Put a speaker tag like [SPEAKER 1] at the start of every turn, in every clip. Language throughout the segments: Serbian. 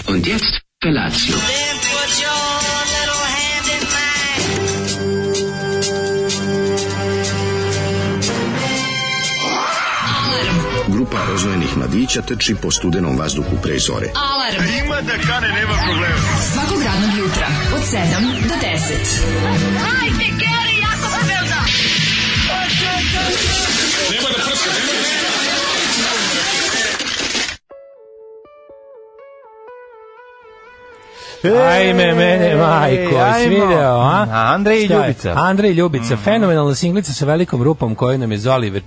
[SPEAKER 1] Und jetzt Felatio.
[SPEAKER 2] Then put your little hand in mine.
[SPEAKER 3] Grupa rozvojenih mladića trči po studenom vazduhu pre zore.
[SPEAKER 4] Alarm.
[SPEAKER 5] Ima da kane, nema problema.
[SPEAKER 4] Svakog radnog jutra od 7 do 10.
[SPEAKER 2] Hajde, Geri, jako se velda.
[SPEAKER 5] Nema da prska, nema da prska.
[SPEAKER 6] Ajme, mene, majko, si video, a?
[SPEAKER 7] Andrej i Ljubica.
[SPEAKER 6] Andrej i Ljubica, fenomenalna singlica sa velikom rupom koju nam je Zoli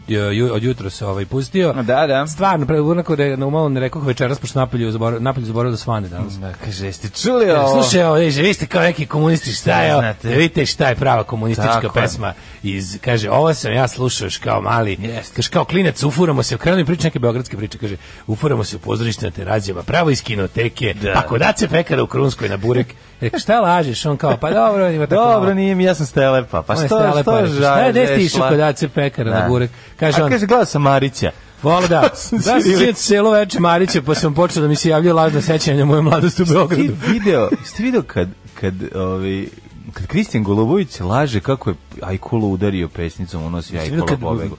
[SPEAKER 6] od jutros pustio.
[SPEAKER 7] Da.
[SPEAKER 6] Stvarno, onako umalo ne rekao večeras, pošto napolju zaboravio da svane danas.
[SPEAKER 7] Kaže, jeste čuli ovo?
[SPEAKER 6] Slušaj, ovo, vi ste kao neki komunisti, šta je, vidite šta je prava komunistička pesma iz, kaže, ovo sam ja slušao još kao mali, kaže, kao klinac, ufuramo se, krenu mi priča neke beogradske priče, kaže, ufuramo se u pozorište na Terazijama, pravo iz kinoteke, ako da se pekara u Krunskoj na burek, rekao, šta lažeš, on kao, pa dobro, ima tako
[SPEAKER 7] dobro, nije mi, ja sam Stelepa, pa što žališ?
[SPEAKER 6] Šta je desi išao kod Dace pekara na burek, kaže on,
[SPEAKER 7] kaže, gledao sam Marića.
[SPEAKER 6] Vola da sam celo veče Marića, pa sam počeo da mi se javljaju lažna sećanja moje mladosti u Beogradu.
[SPEAKER 7] Ste video kad Kristijan Golubović laže kako je Ajkulu udario pesnicom, unosi Ajkula pobegu.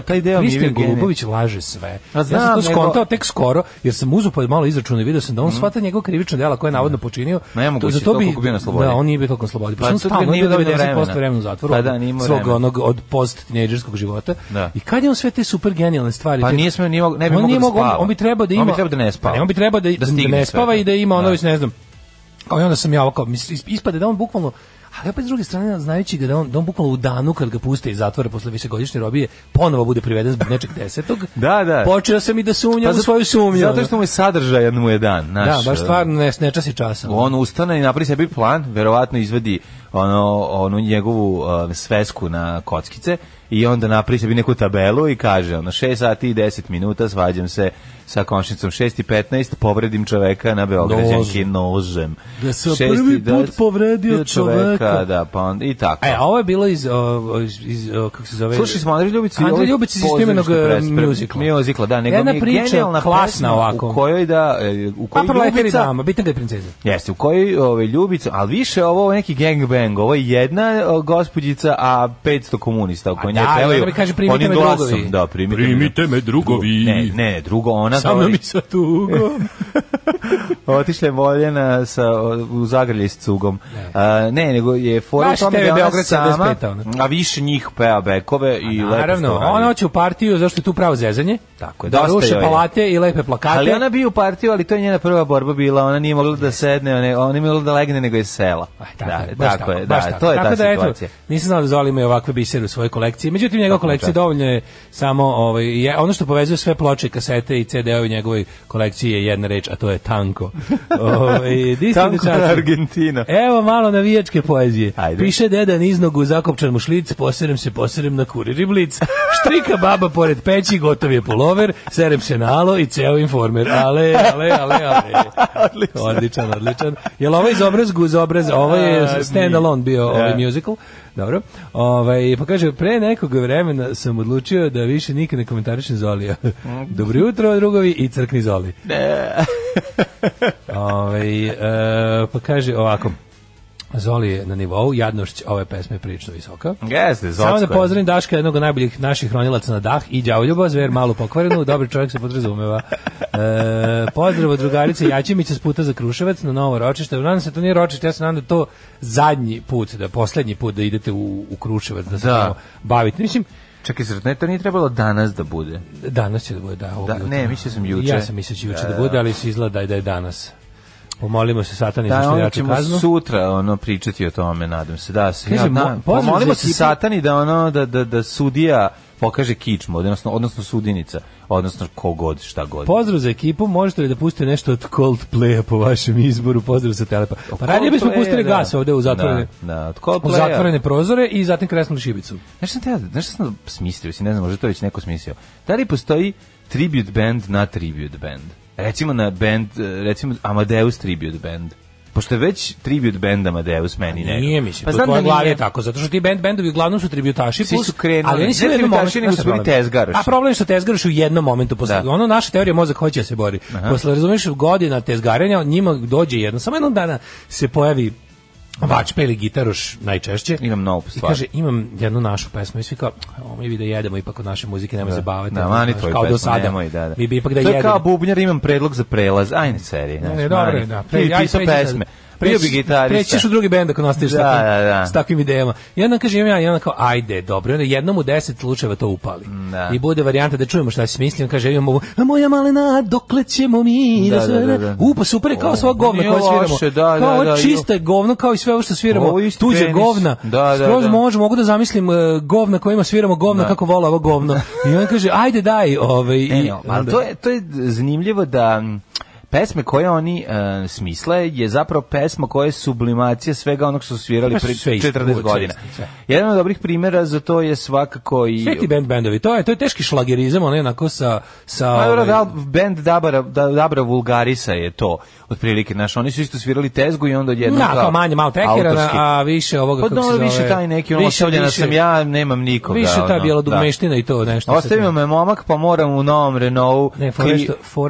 [SPEAKER 7] Taj deo
[SPEAKER 6] Kristijan Golubović laže sve. Ja sam to skontao tek skoro, jer sam uzeo pa malo izračuna i video sam da on shvata njegov krivično dela koje je navodno počinio.
[SPEAKER 7] Za to bi bio na slobodi.
[SPEAKER 6] Da, on nije bio toliko na slobodi. Pa on stalno bio 90% vremena u zatvoru. Svog onog od post-tinejdžerskog života. I kad je on sve te super genijalne stvari?
[SPEAKER 7] Pa nije smeo, ne bi mogao da spava.
[SPEAKER 6] On bi trebao da ima...
[SPEAKER 7] On bi trebao da ne spava.
[SPEAKER 6] On bi trebao da ne spava i da ima ono, ne znam, kao i onda sam ja ovako, ispade da on bukvalno, ali opet s druge strane, znajući ga da on bukvalno u danu kad ga puste iz zatvora posle višegodišnje robije, ponovo bude priveden zbog nečeg 10.
[SPEAKER 7] Da.
[SPEAKER 6] Počeo sam i da sumnjam u svoju sumnju.
[SPEAKER 7] Zato što mu je sadržajan mu je dan.
[SPEAKER 6] Da, baš stvarno ne časi časa.
[SPEAKER 7] On ustane i napravi sebi plan, verovatno izvadi onu njegovu svesku na kockice i onda napravi sebi neku tabelu i kaže 6 sati i 10 minuta svađam se sa komšinicom, 6:15 povredim čoveka na Beograđanki nožem.
[SPEAKER 6] Da sam prvi put povredio čoveka.
[SPEAKER 7] Da, pa onda i tako.
[SPEAKER 6] A ovo je bilo iz kako se zove?
[SPEAKER 7] Slušali smo Andrej Ljubić
[SPEAKER 6] iz istoimenog
[SPEAKER 7] muzikla, da, nego mi je genijalna
[SPEAKER 6] klasna ovako.
[SPEAKER 7] U kojoj Ljubica,
[SPEAKER 6] bitna ga je princeza.
[SPEAKER 7] Jeste, u kojoj Ljubica, ali više ovo neki gangbang, ovo je jedna gospođica, a 500 komunista oko nje pevaju.
[SPEAKER 6] Primite me drugovi.
[SPEAKER 7] Da, primite me drugovi. Ne, drugo ona
[SPEAKER 6] samo mi sa tugom.
[SPEAKER 7] Otišla je voljena u zagrlje s cugom. Ne, nego je fora u tome da ona sama, a više njih peva bekove i lepo.
[SPEAKER 6] Naravno, ona hoće u partiju, zašto je tu pravo zezanje.
[SPEAKER 7] Tako je,
[SPEAKER 6] da ruše palate i lepe plakate.
[SPEAKER 7] Ali ona bi u partiju, ali to je njena prva borba bila, ona nije mogla da sedne, ona nije mogla da legne, nego je sela. Tako je, to je ta situacija.
[SPEAKER 6] Nisam znao da Zoli ima ovakve bisere u svojoj kolekciji, međutim njegova kolekcija dovoljno je samo, ono što povezuje sve ploče, kasete i CD-ovi njegovoj kolekciji je jedna reč, a to je tanko.
[SPEAKER 7] Tanko na Argentina.
[SPEAKER 6] Evo malo navijačke poezije.
[SPEAKER 7] Ajde.
[SPEAKER 6] Piše deda niznogu, zakopčan mu šlic, poserem na kurir i blic. Štrika baba pored peći, gotov je pulover, serem se na alo i ceo informer. Ale. Odličan. Jel ovo iz obrazgu uz obraz? Ovo je stand alone bio ovaj musical. Dobro. Pa kaže, pre nekog vremena sam odlučio da više nikad ne komentarišem Zolija. Dobro jutro, drugovi, i crkni Zoli. Pa kaže ovako. Zoli je na nivou, jadnošć ove pesme je prilično visoka.
[SPEAKER 7] Jeste, Zocko.
[SPEAKER 6] Samo da pozdravim Daška, jednog od najboljih naših hronilaca na dah, i đavoljuba, zver malo pokvarenu, dobri čovjek se podrazumeva. Pozdrav od drugarice Jačimića s puta za Kruševac na novo ročište. Nadam se to nije ročište, ja se nadam da to zadnji put, poslednji put da idete u Kruševac, da se tamo bavite. Mislim,
[SPEAKER 7] čekaj, ne, to nije trebalo danas da bude.
[SPEAKER 6] Danas će da bude, da.
[SPEAKER 7] Ne, mislio sam juče.
[SPEAKER 6] Ja sam mislio juče da bude, ali se izgleda da je danas. Pomolimo se Satani za što jaču kaznu.
[SPEAKER 7] Da, sutra pričati o tome, nadam se. Pomolimo se Satani da sudija pokaže kičmu, odnosno sudinica, odnosno kogod, šta god.
[SPEAKER 6] Pozdrav za ekipu, možete li da pustite nešto od Coldplaya po vašem izboru? Pozdrav sa Telepa. Pa radije bismo pustili gas ovde u zatvorene prozore i zatim kresnuli šibicu.
[SPEAKER 7] Nešto sam smislio, ne znam, možda to već neko smislio. Da li postoji tribute band na tribute band? Recimo na band, recimo Amadeus Tribute Band. pošto je već tribute band Amadeus meni neko.
[SPEAKER 6] Nije, mislim,
[SPEAKER 7] pa
[SPEAKER 6] to
[SPEAKER 7] znam
[SPEAKER 6] tvoje
[SPEAKER 7] da
[SPEAKER 6] glavi je
[SPEAKER 7] nije
[SPEAKER 6] tako, zato što ti bendovi uglavnom su tributaši,
[SPEAKER 7] svi su krenuli,
[SPEAKER 6] ali oni svi u jednom momentu,
[SPEAKER 7] nego su bili tezgaroši.
[SPEAKER 6] A problem je što tezgaroši u jednom momentu, posle, ono naša teorija mozak hoće da se bori. Posle, razumiješ, godina tezgarenja, njima dođe jedno, samo jednog dana se pojavi vačpe ili gitaroš najčešće.
[SPEAKER 7] Imam novu stvar.
[SPEAKER 6] I kaže, imam jednu našu pesmu i svi kao, mi vi da jedemo ipak od naše muzike, nemoj se baviti.
[SPEAKER 7] Da, mani tvoju pesmu, nemoj, da.
[SPEAKER 6] Mi bi ipak da
[SPEAKER 7] jedemo. To je kao
[SPEAKER 6] bubnjar,
[SPEAKER 7] imam predlog za prelaz, ajne serije.
[SPEAKER 6] Ne, dobro, da.
[SPEAKER 7] Ti pisao pesme. Bio bi gitarista.
[SPEAKER 6] Prećeš u drugi bend ako nastaviš s takvim idejama. I onda kažem ja, i onda kao, ajde, dobro. I onda jednom u 10 slučajeva to upali. I bude varijanta da čujemo šta se smislim. Kaže, imamo, moja malena, dokle ćemo mi da sve... Pa super je kao sva govna koja sviramo. Kao čiste govno, kao i sve ovo što sviramo. Tuđe govna. Skroz mogu da zamislim govna kojima sviramo govna, kako vola ovo govno. I on kaže, ajde daj.
[SPEAKER 7] Ali to je zanimljivo da... pesme koje oni smisle je zapravo pesma koja je sublimacija svega onog što su svirali pre 40 godina. Jedan od dobrih primjera za to je svakako i...
[SPEAKER 6] Sve ti bendovi, to je teški šlagerizam, ono jednako sa
[SPEAKER 7] band Dabra Vulgarisa je to, otprilike, znaš, oni su isto svirali tezgu i onda odjednom
[SPEAKER 6] kao manje, malo tekera, a više ovoga, kako se zove...
[SPEAKER 7] više taj neki, ostavljena sam ja, nemam nikoga.
[SPEAKER 6] Više ta bjelodugmeština i to nešto.
[SPEAKER 7] Ostavimo me momak, pa moram u novom Renault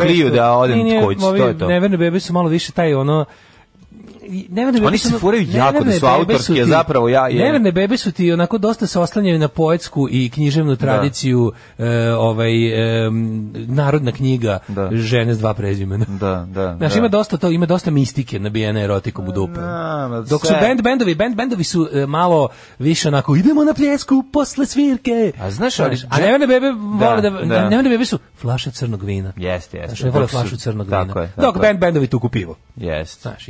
[SPEAKER 7] Clio da odem kući.
[SPEAKER 6] Neverne bebe su malo više taj ono
[SPEAKER 7] oni se furaju jako da su autorski, a zapravo
[SPEAKER 6] Neverne bebe su ti onako dosta se oslanjaju na poetsku i književnu tradiciju, narodna knjiga žene s dva prezimena. Znači ima dosta to, ima dosta mistike nabijene erotikom u dupe. Dok su bendovi su malo više onako idemo na pljesku posle svirke.
[SPEAKER 7] A znaš,
[SPEAKER 6] a Neverne bebe vole da Neverne bebe su flaše crnog vina.
[SPEAKER 7] Jeste.
[SPEAKER 6] Znači vole flašu crnog vina. Dok bendovi tuku pivo.
[SPEAKER 7] Jeste.
[SPEAKER 6] Znaš,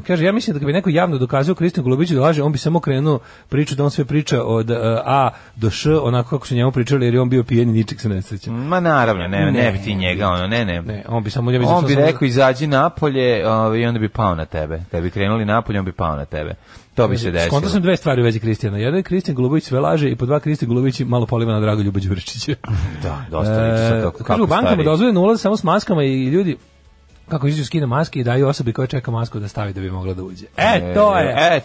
[SPEAKER 6] kaže, ja mislim da kad bi neko javno dokazao Kristijanu Golubiću da laže, on bi samo krenuo priču da on sve priča od A do Š, onako kako su njemu pričali, jer je on bio pijen i ničeg se ne sreća.
[SPEAKER 7] Ma naravno, ne bi ti njega, ono, ne.
[SPEAKER 6] On bi samo...
[SPEAKER 7] On bi rekao, izađi napolje i onda bi pao na tebe. Kad bi krenuli napolje, on bi pao na tebe. To bi se desilo.
[SPEAKER 6] Skonto sam dve stvari u vezi Kristijana. Jedan je Kristijan Golubić sve laže i po dva Kristijan Golubić malo poliva na Dragoljuba Đuričića.
[SPEAKER 7] Da, dosta liči.
[SPEAKER 6] Kažu, u bankama dozvoljeno ulaz samo s maskama i ljudi kako izađu skine maske i daju osobi koja čeka masku da stavi da bi mogla da uđe.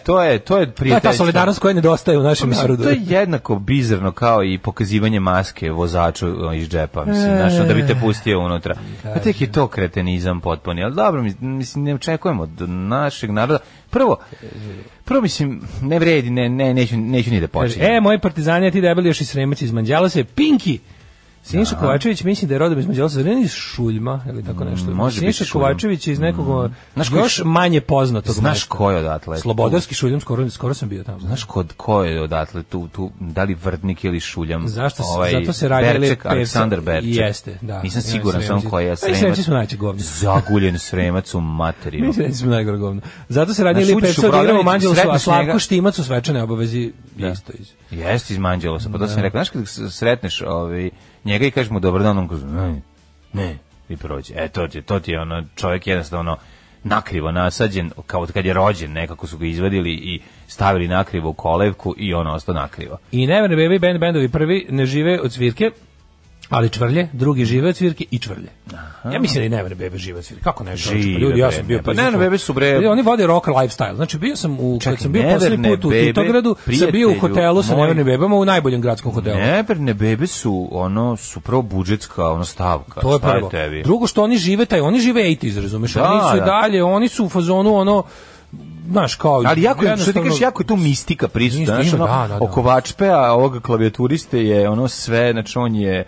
[SPEAKER 7] To je prijateljstvo.
[SPEAKER 6] To je ta solidarnost koja nedostaje u našem narodu.
[SPEAKER 7] To je jednako bizarno kao i pokazivanje maske vozaču iz džepa, mislim, znaš, da bi te pustio unutra. A tek je to kretenizam potpuni, ali dobro, mislim, ne očekujemo od našeg naroda. Prvo mislim, ne vredi, neću ni da počinjem.
[SPEAKER 6] Moji partizani, ti debeli još i Sremac iz Manđala se, Pinki! Siniša Kovačević mislim da je rodom iz Mađarstva, ne iz Šuljma ili tako nešto. Siniša Kovačević iz nekog još manje poznatog.
[SPEAKER 7] Znaš ko je odatle?
[SPEAKER 6] Slobodarski Šuljam, skoro sam bio tamo.
[SPEAKER 7] Znaš ko je odatle tu da li Vrdnik ili Šuljam?
[SPEAKER 6] Zato se radi
[SPEAKER 7] Berček, Aleksandar Berček.
[SPEAKER 6] Jeste, da.
[SPEAKER 7] Nisam siguran sam ko je Sremac.
[SPEAKER 6] Sremci smo najče govno.
[SPEAKER 7] Zaguljen Sremac u materiju.
[SPEAKER 6] Mislim da smo najgore govno. Zato se radi ili Pepsa Diramo Manđelosu, a Slavko Štimac u svečane obavezi isto iz.
[SPEAKER 7] Jeste iz Manđelosa, pa to sam rekao. Znaš kad sretneš njega i kažeš mu dobar dan, on kaže ne, i prođe. To ti je ono, čovjek jednostavno nakrivo nasađen, kao kad je rođen, nekako su ga izvadili i stavili nakrivo u kolevku i on ostao nakrivo.
[SPEAKER 6] I Neverne bebe bendovi prvi ne žive od svirke, ali čvrlje, drugi žive od svirke i čvrlje. Ja mislim da i Neverne bebe žive od svirke. Kako ne žive? Ljudi, ja sam bio
[SPEAKER 7] pa Neverne bebe su bre.
[SPEAKER 6] Oni vode rock lifestyle. Znači bio sam kad sam bio poslednji put u Titogradu, sam bio u hotelu sa Neverne bebama u najboljem gradskom hotelu.
[SPEAKER 7] Neverne bebe su prvo budžetska stavka.
[SPEAKER 6] To je prvo. Drugo što oni žive 80s, razumeš? Oni su dalje, oni su u fazonu znaš, kao...
[SPEAKER 7] Ali što ti kažeš, jako je tu mistika prisutna, znaš, oko vačpea, ovog klavijaturiste je sve, znači on je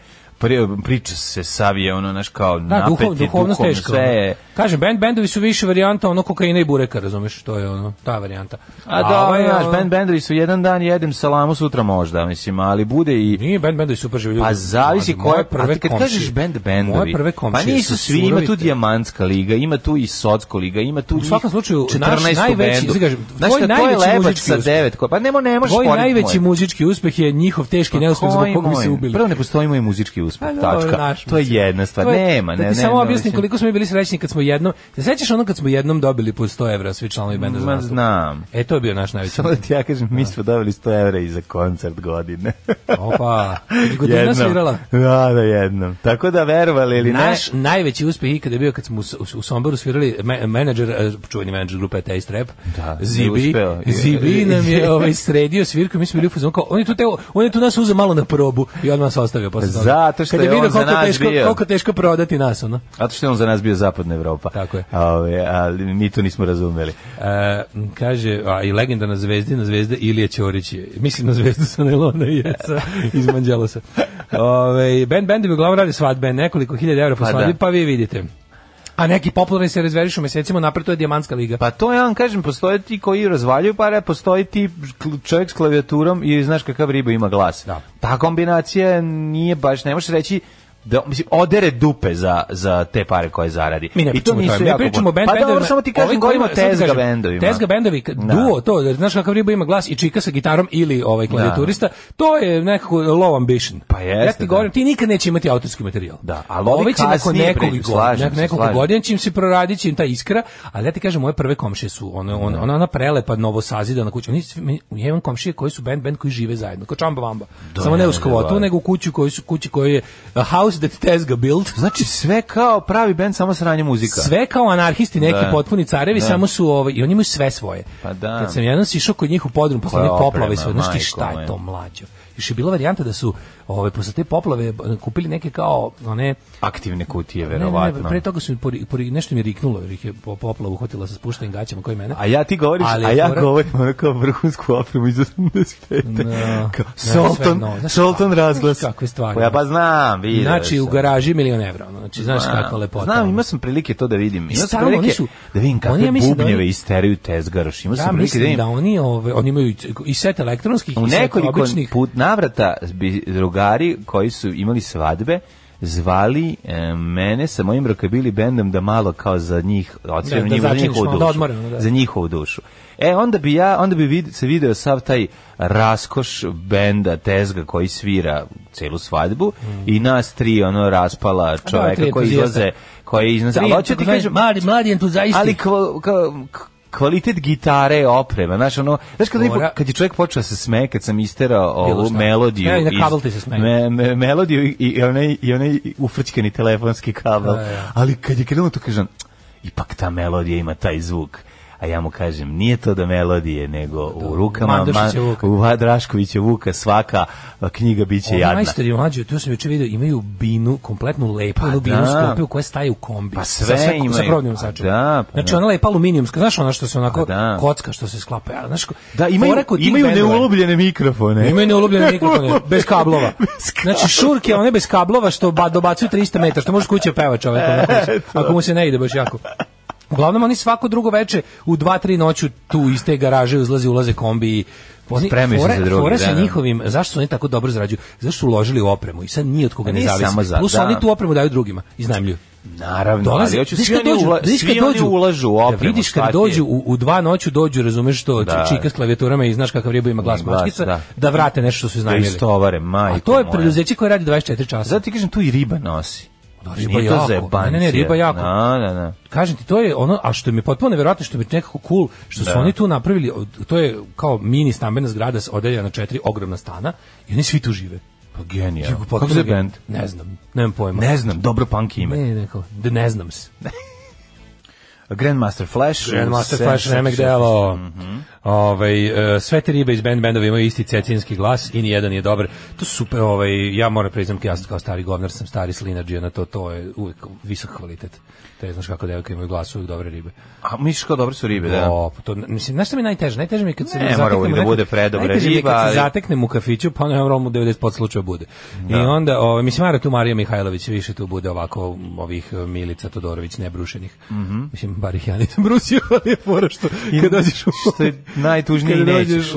[SPEAKER 7] priča se savije, znaš, kao napeti, duhovno sve.
[SPEAKER 6] Kažem, bendovi su više varijanta kokaina i bureka, razumeš, to je ta varijanta.
[SPEAKER 7] Znaš, bendovi su jedan dan jedem salamu, sutra možda, mislim, ali bude i...
[SPEAKER 6] Nije, bendovi super živi ljudi.
[SPEAKER 7] Pa zavisi koje prve komšije. Kad kažeš bendovi,
[SPEAKER 6] moje prve komšije
[SPEAKER 7] pa nisu svi, ima tu Dijamantska liga, ima tu i Socko liga, ima tu
[SPEAKER 6] u svakom slučaju,
[SPEAKER 7] 14 bendu.
[SPEAKER 6] Znaš, to je Lebač sa
[SPEAKER 7] 9, pa ne možeš
[SPEAKER 6] tvoj najveći muzički uspeh je njihov teški neuspeh zbog kog mi se ubili.
[SPEAKER 7] Prvo ne postoji moj muzički uspeh. uspeh,
[SPEAKER 6] dobro,
[SPEAKER 7] tačka.
[SPEAKER 6] naš,
[SPEAKER 7] To je jedna stvar. Nema,
[SPEAKER 6] da ti samo objasnim koliko smo mi bili srećni kad smo jednom, se sećaš ono kad smo jednom dobili po 100 evra svi članovi benda za nastup?
[SPEAKER 7] Znam.
[SPEAKER 6] To je bio naš najveći.
[SPEAKER 7] Samo da ti ja kažem, mi smo dobili 100 evra i za koncert godine.
[SPEAKER 6] Opa, godina svirala.
[SPEAKER 7] Da, jednom. Tako da verovali ili ne.
[SPEAKER 6] Naš najveći uspeh ikada je bio kad smo u Somboru svirali menadžer, čuveni menadžer grupe Taste Rap, Zibi nam je sredio svirku, mi smo bili u fazonu kao, on je tu nas uzeo malo na probu i odmah nas ostavio posle toga.
[SPEAKER 7] Zato što je on za nas bio.
[SPEAKER 6] Koliko teško prodati nas, ono.
[SPEAKER 7] Zato što je on za nas bio zapadna Evropa.
[SPEAKER 6] Tako je.
[SPEAKER 7] Ali mi to nismo razumeli.
[SPEAKER 6] Kaže, i legendarna zvezda Ilija Ćorić je, mislim na zvezdu sa Nelona i Jeca iz Manđelosa. Bendovi uglavnom radi svadbe, nekoliko hiljada evra po svadbi, pa vi vidite. A neki popularni se razverišu mesecima, napred to je dijamantska liga.
[SPEAKER 7] Pa to ja vam kažem, postoje ti koji razvaljuju pare, postoji ti čovjek s klavijaturom i znaš kakav riba ima glas.
[SPEAKER 6] Da.
[SPEAKER 7] Ta kombinacija nije baš, ne možeš reći da, mislim, odere dupe za te pare koje zaradi.
[SPEAKER 6] Mi ne pričamo o tome, mi pričamo o bendovima.
[SPEAKER 7] Pa dobro, samo ti kažem, govorimo o tezga bendovima.
[SPEAKER 6] Tezga bendovi, duo, to, znaš kakav riba ima glas i čika sa gitarom ili klavijaturista, to je nekako low ambition.
[SPEAKER 7] Pa jeste,
[SPEAKER 6] ja ti govorim, ti nikad neće imati autorski materijal.
[SPEAKER 7] Da, ali ovi
[SPEAKER 6] će nakon nekoliko godina će im se proradit, će im ta iskra, ali ja ti kažem, moje prve komšije su, ona prelepa novosazidana kuća. Ja imam komšije koji su band koji žive zajedno, kao Čamba Vamba. Samo ne u skvotu, nego u kući koji je house that Tezga built.
[SPEAKER 7] Znači sve kao pravi bend, samo sranje muzika.
[SPEAKER 6] Sve kao anarhisti, neki potpuni carevi, samo su i oni imaju sve svoje.
[SPEAKER 7] Pa da.
[SPEAKER 6] Kad sam jednom sišao kod njih u podrum posle onih poplave, znaš ti šta je to, mlađo? Još je bila varijanta da su posle te poplave kupili neke kao one
[SPEAKER 7] aktivne kutije, verovatno.
[SPEAKER 6] Ne, pre toga su nešto mi riknulo, jer ih je poplava uhvatila sa spuštenim gaćama koji mene.
[SPEAKER 7] A ja ti govoriš, govorim ono kao vrhunsku opremu iz 85. Sultan razglas.
[SPEAKER 6] Kakve stvari.
[SPEAKER 7] Ja pa znam, vidio.
[SPEAKER 6] Znači u garaži $1.000.000 evra, znači znaš kakva lepota.
[SPEAKER 7] Znam, imao sam prilike to da vidim. Imao sam prilike da vidim kakve bubnjeve isteraju Tezgaroš. Imao sam prilike da vidim.
[SPEAKER 6] Da oni imaju i set elektronskih i set običnih.
[SPEAKER 7] Navrata bi drugari koji su imali svadbe zvali mene sa mojim rockabilly bendom da malo kao za njih za njihovu dušu. Onda bi se video sav taj raskoš benda Tezga koji svira celu svadbu i nas tri raspala čoveka koji izlaze, ali hoću ti kažem
[SPEAKER 6] mladi entuzijaisti,
[SPEAKER 7] ali kvalitet gitare, oprema, znaš kad je čovjek počeo da se smeje, kad sam isterao ovu melodiju, melodiju i onaj ufrčkani telefonski kabel, ali kad je krenuo to kažem, ipak ta melodija ima taj zvuk. A ja mu kažem, nije to da melodije, nego u rukama Draškovića Vuka svaka knjiga biće jadna.
[SPEAKER 6] Majstori mlađi, tu sam juče vidio, imaju binu, kompletnu lepu binu sklopiju koja staje u kombi.
[SPEAKER 7] Pa sve imaju.
[SPEAKER 6] Sa provodnim sačevom. Znači ona lepa aluminijumska, znaš ona što se onako kocka što se sklapa.
[SPEAKER 7] Da, imaju neulubljene mikrofone.
[SPEAKER 6] Imaju neulubljene mikrofone, bez kablova. Znači šurke, one bez kablova što dobacuju 300 metara, što možeš kuće peva čovek, ako mu se ne ide baš jako. Uglavnom oni svako drugo veče u 2-3 noću tu iz te garaže ulaze kombi i
[SPEAKER 7] spremaju se za drugi.
[SPEAKER 6] Fora sa njihovim, zašto su oni tako dobro zarađuju? Zašto su uložili u opremu i sad nije od koga ne zavisi. Plus oni tu opremu daju drugima, iznajmljuju.
[SPEAKER 7] Naravno, ali hoću svi oni ulažu u opremu.
[SPEAKER 6] Vidiš kad dođu u 2 noću dođu, razumeš što čika s klavijaturama i znaš kakav riba ima glas mačkica, da vrate nešto što su iznajmili.
[SPEAKER 7] Da istovare, majko.
[SPEAKER 6] A to je preduzeće koje radi 24 časa.
[SPEAKER 7] Zato ti kažem, tu i riba nosi.
[SPEAKER 6] Riba jako. Ne, riba jako. Kažem ti, to je ono, a što mi je potpuno nevjerojatno, što mi je nekako cool, što su oni tu napravili, to je kao mini stambena zgrada odeljena na 4 ogromna stana i oni svi tu žive.
[SPEAKER 7] Pa genijalno. Kako se band?
[SPEAKER 6] Ne znam, nemam pojma.
[SPEAKER 7] Ne znam, dobro punk ime.
[SPEAKER 6] Ne znam se.
[SPEAKER 7] Grandmaster Flash,
[SPEAKER 6] remek delo. Sve te ribe iz bendova imaju isti cecinski glas i nijedan nije dobar. To su super, ja moram priznam, ja kao stari govnar sam stari slinadžija na to je uvijek visok kvalitet. Te znaš kako devojke imaju glas, uvijek dobre ribe.
[SPEAKER 7] A misliš kao dobre su ribe, da?
[SPEAKER 6] Mislim, znaš što mi je najteže? Najteže mi je kad se
[SPEAKER 7] zateknem da bude predobra riba,
[SPEAKER 6] kad se zateknem u kafiću, pa ono u 90% slučaja bude. I onda, mislim, Mara tu Marija Mihajlović više tu bude ovako ovih Milica Todorović nebrušenih. Mislim, bar ih ja nisam brusio, ali je fora što kad dođeš
[SPEAKER 7] što je najtužniji nećeš.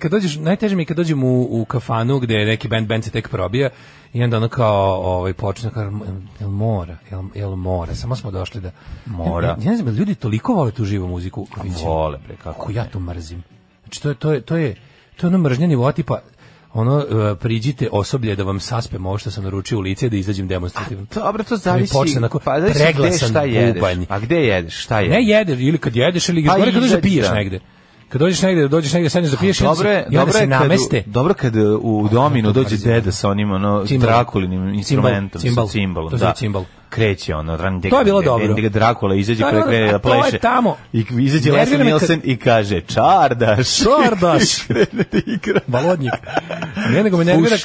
[SPEAKER 6] Kad dođeš, najteže mi je kad dođem u kafanu gde neki band se tek probija i onda ono kao počne kao jel mora, samo smo došli da
[SPEAKER 7] mora.
[SPEAKER 6] Ja ne znam, ljudi toliko vole tu živu muziku.
[SPEAKER 7] Vole, bre, kako
[SPEAKER 6] ja to mrzim. Znači to je ono mržnje nivoa tipa priđite osoblje da vam saspem ovo što sam naručio u lice da izađem demonstrativno.
[SPEAKER 7] Dobro, to zavisi.
[SPEAKER 6] Pa preglasan bubanj.
[SPEAKER 7] A gde jedeš? Šta jedeš?
[SPEAKER 6] Ne jedeš, ili kad jedeš, ili gore kad dođeš da piješ negde. Kad dođeš negde, sedneš da piješ, onda se nameste.
[SPEAKER 7] Dobro kad u dominu dođe deda sa onim Drakulinim instrumentom, sa cimbalom.
[SPEAKER 6] To je cimbal.
[SPEAKER 7] Kreće
[SPEAKER 6] to je bilo dobro.
[SPEAKER 7] Drakula izađe krene da pleše. I izađe Leslie Nielsen i kaže čardaš.
[SPEAKER 6] Balodnik. Ne, nego me nervira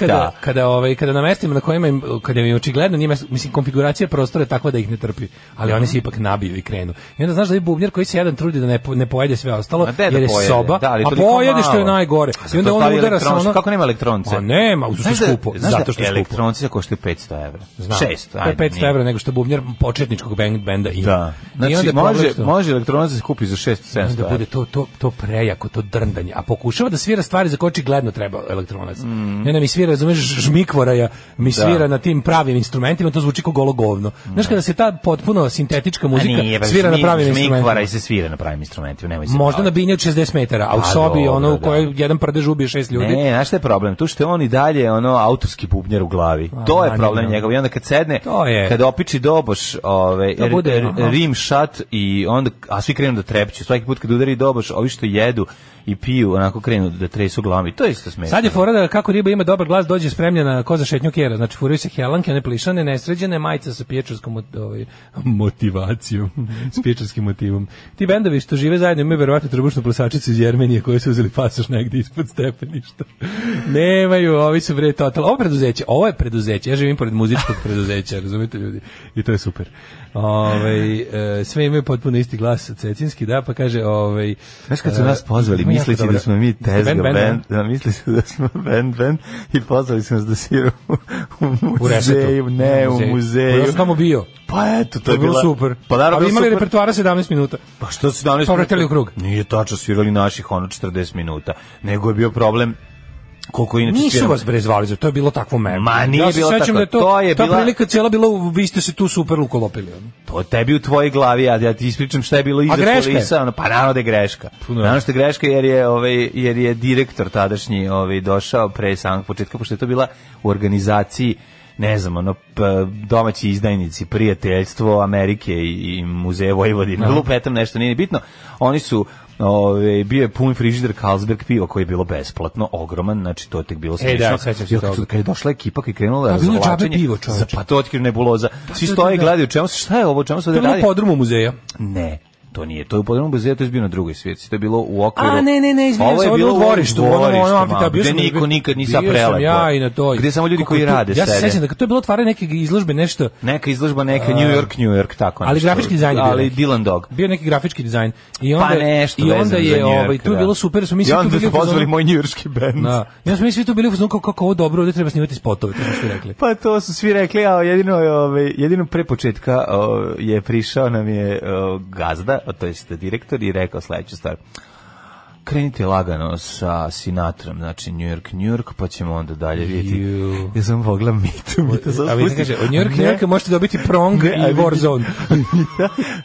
[SPEAKER 6] kada namestimo na kojima kada mi očigledno nije mislim konfiguracija prostora je takva da ih ne trpi, ali oni se ipak nabiju i krenu. I onda znaš da je bubnjar koji se jedan trudi da ne pojede sve ostalo, jer je soba, a pojede što je najgore. I onda on udara sa ono.
[SPEAKER 7] Kako nema elektronce?
[SPEAKER 6] A nema, skupo, zato što je skupo.
[SPEAKER 7] Elektronci koštaju 500 €. 600,
[SPEAKER 6] 500 € nego što bubnjar početničkog benda ima.
[SPEAKER 7] Da. Znači, može elektronac da se kupi za 600-700
[SPEAKER 6] da bude to prejako, to drndanje. A pokušava da svira stvari za koje očigledno treba elektronac. Ne mi svira, razumeš, žmikvoraja, mi svira na tim pravim instrumentima, to zvuči kao golo govno. Znaš, kada se ta potpuno sintetička muzika svira na pravim instrumentima.
[SPEAKER 7] Žmikvara se svira na pravim instrumentima, nemoj se.
[SPEAKER 6] Možda na binje od 60 metara, a u sobi u kojoj jedan prdež ubije 6 ljudi.
[SPEAKER 7] Ne, znaš šta je problem? Tu što je on i dalje autorski bubnjar u glavi. To je problem njegov. I onda kad sedne, kad opiči doboš, rim šat i onda, a svi krenu da trepću. Svaki put kad udari doboš, ovi što jedu i piju, onako krenu da tresu glavom. To je isto smešno.
[SPEAKER 6] Sad je fora da kako riba ima dobar glas, dođe spremljena ko za šetnju kjera. Znači, furaju se helanke, one plišane, nesređene, majica sa pječarskom motivacijom, s pječarskim motivom. Ti bendovi što žive zajedno imaju verovatno trbušnu plesačicu iz Jermenije koji su uzeli pasoš negdje ispod stepeništa. Nemaju, ovi su bre total. Ovo je preduzeće, ja živim pored muzičkog preduzeća, razumete ljudi? I to je super. Sve imaju potpuno isti glas cecinski, da, pa kaže
[SPEAKER 7] znaš kad su nas pozvali, misleći da smo mi tezga band, mislili su da smo band i pozvali su nas da sviramo u muzeju, u muzeju.
[SPEAKER 6] Ja sam tamo bio.
[SPEAKER 7] Pa eto, to je bilo
[SPEAKER 6] super.
[SPEAKER 7] Pa naravno,
[SPEAKER 6] ali imali repertoara 17 minuta.
[SPEAKER 7] Pa što 17 minuta?
[SPEAKER 6] Povratili u krug.
[SPEAKER 7] Nije tačno, svirali naših 40 minuta, nego je bio problem koliko inače
[SPEAKER 6] nisu vas bre zvali za to, je bilo takvo meme.
[SPEAKER 7] Ma nije bilo tako,
[SPEAKER 6] da to je bila... Ta prilika cijela bila, vi ste se tu super ukolopili.
[SPEAKER 7] To tebi u tvojoj glavi, ja ti ispričam šta je bilo iza kulisa. Pa naravno da je greška. Naravno što je greška jer je direktor tadašnji došao pre samog početka, pošto je to bila u organizaciji ne znam, domaći izdajnici, prijateljstvo Amerike i muzeje Vojvodine, lupetam nešto, nije bitno. Oni su bio je pun frižider Carlsberg piva koji je bilo besplatno, ogroman, znači to je tek bilo smiješno. Kad je došla ekipa koji je krenula razvlačenje, pa to otkrio nebuloza. Svi stoje i gledaju šta je ovo, čemu se ovdje radi?
[SPEAKER 6] To je bilo podrumu muzeja.
[SPEAKER 7] Ne. To nije, to je u podrumu muzeja, to je bio na drugoj svijetci, to je bilo u okviru.
[SPEAKER 6] A ne, izvinjam se, ovo je bilo u dvorištu,
[SPEAKER 7] gde niko nikad nisam prelepo.
[SPEAKER 6] Ja i na to.
[SPEAKER 7] Gde samo ljudi koji rade sede.
[SPEAKER 6] Ja se sećam da to je bilo otvaranje neke izložbe, nešto.
[SPEAKER 7] Neka izložba, neka New York, tako.
[SPEAKER 6] Ali grafički dizajn je bio.
[SPEAKER 7] Ali Dylan Dog.
[SPEAKER 6] Bio neki grafički dizajn. I
[SPEAKER 7] onda
[SPEAKER 6] je, tu je bilo super, su mi svi tu bili
[SPEAKER 7] pozvali moj njujorški bend.
[SPEAKER 6] Ja smo mi svi tu bili u fazonu kako ovo dobro, ovdje treba snimati spotove, to su svi rekli.
[SPEAKER 7] Pa to su svi rekli, a jedino pre početka je prišao nam je gazda, to jest direktor i rekao sledeću stvar. Krenite lagano sa Sinatrom, znači New York, pa ćemo onda dalje vidjeti. Ja sam pogledam Mitu.
[SPEAKER 6] A vi kaže, od New Yorka možete dobiti Prong i Warzone.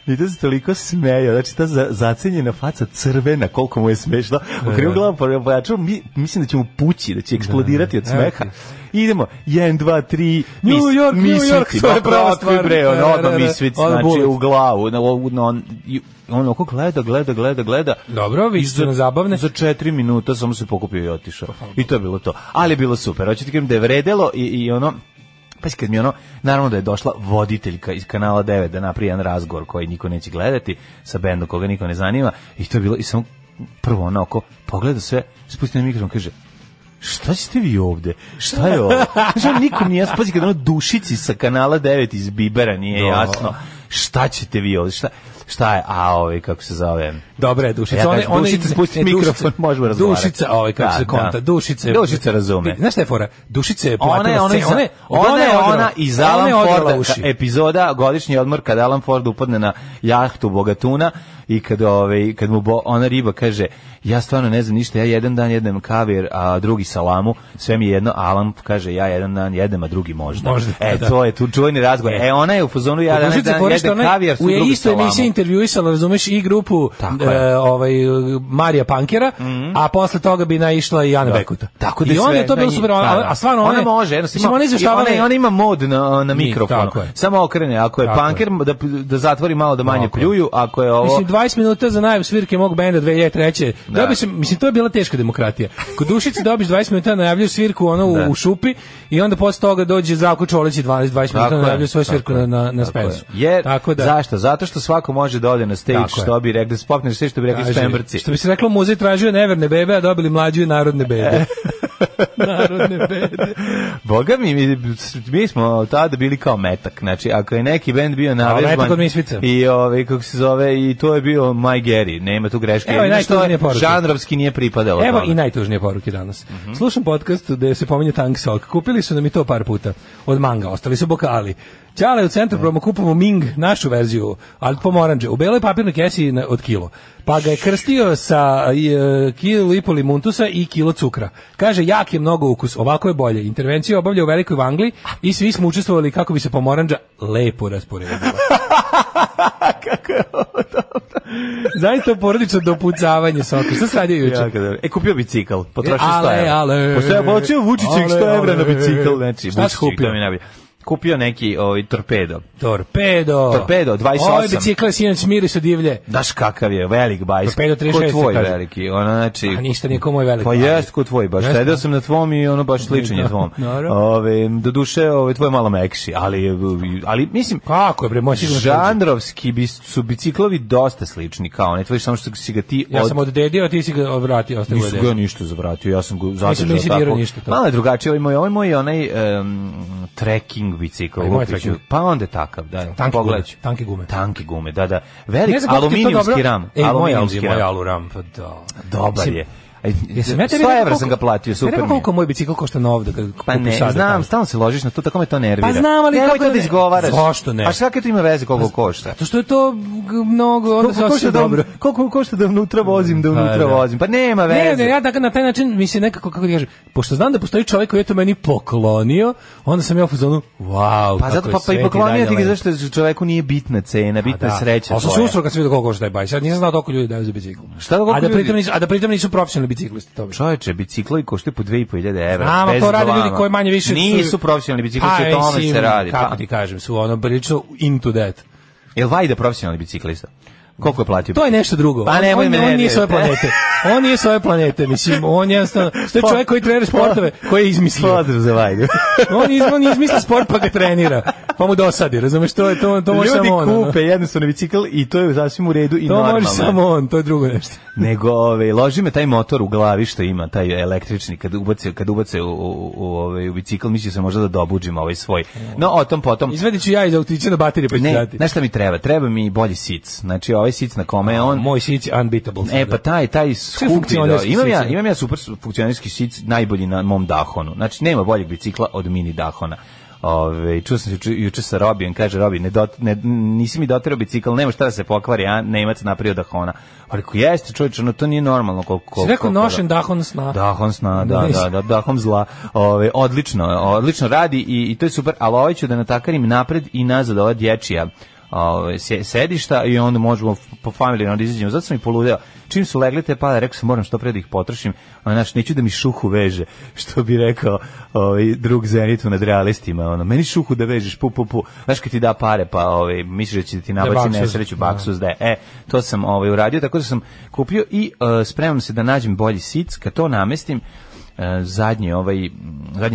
[SPEAKER 7] Mita se toliko smeja, znači ta zacenjena faca crvena, koliko mu je smešno. Okrenuo glavu, pojačao, mislim da će mu pući, da će eksplodirati od smeha. Idemo, 1, 2, 3,
[SPEAKER 6] New York, to je prava stvar.
[SPEAKER 7] Odmah misvic, znači u glavu, ono ko gleda.
[SPEAKER 6] Dobro, vi ste na zabavne.
[SPEAKER 7] Za 4 minuta samo se pokupio i otišao. I to je bilo to. Ali je bilo super. Hoćete kažem da je vredelo i ono, pa kad mi naravno da je došla voditeljka iz kanala 9 da napravi jedan razgovor koji niko neće gledati sa bendom koga niko ne zanima i to je bilo i samo prvo onako pogleda sve, spusti na mikrofon, kaže šta ćete vi ovde? Šta je ovo? Znači, nikom nije jasno. Pazi, kad Dušici sa kanala 9 iz Bibera nije jasno. Šta ćete vi ovde? Šta je? Kako se zove?
[SPEAKER 6] Dobre, Dušica.
[SPEAKER 7] Dušica spusti mikrofon, možemo razgovarati.
[SPEAKER 6] Dušica, kako se konta.
[SPEAKER 7] Dušica razume.
[SPEAKER 6] Znaš šta je fora? Dušica je
[SPEAKER 7] ona iz Alan Forda, epizoda Godišnji odmor kad Alan Ford upadne na jahtu Bogatuna i kad mu ona riba kaže ja stvarno ne znam ništa, ja jedan dan jedem kavir, a drugi salamu, sve mi je jedno, Alan kaže ja jedan dan jedem, a drugi možda. To je tu čuveni razgovor. Ona je u fazonu ja jedan dan jedem kavir, su drugi salamu.
[SPEAKER 6] U istoj emisiji intervjuisala, razumeš, i grupu Marija Pankera, a posle toga bi naišla i Ana Bekuta.
[SPEAKER 7] Tako da
[SPEAKER 6] i onda je to bilo super, a stvarno
[SPEAKER 7] ona može, ona ima mod na mikrofonu. Samo okrene, ako je Panker da zatvori malo da manje pljuju, ako je ovo...
[SPEAKER 6] Mislim, 20 minuta za najavu svirke mog benda 2003. Mislim, to je bila teška demokratija. Kod Dušice dobiš 20 minuta, najavljaš svirku u šupi i onda posle toga dođe Zdravko Čolić i 20 minuta najavlja svoju svirku na Spensu.
[SPEAKER 7] Zašto? Zato što svako može da ode na stage, što bi rekli, spopneš sve što bi rekli Špembrci.
[SPEAKER 6] Što bi se reklo, muzej tražio neverne bebe, a dobili mlađu i narodne bebe. Narodne bebe.
[SPEAKER 7] Boga mi smo tada bili kao metak. Znači, ako je neki bend bio navežban i kako se zove, i to je bio My Gary, nema tu greške.
[SPEAKER 6] Evo i najtužnije poruke.
[SPEAKER 7] Žanrovski nije pripadalo.
[SPEAKER 6] Evo i najtužnije poruke danas. Slušam podcast gde se pominje Tank Sok. Kupili su nam i to par puta od Manga, ostali su bokali. Ćale u centru promo kupamo Ming, našu verziju, ali pomoranđe, u beloj papirnoj kesi od kilo. Pa ga je krstio sa kilo i pol limuntusa i kilo cukra. Kaže, jak je mnogo ukus, ovako je bolje. Intervenciju obavlja u Velikoj Vangli i svi smo učestvovali kako bi se pomoranđa lepo rasporedila.
[SPEAKER 7] Kako je ovo dobro.
[SPEAKER 6] Zaista porodično dopucavanje soka. Šta se radio juče?
[SPEAKER 7] Kupio bicikl, potrošio 100 €. Postoja počeo Vučićih 100 € na bicikl. Znači,
[SPEAKER 6] šta si kupio?
[SPEAKER 7] Kupio neki torpedo.
[SPEAKER 6] Torpedo,
[SPEAKER 7] 28.
[SPEAKER 6] Ovo je bicikle sinoć mirisu divlje.
[SPEAKER 7] Daš kakav je, velik bajs.
[SPEAKER 6] Torpedo 36.
[SPEAKER 7] Ko tvoj veliki, ono znači...
[SPEAKER 6] A ništa nije ko moj veliki.
[SPEAKER 7] Pa jest ko tvoj, baš sedeo sam na tvom i ono baš sličan je tvom. Do duše, tvoj je malo mekši, ali mislim...
[SPEAKER 6] Kako je bre, moj sigurno...
[SPEAKER 7] Žanrovski su biciklovi dosta slični, kao ne tvoj, samo što si ga ti...
[SPEAKER 6] Ja sam oddedio, a ti si ga vratio.
[SPEAKER 7] Nisu ga ništa zavratio, ja sam ga zadržao tako. Malo je drugačije, ovo je moj onaj trekking bicikl. Pa onda je takav, da. Tanke gume, da. Velik aluminijumski ram.
[SPEAKER 6] Moj aluram, pa da.
[SPEAKER 7] Dobar je.
[SPEAKER 6] Jesam ja tebi
[SPEAKER 7] 100 € sam ga platio, super mi je.
[SPEAKER 6] Koliko moj bicikl košta nov da
[SPEAKER 7] pa ne, znam, stalno se ložiš na to, tako me to nervira.
[SPEAKER 6] Pa znam, ali
[SPEAKER 7] kako da izgovaraš?
[SPEAKER 6] Zašto ne?
[SPEAKER 7] A šta kad to ima veze koliko košta?
[SPEAKER 6] Zato što je to mnogo, onda se osjeća dobro.
[SPEAKER 7] Koliko košta da unutra vozim, Pa nema veze.
[SPEAKER 6] Ne, ja na taj način mi se nekako, kako ti kažem, pošto znam da postoji čovjek koji je to meni poklonio, onda sam ja u fazonu, wow,
[SPEAKER 7] pa zato pa i poklonio ti ga zašto čoveku nije bitna cena, bitna je sreća tvoja.
[SPEAKER 6] Ali sam se usro kad sam vidio koliko košta taj bajs. Ja nisam znao koliko ljudi daju za bicikl. A da pritom nisu profesionalni biciklisti, to
[SPEAKER 7] čoveče, biciklovi koštaju po 2.500 €.
[SPEAKER 6] Bez to rade ljudi koji manje više
[SPEAKER 7] nisu profesionalni biciklisti, o tome se radi.
[SPEAKER 6] Kako ti kažem, su ono prilično into that.
[SPEAKER 7] Jel Vajda profesionalni biciklista? Koliko je platio?
[SPEAKER 6] To je nešto drugo.
[SPEAKER 7] Pa nemoj me
[SPEAKER 6] on nije s ove planete. On nije s ove planete, mislim, on jednostavno, to je čovjek koji trenira sportove, koji je izmislio.
[SPEAKER 7] Pozdrav za Vajdu.
[SPEAKER 6] On izmislio sport pa ga trenira, pa mu dosadi, razumeš, to može samo on.
[SPEAKER 7] Ljudi kupe jednostavno bicikl i to je sasvim u redu i normalno.
[SPEAKER 6] To može samo on, to je drugo nešto.
[SPEAKER 7] Nego, loži me taj motor u glavi što ima, taj električni, kad ubace u bicikl, mislio sam možda da dobuđim ovaj svoj. No, o tom potom.
[SPEAKER 6] Izvedit ću ja iz autića na baterije pa ću dati.
[SPEAKER 7] Znaš šta mi treba? Treba mi bolji sic. Znači, ovaj sic na kome je on...
[SPEAKER 6] Moj sic je unbeatable.
[SPEAKER 7] Pa taj skupi, imam ja super funkcionerski sic, najbolji na mom Dahonu. Znači, nema boljeg bicikla od mini Dahona. Čuo sam se juče sa Robijem, kaže Robi, nisi mi doterao bicikl, nema šta da se pokvari, a Nemac napravio Dahona. Ali ko jeste, čovječe, no to nije normalno.
[SPEAKER 6] Si rekao nošen Dahon sna.
[SPEAKER 7] Dahon sna, da, Dahon zla. Odlično radi i to je super, ali ovaj ću da natakarim napred i nazad ova dječija sedišta i onda možemo po familijno da izađemo. Zato sam i poludeo. Čim su legli te pale, rekao sam moram što pre da ih potrošim, znači neću da mi šuhu veže, što bi rekao drug Zenitu nad realistima, meni šuhu da vežeš, pu. Znaš kad ti da pare, pa misliš da će ti nabaci nesreću, baksuz, to sam uradio, tako da sam kupio i spremam se da nađem bolji sic, kad to namestim, zadnje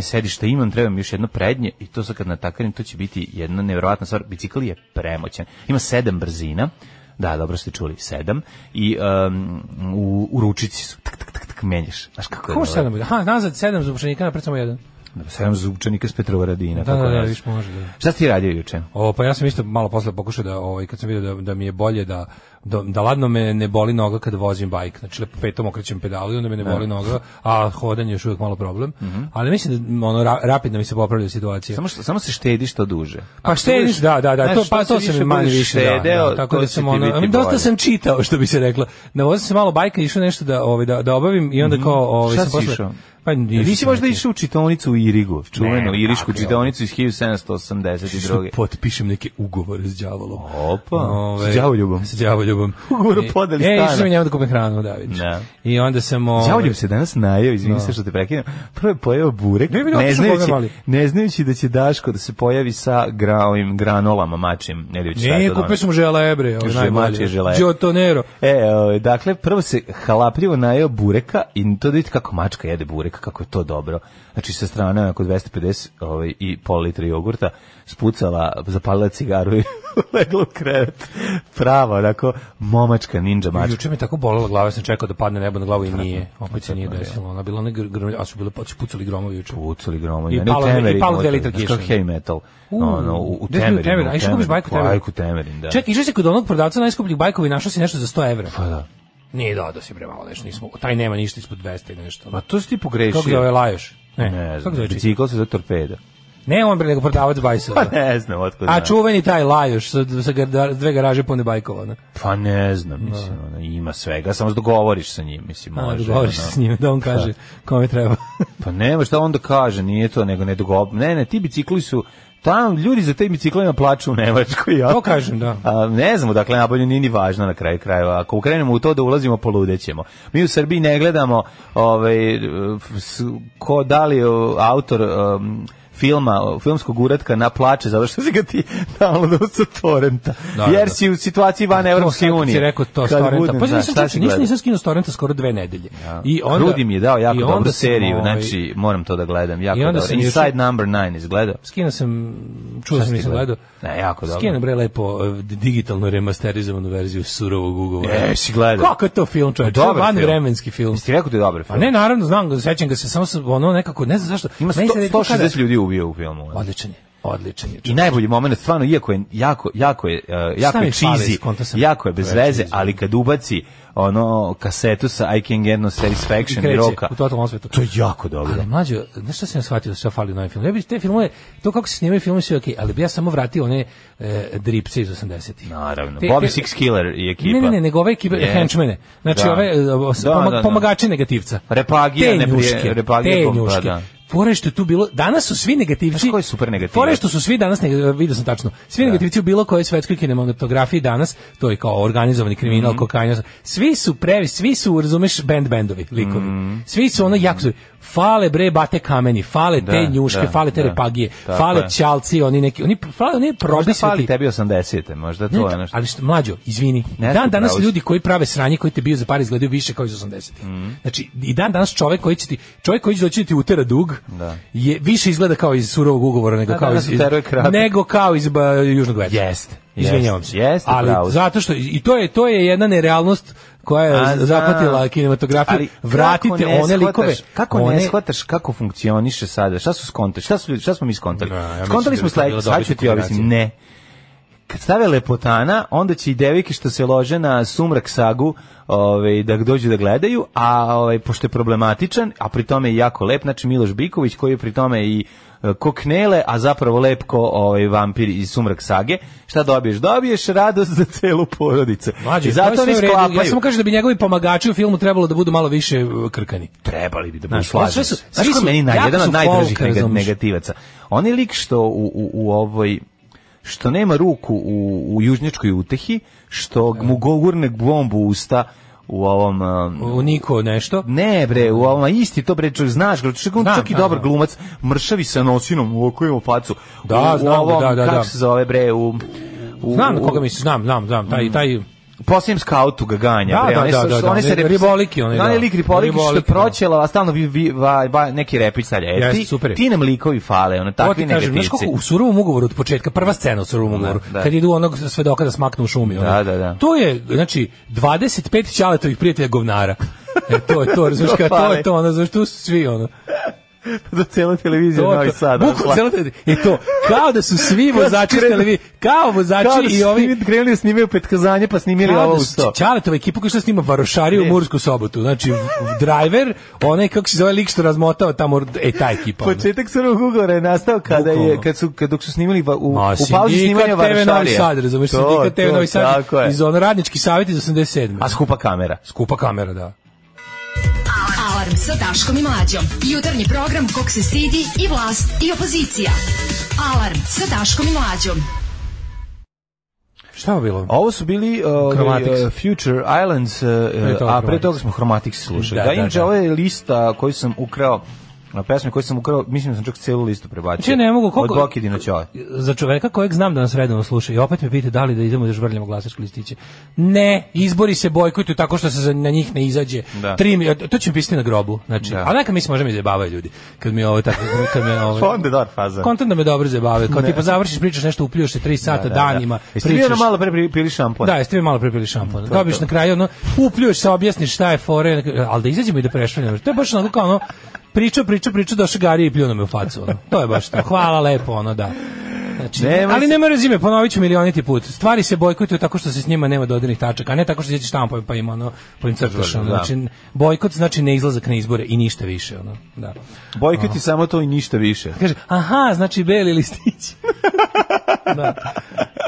[SPEAKER 7] sedište imam, trebam još jedno prednje i to sad kad natakarim, to će biti jedna nevjerovatna stvar. Bicikl je premoćan, ima 7 brzina, da, dobro ste čuli, 7 i u ručici su tak menjaš, znaš kako je.
[SPEAKER 6] Kako 7? Aha, nazad 7 zupčanika, napred samo 1.
[SPEAKER 7] 7 zupčanika s Petrovaradina.
[SPEAKER 6] Da, viš može. Da.
[SPEAKER 7] Šta si ti radio juče?
[SPEAKER 6] Pa ja sam isto malo posle pokušao da, kad sam vidio da mi je bolje da ladno me ne boli noga kad vozim bajk, znači lepo petom okrećem pedalu i onda me ne boli noga, a hodanje je još uvijek malo problem, ali mislim da rapidno mi se popravlja situacija.
[SPEAKER 7] Samo se štediš to duže.
[SPEAKER 6] Pa štediš, da, to se mi manje više štedeo, tako da sam dosta sam čitao, što bi se reklo. Navozim se malo bajka, išao nešto da obavim i onda kao...
[SPEAKER 7] Šta si išao?
[SPEAKER 6] Pa
[SPEAKER 7] nisi možda išao u čitaonicu u Irigu, čuvenu irišku čitaonicu iz 1782.
[SPEAKER 6] Potpišem neke ugovore s đavolom.
[SPEAKER 7] Opa, s đavoljubom.
[SPEAKER 6] S đavoljubom.
[SPEAKER 7] Ugovor o podeli stana.
[SPEAKER 6] Išao sam njemu da kupim hranu, da vidiš. I onda sam...
[SPEAKER 7] Đavoljub se danas najeo, izvini se što te prekinem. Prvo je pojeo burek, ne znajući da će Daško da se pojavi sa granolama mačim.
[SPEAKER 6] Ne, kupio sam želebre, najbolje. Giotonero.
[SPEAKER 7] Dakle, prvo se halapljivo najeo bureka i to da vidite kako mačka jede burek, kako je to dobro. Znači sa strane oko 250 i pol litra jogurta spucala, zapalila cigaru i legla u krevet. Pravo, onako, momačka, ninja mačka.
[SPEAKER 6] Juče mi tako bolela glava, sam čekao da padne nebo na glavu i nije. Opet se nije desilo. Ona bila a su bile pucali gromovi juče.
[SPEAKER 7] Pucali gromovi.
[SPEAKER 6] I palo 2 litra kiša.
[SPEAKER 7] Kao heavy metal. U Temerinu.
[SPEAKER 6] A išao kupiš bajku
[SPEAKER 7] Temerin, da.
[SPEAKER 6] Čekaj, išao si kod onog prodavca najskupljih bajkova i našao si nešto za 100 evra.
[SPEAKER 7] Pa da.
[SPEAKER 6] Nije da si premalo nešto, nismo. Taj nema ništa ispod 200 i nešto.
[SPEAKER 7] Pa to si ti pogrešio.
[SPEAKER 6] Kako zove Lajoš?
[SPEAKER 7] Ne znam, bicikl se za torpeda.
[SPEAKER 6] Ne on bre, nego prodavac bajsova.
[SPEAKER 7] Pa ne znam, otkud.
[SPEAKER 6] A čuveni taj Lajoš sa 2 garaže pune bajkova, ne?
[SPEAKER 7] Pa ne znam, mislim, ima svega, samo se dogovoriš sa njim, mislim, može.
[SPEAKER 6] Dogovoriš se s njim, da on kaže kome treba.
[SPEAKER 7] Pa nema šta on da kaže, nije to, nego ne dogovor. Ne, ti bicikli su tamo ljudi za te biciklima plaču u Nemačkoj.
[SPEAKER 6] To kažem, da.
[SPEAKER 7] Ne znamo, dakle, nabolje nije ni važno na kraju krajeva. Ako ukrenemo u to da ulazimo, poludećemo. Mi u Srbiji ne gledamo ko da li autor filmskog uratka na plače, zato što si ga ti downloadao sa torrenta. Jer si u situaciji van Evropske unije.
[SPEAKER 6] Si rekao to s torrenta. Pa nisam skinuo s torrenta skoro 2 nedelje.
[SPEAKER 7] Rudi mi je dao jako dobru seriju, znači moram to da gledam. Jako dobro. Inside Number 9 izgledao.
[SPEAKER 6] Skinuo sam, čuo sam nisam gledao.
[SPEAKER 7] Ne, jako dobro.
[SPEAKER 6] Skinuo bre lepo digitalno remasterizovanu verziju surovog ugovora.
[SPEAKER 7] Si gledao.
[SPEAKER 6] Kako je to film, čovječ? Vanvremenski film.
[SPEAKER 7] Jesi ti rekao da je dobar film?
[SPEAKER 6] A ne, naravno, znam, sećam ga se, samo ono nekako, ne znam zašto.
[SPEAKER 7] Ima 160 ljudi ubio u filmu.
[SPEAKER 6] Odličan je.
[SPEAKER 7] I najbolji moment, stvarno, iako je jako je cheesy, jako je bez veze, ali kad ubaci kasetu sa I Can Get No Satisfaction i roka,
[SPEAKER 6] u totalnom svetu.
[SPEAKER 7] To je jako dobro.
[SPEAKER 6] Ali mlađo, znaš šta sam ja shvatio da se fali u novim filmu? Ja bih te filmove, to kako se snimaju filmove sve okej, ali bi ja samo vratio one dripce iz 80-ih.
[SPEAKER 7] Naravno. Bobby Six Killer i ekipa.
[SPEAKER 6] Ne, nego ove ekipe, henchmene. Znači ove pomagači negativca.
[SPEAKER 7] Repagija,
[SPEAKER 6] te njuške. Fore što je tu bilo, danas su svi negativci.
[SPEAKER 7] Koji super negativac?
[SPEAKER 6] Fore što su svi danas, vidio sam tačno, svi negativci u bilo kojoj svetskoj kinematografiji danas, to je kao organizovani kriminal, kokain, svi su, razumeš, bendovi, likovi. Svi su ono jako, fale bre bate kameni, fale te njuške, fale te repagije, fale ćalci, oni probisveti.
[SPEAKER 7] Fali tebi 80-te, možda to je nešto.
[SPEAKER 6] Ali mlađo, izvini, danas ljudi koji prave sranje, koji te bio za par izgledaju više kao iz 80-ih. Znači, i danas čovjek koji će doći da ti utera dug, je više izgleda kao iz surovog ugovora nego kao iz Južnog vetra.
[SPEAKER 7] Jeste.
[SPEAKER 6] Izvinjavam se. Ali zato što i to je jedna nerealnost koja je zahvatila kinematografiju. Vratite one likove.
[SPEAKER 7] Kako ne shvataš kako funkcioniše sada? Šta su skontali? Šta smo mi skontali? Skontali smo sledeće, sad ću ti objasniti. Ne. Kad stave lepotana, onda će i devojke što se lože na Sumrak sagu da dođu da gledaju, a pošto je problematičan, a pri tome je jako lep, znači Miloš Biković koji je pri tome i koknele, a zapravo lep ko vampir iz Sumrak sage, šta dobiješ? Dobiješ radost za celu porodicu.
[SPEAKER 6] I zato oni sklapaju. Ja samo kažem da bi njegovi pomagači u filmu trebalo da budu malo više krkani.
[SPEAKER 7] Trebali bi da budu slaženi. Znaš ko meni jedan od najdražih negativaca? On je lik što u ovoj što nema ruku u južnjačkoj utehi, što mu gurne bombu u usta u ovom...
[SPEAKER 6] u Niko nešto?
[SPEAKER 7] Ne bre, u ovom, isti to bre, znaš, čak i dobar glumac, mršavi sa nosinom u oku ima facu.
[SPEAKER 6] Da, znam, da.
[SPEAKER 7] Kako se zove bre,
[SPEAKER 6] znam koga misliš, znam, taj...
[SPEAKER 7] Posljednjem skautu ga ganja.
[SPEAKER 6] Oni se riboliki.
[SPEAKER 7] Oni lik riboliki što je proćela, a stalno neki repić stavlja. Ti nam likovi fale, takvi negativci.
[SPEAKER 6] Znaš kako u surovom ugovoru od početka, prva scena u surovom ugovoru, kad idu onog svedoka da smaknu u šumi. To je, znači, 25 ćaletovih prijatelja govnara. To je to, razumiješ, to je to, znaš, tu su svi,
[SPEAKER 7] za celu televiziju Novi Sad.
[SPEAKER 6] I to, kao da su svi vozači televizije, kao vozači i ovi...
[SPEAKER 7] Krenuli da snimaju Petkazanje, pa snimili ovo u 100.
[SPEAKER 6] Čaletova ekipa koja što snima Varošariju u Mursku Sobotu. Znači, driver, onaj, kako se zove lik što razmotao tamo, ta ekipa.
[SPEAKER 7] Početak surovog ugovora je nastao dok su snimali u pauzi snimanja Varošarija.
[SPEAKER 6] TV Novi Sad, razumiješ, Sindikat TV Novi Sad, iz radnički savjet iz 87.
[SPEAKER 7] A skupa kamera.
[SPEAKER 6] Skupa kamera, da.
[SPEAKER 4] Alarm sa Daškom i Mlađom. Jutarnji program kog se stidi i vlast i opozicija. Alarm sa Daškom i Mlađom.
[SPEAKER 6] Šta je bilo?
[SPEAKER 7] Ovo su bili Future Islands, a pre toga smo Chromatics slušali. Da, inače, ovo je lista koju sam ukrao, pesme koje sam ukrao, mislim da sam čak celu listu prebacio.
[SPEAKER 6] Ne mogu, koliko,
[SPEAKER 7] od Bokidi na Ćole.
[SPEAKER 6] Za čoveka kojeg znam da nas redovno sluša i opet me pita da li da idemo da žvrljamo glasačke listiće. Ne, izbori se bojkotuju tako što se na njih ne izađe. To će mi pisati na grobu. Znači, a neka mi se možemo izjebavaju ljudi. Kad mi ovo tako,
[SPEAKER 7] Fonde dar faza.
[SPEAKER 6] Kontent da me dobro zajebavaju. Kao tipa završiš, pričaš nešto, upljuješ se 3 sata danima.
[SPEAKER 7] Jeste vi malo pre pili šampon?
[SPEAKER 6] Da, jeste vi malo pre pili šampon. Dobiš na kraju upljuješ se, objasniš šta je fore, al da izađemo i da prešvaljamo. To je baš onako kao priča došao Gari i pljuno me u facu. Ono. To je baš to. Hvala lepo, da. Znači, ali nema rezime, ponovit ću milioniti put. Stvari se bojkotuju tako što se s njima nema dodirnih tačaka, a ne tako što se štampom pa ima po im crtaš. Znači, bojkot znači ne izlazak na izbore i ništa više. Da.
[SPEAKER 7] Bojkot je samo to i ništa više.
[SPEAKER 6] Kaže, aha, znači beli listić.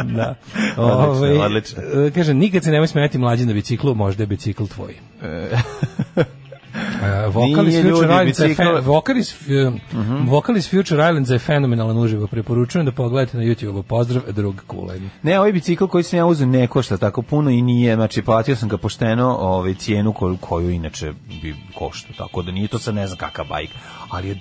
[SPEAKER 6] Da.
[SPEAKER 7] Odlično.
[SPEAKER 6] Kaže, nikad se nemoj smijeti mlađi na biciklu, možda je bicikl tvoj. Vokalis Future Islands je fenomenalan uživo. Preporučujem da pogledate na YouTube. Pozdrav, drug Kuleni.
[SPEAKER 7] Ne, ovaj bicikl koji sam ja uzeo ne košta tako puno i nije, znači platio sam ga pošteno cijenu koju inače bi košta, tako da nije to sad ne znam kakav bajk, ali je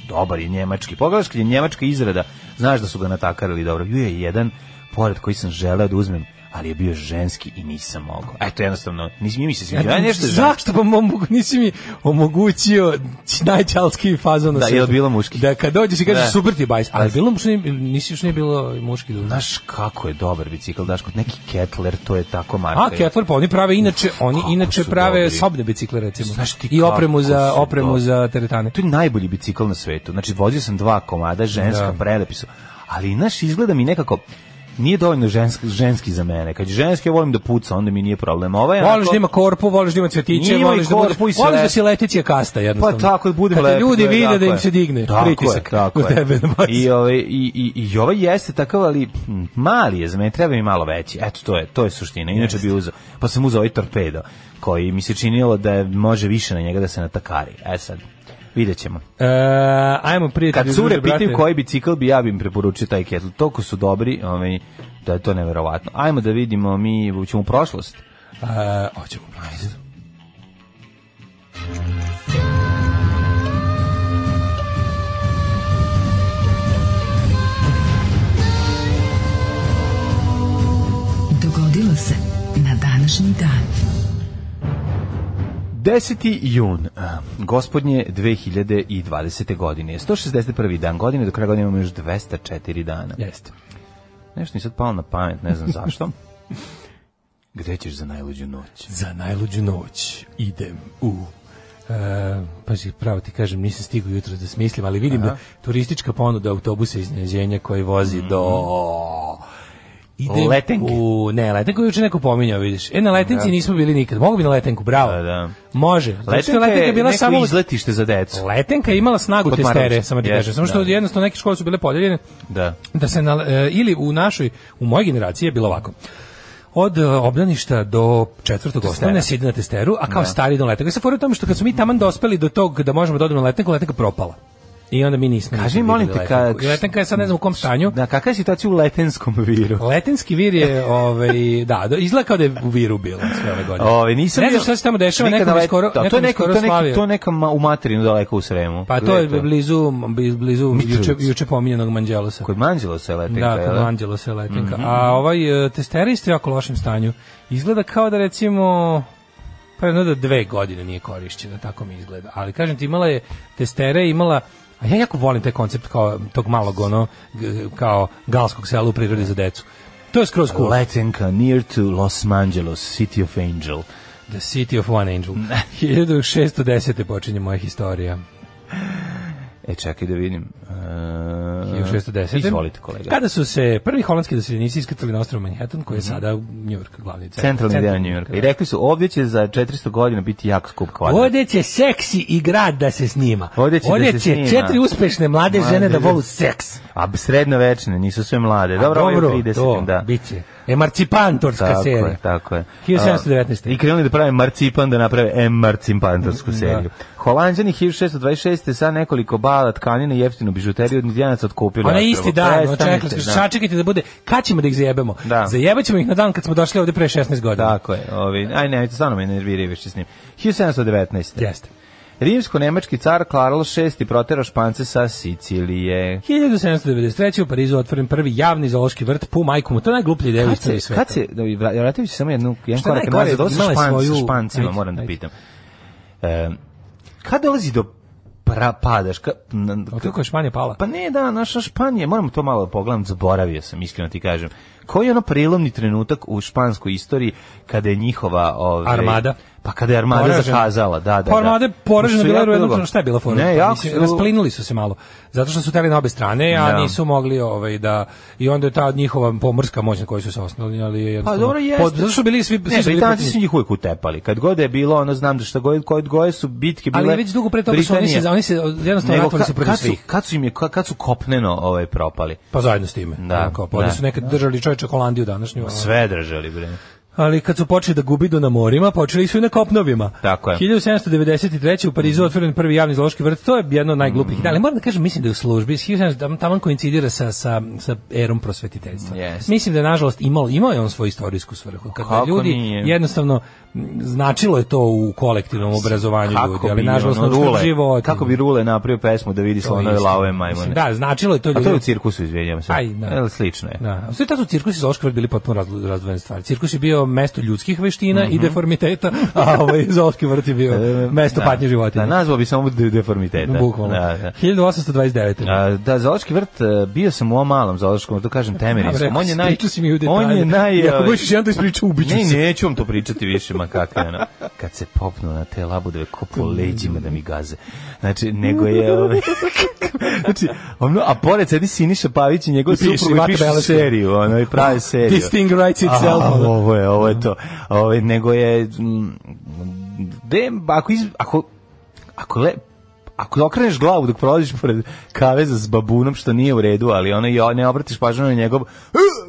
[SPEAKER 7] dobar je njemački. Pogledaš kad je njemačka izrada, znaš da su ga natakarili dobro. Bio je jedan pored koji sam želeo da uzmem, ali je bio ženski i nisam mogao. Eto, jednostavno, nisi mi se sviđa.
[SPEAKER 6] Zašto pa nisi mi omogućio najčalski fazon na
[SPEAKER 7] da, je bilo muški?
[SPEAKER 6] Da, kad dođeš i kažeš super ti bajs, ali bilo muški, nisi još nije bilo muški dužno.
[SPEAKER 7] Znaš kako je dobar bicikl, daš kod neki Kettler, to je tako marka.
[SPEAKER 6] A, Kettler, pa oni inače prave sobne bicikle, recimo. I opremu za teretane.
[SPEAKER 7] To je najbolji bicikl na svetu. Znači, vozio sam 2 komada, ženska, prelepi su. Ali, znaš, izgleda mi nekako nije dovoljno ženski za mene. Kad je ženski, ja volim da puca, onda mi nije problem.
[SPEAKER 6] Voliš da ima korpu, voliš da ima cvetiće, voliš da si leticija kasta, jednostavno.
[SPEAKER 7] Pa tako, da budem
[SPEAKER 6] lepo. Kad ljudi vide da im se digne pritisak u tebe.
[SPEAKER 7] I ovaj jeste takav, ali mali je za mene, treba mi malo veći. Eto, to je suština. Inače bi uzeo, pa sam uzeo ovaj torpedo, koji mi se činilo da može više na njega da se natakari. Sad vidjet ćemo.
[SPEAKER 6] Ajmo prije.
[SPEAKER 7] Kad cure pitaju koji bicikl bi ja im preporučio taj Kettler. Toliko su dobri, da je to neverovatno. Ajmo da vidimo, mi ćemo u prošlost.
[SPEAKER 6] Hoćemo u prošlost.
[SPEAKER 4] Dogodilo se na današnji dan.
[SPEAKER 7] 10. jun, gospodnje 2020. godine, 161. dan godine, do kraja godine imamo još 204 dana.
[SPEAKER 6] Jeste.
[SPEAKER 7] Nešto mi sad palo na pamet, ne znam zašto. Gde ćeš za najluđu noć?
[SPEAKER 6] Za najluđu noć idem u... pazi, pravo ti kažem, nisam stigao jutro da smislim, ali vidim da turistička ponuda autobusa iznenađenja koji vozi do...
[SPEAKER 7] Letenke.
[SPEAKER 6] Letenku juče neko pominjao, vidiš. Na Letenci nismo bili nikad. Mogu bi na Letenku, bravo.
[SPEAKER 7] Da.
[SPEAKER 6] Može.
[SPEAKER 7] Letenka je bila neko samo izletište za decu.
[SPEAKER 6] Letenka je imala snagu testere, samo ti kažem. Samo što jednostavno neke škole su bile podeljene. Da se ili u mojoj generaciji je bilo ovako. Od obdaništa do 4. osnovne se ide na testeru, a kao stari do Letenka. I sad fora u tome što kad smo mi taman dospeli do tog da možemo da odemo na Letenku, Letenka propala. I onda mi nismo.
[SPEAKER 7] Kaži, molim te,
[SPEAKER 6] Letenka je sad ne znam u kom stanju.
[SPEAKER 7] Da, kakva je situacija u Letenskom viru?
[SPEAKER 6] Letenski vir je, izgleda kao da je u viru bilo sve ove godine.
[SPEAKER 7] Nisam
[SPEAKER 6] ne znam šta se tamo dešava, nekom skoro slavio.
[SPEAKER 7] To je neka u materinu daleko u Sremu.
[SPEAKER 6] Pa to je blizu juče pominjenog Manđelosa.
[SPEAKER 7] Kod Manđelosa je Letenka.
[SPEAKER 6] Da, kod Manđelosa je Letenka. A testera isto jako lošem stanju. Izgleda kao da recimo... Pa jedno da 2 godine nije korišćena, tako mi izgleda. Ali kažem ti, imala je testere, a ja jako volim taj koncept kao tog malog kao galskog sela u prirodi za decu. To je skroz cool.
[SPEAKER 7] Letenka, near to Los Angeles, City of Angel.
[SPEAKER 6] The City of One Angel. 1610. počinje moja historija.
[SPEAKER 7] Čekaj da vidim.
[SPEAKER 6] 1610.
[SPEAKER 7] Izvolite, kolega.
[SPEAKER 6] Kada su se prvi holandski doseljenici iskrcali na ostrvo Manhattan, koji je sada New York, glavni
[SPEAKER 7] centralni deo New Yorka. I rekli su, ovdje će za 400 godina biti jako skup kvadrat.
[SPEAKER 6] Ovdje će seksi i grad da se snima. Ovdje će 4 uspešne mlade žene da volu seks.
[SPEAKER 7] A srednovečne, nisu sve mlade. Dobro, 30,
[SPEAKER 6] to biće. Emancipantorska serija.
[SPEAKER 7] Tako je.
[SPEAKER 6] 1719.
[SPEAKER 7] I krenuli da prave marcipan, da naprave emancipantorsku seriju. Holanđani 1626. sa nekoliko bala tkanine i jeftinu bižuteriju od Indijanaca otkupili.
[SPEAKER 6] Ona isti dan, čekajte da bude, kad ćemo da ih zajebemo? Zajebaćemo ih na dan kad smo došli ovde pre 16 godina.
[SPEAKER 7] Tako je. Aj ne, stvarno me nerviraju više s njim. 1719.
[SPEAKER 6] Jeste.
[SPEAKER 7] Rimsko-nemački car Karl VI proterao Špance sa Sicilije.
[SPEAKER 6] 1793. u Parizu otvoren prvi javni zoološki vrt, pu majku mu, to je najgluplja ideja u istoriji sveta.
[SPEAKER 7] Kad se, vratio bi se samo jedan korak nazad, ovo sa Špancima, moram da pitam. Kad dolazi do padaš?
[SPEAKER 6] Kako je Španija pala?
[SPEAKER 7] Pa ne, da, naša Španija, moramo to malo pogledam, zaboravio sam, iskreno ti kažem. Koji je ono prelomni trenutak u španskoj istoriji kada je njihova
[SPEAKER 6] armada?
[SPEAKER 7] Pa kada je armada zakazala, da.
[SPEAKER 6] Pa armada je poražena bila, jednostavno šta je bila fora? Rasplinuli su se malo, zato što su teli na obe strane, a nisu mogli da, i onda je ta njihova pomorska moć na kojoj su se osnovali, ali je jednostavno...
[SPEAKER 7] Pa dobro jeste.
[SPEAKER 6] Zato su bili svi...
[SPEAKER 7] Ne, Britanci su njih uvijek utepali, kad god je bilo, ono znam da šta god su bitke bile...
[SPEAKER 6] Ali već dugo pre toga su oni se jednostavno ratovali se protiv svih.
[SPEAKER 7] Kad su kopneno propali?
[SPEAKER 6] Pa zajedno s time.
[SPEAKER 7] Da.
[SPEAKER 6] Oni su nekad držali čovječe Holandiju današnju.
[SPEAKER 7] Sve držali, bre.
[SPEAKER 6] Ali kad su počeli da gubidu na morima, počeli su i na kopnovima.
[SPEAKER 7] Tako je.
[SPEAKER 6] 1793. u Parizu otvoren prvi javni zoološki vrt, to je jedno od najglupih. Ali moram da kažem, mislim da je u službi, tamo koincidira sa erom prosvetiteljstva.
[SPEAKER 7] Yes.
[SPEAKER 6] Mislim da je, nažalost, imao je on svoju istorijsku svrhu. Kada ljudi jednostavno, značilo je to u kolektivnom obrazovanju ljudi, ali nažalost na život.
[SPEAKER 7] Kako bi Rule napravio pesmu da vidi slonove, lave, majmune?
[SPEAKER 6] Da, značilo je to ljudi.
[SPEAKER 7] A to je u cirkusu, izvinjavam se. Slično je.
[SPEAKER 6] Da. Sve tada su cirkus i zoološki vrt bili potpuno razdvojene stvari. Cirkus je bio mesto ljudskih veština i deformiteta, a zoološki vrt je bio mesto patnje životinja.
[SPEAKER 7] Da, nazvao bi samo deformiteta.
[SPEAKER 6] Bukvalno. 1829.
[SPEAKER 7] Da, zoološki vrt, bio sam u ovom malom zoološkom vrtu, kažem Temerinskom. On je
[SPEAKER 6] ako budeš jedan to ispričao, ubiću se.
[SPEAKER 7] Neću vam to pričati više, ma kakve, ono. Kad se popnu na te labudove, ko po leđima da mi gaze. Znači, nego je... Znači, a pored sedi Siniša Pavić i njegov suprug i pišu seriju, i pravi seriju.
[SPEAKER 6] This thing writes itself.
[SPEAKER 7] Ovo je to. Nego je... Ako okreneš glavu dok prolaziš pored kaveza s babunom, što nije u redu, ali ne obratiš pažnju na njegov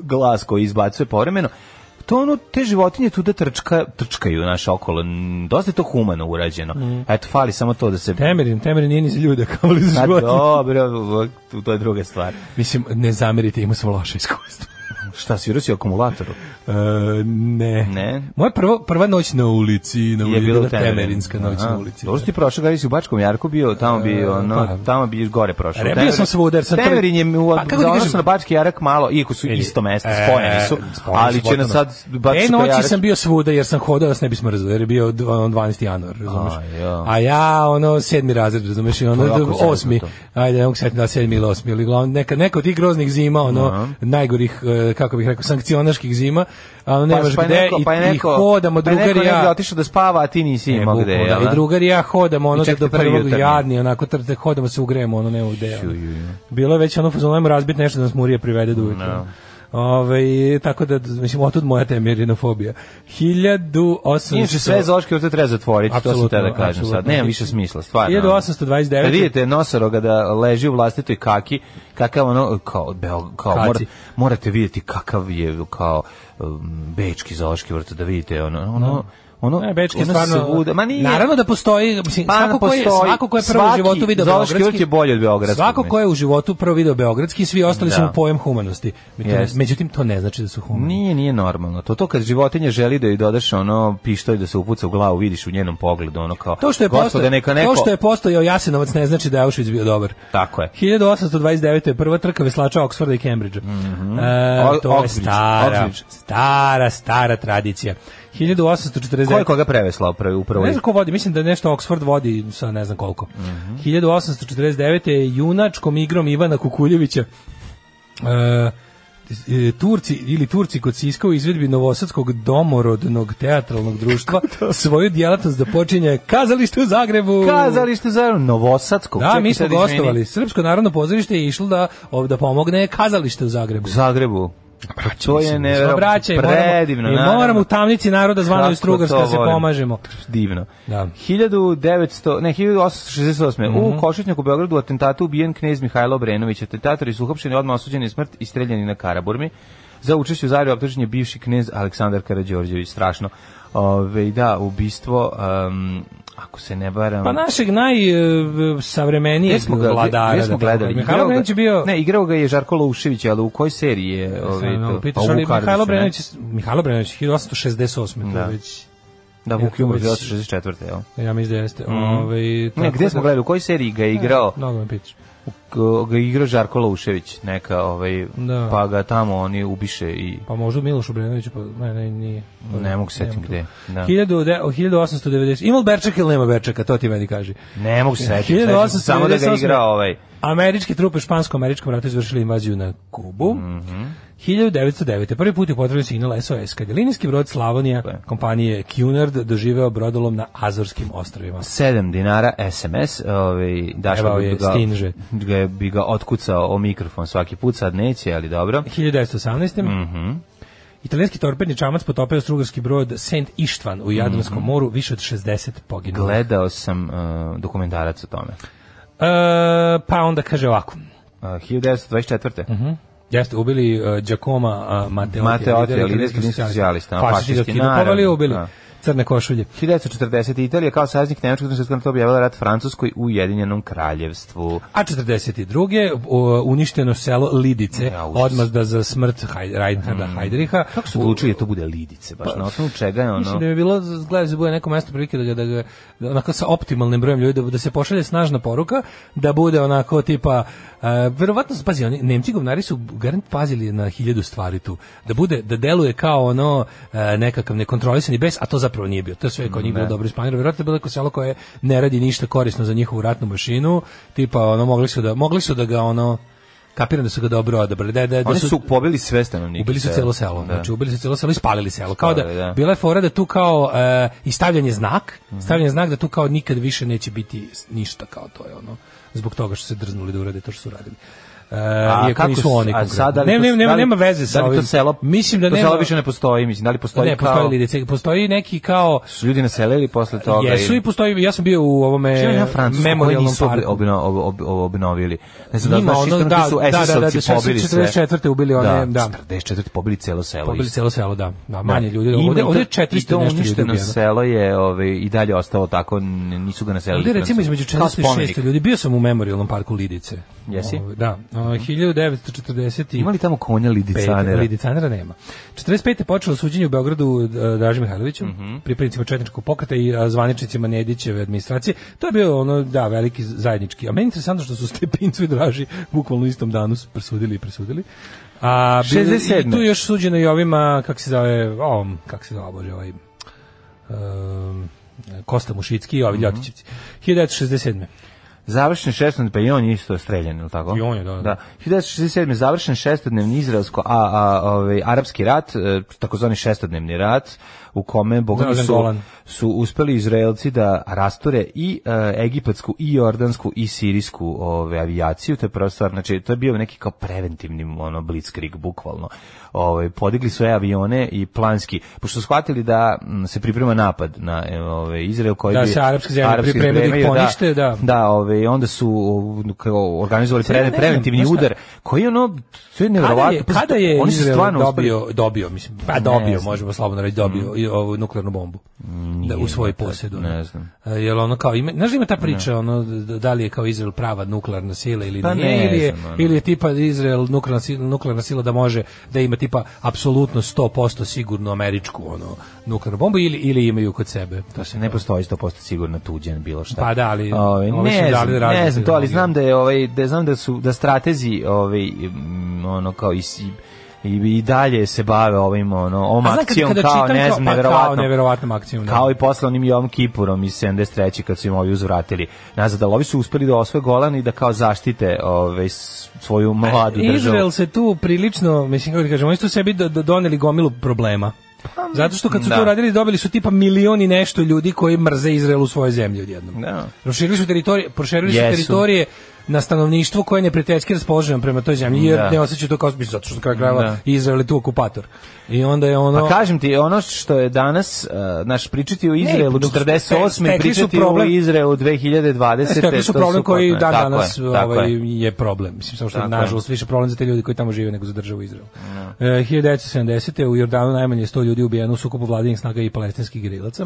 [SPEAKER 7] glas koji izbacuje povremeno, to te životinje tu da trčkaju naše okolo. Dosta je to humano urađeno. Eto, fali samo to da se...
[SPEAKER 6] Temerin nije ni za ljude, kao li za životinje.
[SPEAKER 7] Dobro, to je druga stvar.
[SPEAKER 6] Mislim, ne zamerite, imao sam loše iskustvo.
[SPEAKER 7] Šta, svirao si akumulatoru?
[SPEAKER 6] Ne. Moja prva noć na ulici, je bila Temerinska noć na ulici.
[SPEAKER 7] Dobro si prošao, kada si u Bačkom Jarku bio, tamo bi gore prošao.
[SPEAKER 6] Bio sam svuda.
[SPEAKER 7] Temerin je za odnosu na Bački Jarak malo, iako su isto mesto, spojeni su, ali će nas sad Bački Jarak...
[SPEAKER 6] Noći sam bio svuda jer sam hodao, da se ne bismo razumeli, jer je bio 12. januar, razumeš? A ja, 7. razred, razumeš, i 8. Ajde, ne mogu setiti da 7. ili 8. ili glavno, neka od tih groznih zima, najgorih, kako bih rekao, sankcionaških zima, a nemaš gde i hodamo, drugar i ja...
[SPEAKER 7] Neko otišao da spava, a ti nisi imao gde, jel?
[SPEAKER 6] I drugar i ja hodamo, do prvog jadni, onako, hodamo se ugrejemo, nema gde. Bilo je već fazonujemo razbiti nešto da nas Murije privede do ujutru. Tako da, mislim, otud moja temerinofobija. 1800...
[SPEAKER 7] Inače, sve zoološke vrte treba zatvoriti, to sam te da kažem sad. Nema više smisla, stvarno.
[SPEAKER 6] 1829...
[SPEAKER 7] Kad vidite nosoroga da leži u vlastitoj kaki, kakav morate vidjeti kakav je kao bečki zoološki vrt, da vidite
[SPEAKER 6] Bečki stvarno, naravno da postoji, mislim, svako ko je prvo u životu video beogradski,
[SPEAKER 7] je bolje od beogradskog.
[SPEAKER 6] Svako ko je u životu prvo video beogradski, svi ostali su mu pojem humanosti. Međutim, to ne znači da su humani.
[SPEAKER 7] Nije normalno. To kad životinja želi da joj dodaš pištolj da se upuca u glavu, vidiš u njenom pogledu, kao
[SPEAKER 6] to što je postojao Jasenovac ne znači da je Auschwitz bio dobar.
[SPEAKER 7] Tako je.
[SPEAKER 6] 1829. je prva trka veslača Oxforda i Cambridgea. To je stara tradicija. 1849.
[SPEAKER 7] Ko je koga preveslao upravo?
[SPEAKER 6] Ne znam ko vodi, mislim da nešto Oxford vodi sa ne znam koliko. 1849. je junačkom igrom Ivana Kukuljevića Turci kod Siska u izvedbi Novosadskog domorodnog teatralnog društva svoju djelatnost da počinje Kazalište u Zagrebu.
[SPEAKER 7] Novosadskog.
[SPEAKER 6] Da, mi smo gostovali. Srpsko narodno pozorište je išlo da pomogne Kazalište u Zagrebu.
[SPEAKER 7] To je predivno.
[SPEAKER 6] I moramo u tamnici naroda zvanoj Strugarska se pomažemo.
[SPEAKER 7] Divno. 1868. U Košutnjaku u Beogradu u atentatu ubijen knez Mihajlo Obrenović. Atentatori su uhapšeni, odmah osuđeni na smrt i streljani na Karaburmi. za učešće u Zagreb optužen je bivši knez Aleksandar Karađorđević, strašno. Da, ubistvo, ako se ne varam...
[SPEAKER 6] Pa našeg najsavremenijeg vladara.
[SPEAKER 7] Gde smo gledali?
[SPEAKER 6] Mihajlo Brenović je bio...
[SPEAKER 7] Ne, igrao ga je Žarko Loušević, ali u kojoj seriji je...
[SPEAKER 6] Mihajlo Brenović, 1868.
[SPEAKER 7] Da.
[SPEAKER 6] To već...
[SPEAKER 7] Da, Vuk Jumor, 1864. Jel?
[SPEAKER 6] Ja mislim da jeste.
[SPEAKER 7] Ne, gde smo gledali? U kojoj seriji ga je igrao?
[SPEAKER 6] Mnogo me pitaš.
[SPEAKER 7] Ga je igrao Žarko Loušević, neka, pa ga tamo oni ubiše i...
[SPEAKER 6] Pa možda Miloš Obrenović, pa ne, nije.
[SPEAKER 7] Ne mogu setim gde. Da.
[SPEAKER 6] 1890. Ima li Berčaka ili nema Berčaka, to ti meni kaži.
[SPEAKER 7] Ne mogu setim, samo da ga igra
[SPEAKER 6] Američke trupe u Špansko-američkom ratu izvršili invaziju na Kubu. 1909. Prvi put je potreban signal SOS, kad je linijski brod Slavonija kompanije Cunard doživeo brodolom na Azorskim ostrvima.
[SPEAKER 7] 7 dinara SMS, Daško bi ga otkucao o mikrofon svaki put, sad neće, ali dobro.
[SPEAKER 6] 1918. Italijanski torpedni čamac potopio strugarski brod Saint Ištvan u Jadranskom moru, više od 60 poginulih.
[SPEAKER 7] Gledao sam dokumentarac o tome.
[SPEAKER 6] Pa onda kaže ovako.
[SPEAKER 7] 1924.
[SPEAKER 6] Jeste, ubili Giacomo Matteotti,
[SPEAKER 7] liderski socijalista.
[SPEAKER 6] Fašisti ga ubili. Crne košulje.
[SPEAKER 7] 1940. Italija kao saveznik Nemačkog svjetskog rata objavila rat Francuskoj u Ujedinjenom kraljevstvu.
[SPEAKER 6] A 42. uništeno selo Lidice, odmazda za smrt Reinharda Heydricha.
[SPEAKER 7] Kako su odlučili da to bude Lidice? Baš na osnovu čega je ono?
[SPEAKER 6] Mislim da bi bilo, gledaj, da bude neko mesto prilike da ga onako sa optimalnim brojem ljudi, da se pošalje snažna poruka, da bude onako tipa, verovatno, pazi, oni, Nemci govnari su garant pazili na 1000 stvari tu. Da deluje kao ono nekakav nekontrolisani bes, a to zapravo nije bio. To je sve kod njih bilo dobro isplanirano. Verovatno je bilo neko selo koje ne radi ništa korisno za njihovu ratnu mašinu. Tipa, ono, mogli su da ga, ono, kapiram da su ga dobro odabrali.
[SPEAKER 7] Oni su pobili sve stanovnike.
[SPEAKER 6] Ubili su celo selo. Znači, ubili su celo selo i spalili selo. Kao da, bila je fora da tu kao, i stavljanje znak da tu kao nikad više neće biti ništa kao to je ono, zbog toga što se drznuli da urade to što su radili. Kako su oni konkretno? Nema veze sa ovim. Mislim da nema.
[SPEAKER 7] To selo više ne postoji, mislim, da li postoji kao...
[SPEAKER 6] Ne, postoji Lidice, postoji neki kao...
[SPEAKER 7] Su ljudi naselili posle toga?
[SPEAKER 6] Jesu i postoji, ja sam bio u ovome memorijalnom parku.
[SPEAKER 7] Obnovili. Ne znam da znaš isto su SS-ovci pobili sve.
[SPEAKER 6] 44. ubili one, da.
[SPEAKER 7] 44. pobili celo selo.
[SPEAKER 6] Pobili celo selo, da. Manje ljudi. Ovdje je 400 nešto ljudi.
[SPEAKER 7] Uništeno selo je i dalje ostalo tako, nisu ga naselili.
[SPEAKER 6] Ovdje recimo između 400 i 600 ljudi. Bio sam u memorijalnom parku Lidice.
[SPEAKER 7] Jesi?
[SPEAKER 6] Da. 1940.
[SPEAKER 7] Ima li tamo konja Lidicanera?
[SPEAKER 6] Lidicanera nema. 45. počelo suđenje u Beogradu Draži Mihajloviću, pripadnicima četničkog pokreta i zvaničnicima Nedićeve administracije. To je bio ono, da, veliki zajednički. A meni je interesantno što su Stepincu i Draži bukvalno u istom danu presudili. A 67. I tu još suđeno i ovima, kako se zove, bože, Kosta Mušicki i ovi Ljotićevci. 1967.
[SPEAKER 7] Završen šestodnevni, pa i on je isto streljan, ili tako?
[SPEAKER 6] I on je, da.
[SPEAKER 7] 1967. završen šestodnevni izraelsko-arapski rat, takozvani šestodnevni rat, u kome su uspeli Izraelci da rasture i egipatsku, i jordansku, i sirijsku avijaciju. To je prva stvar, znači to je bio neki kao preventivni blitzkrieg, bukvalno. Podigli svoje avione i planski, pošto su shvatili da se priprema napad na Izrael, koji
[SPEAKER 6] da se arapske zemlje pripremaju da ih ponište,
[SPEAKER 7] onda su organizovali preventivni udar, koji to je nevjerovatno.
[SPEAKER 6] Kada je Izrael dobio, mislim, možemo slobodno reći, dobio ovu nuklearnu bombu u svoj posjed.
[SPEAKER 7] Ne znam.
[SPEAKER 6] Jel ono kao znaš, ima ta priča da li je kao Izrael prava nuklearna sila ili nije, ili je tipa Izrael nuklearna sila da može da ima tipa apsolutno 100% sigurnu američku nuklearnu bombu ili imaju kod sebe.
[SPEAKER 7] To se ne postoji 100% sigurno tuđen bilo šta.
[SPEAKER 6] Pa da, ali
[SPEAKER 7] ne znam to, ali znam da stratezi kao i dalje se bave ovom akcijom kao
[SPEAKER 6] neverovatnom akcijom.
[SPEAKER 7] Kao i posle onim Jom Kipurom iz 73. kad su im ovi uzvratili nazad, ali ovi su uspeli da osvoje Golan i da kao zaštite svoju mladu državu.
[SPEAKER 6] Izrael se tu prilično, mislim kako ti kažem, oni su sebi doneli gomilu problema. Zato što kad su to radili, dobili su tipa milioni nešto ljudi koji mrze Izrael u svojoj zemlji odjednom. Proširili su teritorije na stanovništvo koje je neprijateljski raspoloženo prema toj zemlji, jer ne osjećaju to kao zato što kraj krajeva Izrael je tu okupator. I onda je ono...
[SPEAKER 7] Pa kažem ti, ono što je danas, naš pričati o Izraelu 48. pričati o Izraelu 2020.
[SPEAKER 6] Stekli su problem koji danas je problem. Mislim, samo što je nažalost više problem za te ljudi koji tamo žive nego za državu Izrael. 1970. u Jordanu najmanje 100 ljudi ubijeno u sukobu vladinih snaga i palestinskih gerilaca.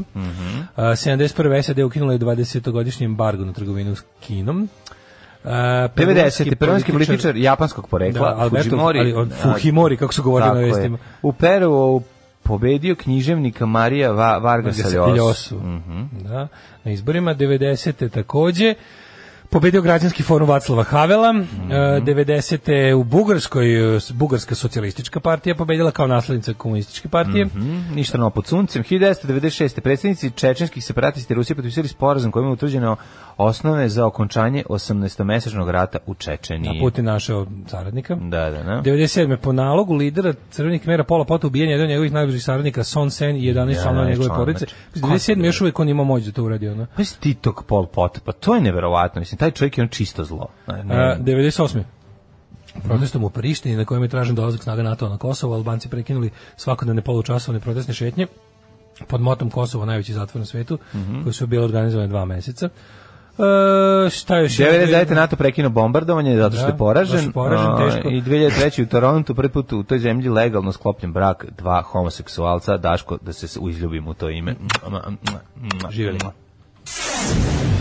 [SPEAKER 6] 71. SAD ukinula je 20-godišnji embargo na trgovinu s Kinom.
[SPEAKER 7] 90. peruanski političar japanskog porekla,
[SPEAKER 6] Fujimori, kako su govorili na vestima.
[SPEAKER 7] U Peru pobedio književnika Marija Vargasa Llosu.
[SPEAKER 6] Da, na izborima 90. takođe. Pobedio građanski forum Vaclava Havela, 90. u Bugarskoj, Bugarska socijalistička partija pobedila kao naslednica komunističke partije.
[SPEAKER 7] Ništa novo pod suncem. 1996. predsjednici čečenskih separatista Rusije potpisali sporazum kojim je utvrđeno osnove za okončanje 18-mesečnog rata u Čečeniji.
[SPEAKER 6] A Putin našao saradnika.
[SPEAKER 7] Da.
[SPEAKER 6] 97. po nalogu lidera Crvenih Khmera Pola Pota ubijen jedan od njegovih najbližih saradnika Son Sen i 11 članova njegove porodice. 97. još uvijek on ima moć da to uradi. Ono.
[SPEAKER 7] Pa si ti tog Pol Pot, pa to je neverovatno. Mislim, taj čovjek je on čisto zlo.
[SPEAKER 6] 98. Protestom u Prištini na kojem je tražen dolazak snaga NATO na Kosovo, Albanci prekinuli svakodnevne polučasovne protestne šetnje pod motom Kosovo, najveći zatvor na svetu, koji su bile organizovane 2 meseca. Šta još?
[SPEAKER 7] 99. NATO prekinuo bombardovanje zato što je poražen,
[SPEAKER 6] teško.
[SPEAKER 7] I 2003. u Torontu prvi put u toj zemlji legalno sklopljen brak 2 homoseksualca. Daško, da se izljubimo u to ime.
[SPEAKER 6] Živjeli.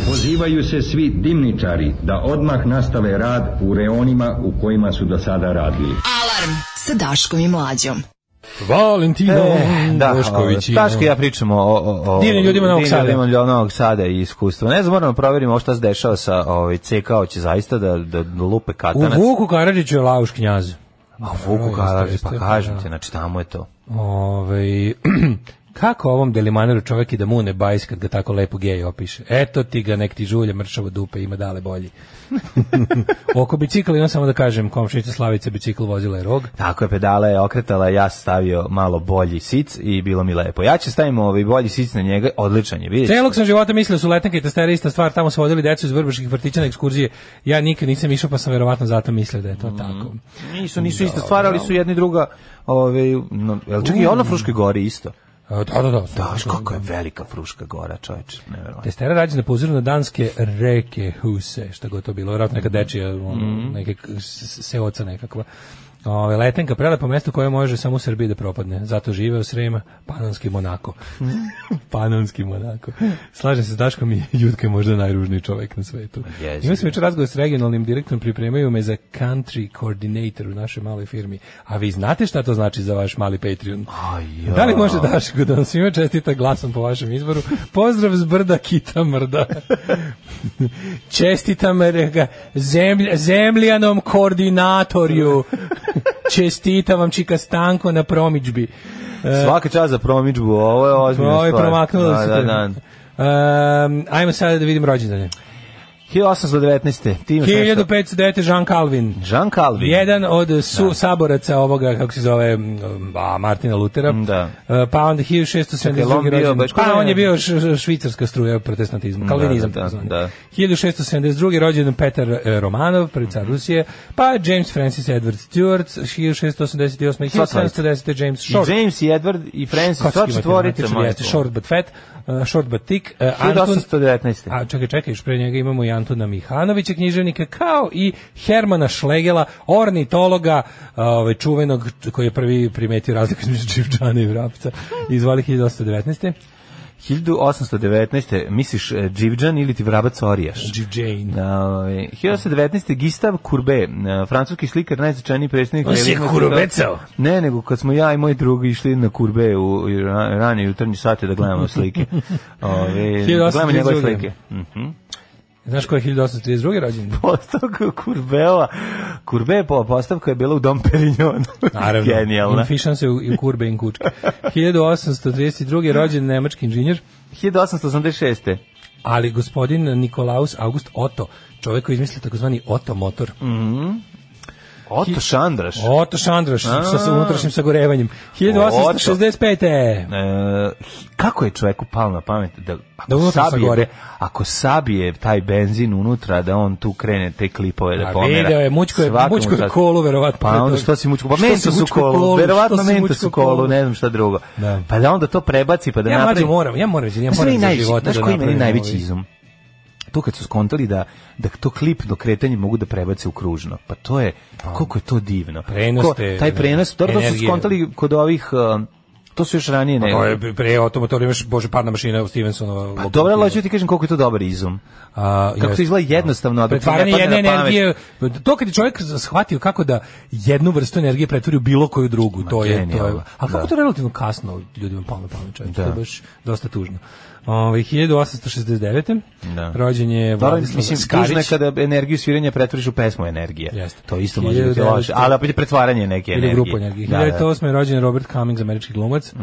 [SPEAKER 1] Pozivaju se svi dimničari da odmah nastave rad u reonima u kojima su do sada radili.
[SPEAKER 4] Alarm sa Daškom i Mlađom.
[SPEAKER 6] Valentino Bošković.
[SPEAKER 7] Daško i ja pričamo o
[SPEAKER 6] divnim ljudima
[SPEAKER 7] Novog Sada i iskustva. Ne znam, moramo provjerimo šta se dešava sa CK, hoće zaista da lupe katanac.
[SPEAKER 6] U Vuku Karadžiću je Lauš knjaz.
[SPEAKER 7] A Vuku Karadžić, pa kažem ti, znači tamo je to.
[SPEAKER 6] Kako ovom Delimaneru čovjek i da mu ne bajs kad ga tako lepo gej opiše. Eto ti ga, nek ti žulje mršavo dupe, ima dale bolji. Oko bicikla imam samo da kažem, komšinica Slavica bicikl vozila je rog.
[SPEAKER 7] Tako je, pedala je okretala, ja stavio malo bolji sic i bilo mi lepo. Ja ću stavimo bolji sic na njega, odličan je, vidite.
[SPEAKER 6] Celog sam života mislio su letenke i testere ista stvar, tamo su vodili decu iz vrbaških vrtića na ekskurzije. Ja nikad nisam išao, pa sam verovatno zato mislio da je to tako.
[SPEAKER 7] Nisu ista stvar, ali su jedni druga, čak i ono Fruškoj gori isto.
[SPEAKER 6] Da.
[SPEAKER 7] Kako je velika Fruška gora, čovječe, nevjerovatno.
[SPEAKER 6] Testera rađena po uzoru na danske reke Huse, šta god to bilo, vjerojatno neka dečija, neke seoca nekakva. Letenka, prelepo mesto koje može samo u Srbiji da propadne. Zato žive u Srema, Panonski Monako. Panonski Monako. Slažem se s Daškom i Jutka je možda najružniji čovjek na svetu. Imam se večer razgovor s regionalnim direktorom, pripremaju me za country coordinator u našoj maloj firmi. A vi znate šta to znači za vaš mali Patreon? Da li može Daško da vam svima čestita glasom po vašem izboru? Pozdrav z brda Kita Mrda. Čestitam zemljanom koordinatorju. Čestitam vam Čika Stanko na promidžbi.
[SPEAKER 7] Svaka čast za promidžbu, ovo je ozbiljna stvar.
[SPEAKER 6] Ovo je promaknulo se. Ajmo sada da vidim rođendane.
[SPEAKER 7] 1819.
[SPEAKER 6] 1509. Jean Calvin.
[SPEAKER 7] Jean Calvin.
[SPEAKER 6] Jedan od saboraca ovoga, kako se zove, Martina Lutera.
[SPEAKER 7] Da.
[SPEAKER 6] Pa onda 1672. rođendan. Pa on je bio švicarska struja protestantizma. Kalvinizam.
[SPEAKER 7] Da.
[SPEAKER 6] 1672. rođendan Petar Romanov, prvi car Rusije. Pa James Francis Edward Stuart, 1688. 1710. James Short.
[SPEAKER 7] I James i Edward i Francis, to četvorica.
[SPEAKER 6] Short but fat. Short but thick.
[SPEAKER 7] 1819.
[SPEAKER 6] A čekaj, još pre njega imamo i Antuna Mihanovića, književnika, kao i Hermana Šlegela, ornitologa, čuvenog, koji je prvi primetio razliku između Dživdžana i vrapca, izvali 1819.
[SPEAKER 7] 1819. Misliš Dživdžan ili ti vrabac Orijaš?
[SPEAKER 6] Dživdžane.
[SPEAKER 7] 1819. Gustave Courbet, francuski slikar, najznačajniji predstavnik.
[SPEAKER 6] On se kurubecao?
[SPEAKER 7] Ne, nego kad smo ja i moj drugi išli na Courbet u ranije jutarnji sate da gledamo slike. Gledamo njegove slike.
[SPEAKER 6] Znaš ko je 1832. rođendan?
[SPEAKER 7] Postavka Courbeta. Courbet postavka je bila u Dom Perignon.
[SPEAKER 6] Naravno.
[SPEAKER 7] Genijalna.
[SPEAKER 6] Infišan se u Courbet in kučke. 1832. rođen nemački inženjer.
[SPEAKER 7] 1886.
[SPEAKER 6] Ali gospodin Nikolaus August Otto, čovjek koji izmislio takozvani Otto motor.
[SPEAKER 7] Oto Šandraš.
[SPEAKER 6] Oto Šandraš sa unutrašnjim sagorevanjem. 1865.
[SPEAKER 7] Kako je čoveku palo na pamet da ako sabije taj benzin unutra, da on tu krene te klipove da pomera.
[SPEAKER 6] Video je, mučko je kolu, verovatno.
[SPEAKER 7] Pa onda što si mučko? Pa mento su kolu, verovatno mento su kolu, ne znam šta drugo. Pa da onda to prebaci, pa da napravi.
[SPEAKER 6] Ja moram za života.
[SPEAKER 7] Znaš koji meni najveći izum? To kad su skontali da to klip do kretanja mogu da prebace u kružno. Pa to je, koliko je to divno. Taj prenos, to su skontali kod ovih... To su još ranije nego.
[SPEAKER 6] To je pre automotor, imaš parna mašina u Stevensonova.
[SPEAKER 7] Pa dobro, ali ću ti kažem koliko je to dobar izum. Kako to izgleda jednostavno, da
[SPEAKER 6] pretvaranje jedne energije. To kad je čovjek shvatio kako da jednu vrstu energije pretvori u bilo koju drugu, to je. A kako to relativno kasno ljudima palo na pamet, čovjek. To je baš dosta tužno. 1869. Rođen je Vladislav Skarić.
[SPEAKER 7] Tužno je kada energiju sviranja pretvoriš u pesmu energije. To isto može biti loše, ali opet je pretvaranje neke energije.
[SPEAKER 6] Ili grupu energije. 1908. je rođen Robert Cummings, američki glumac.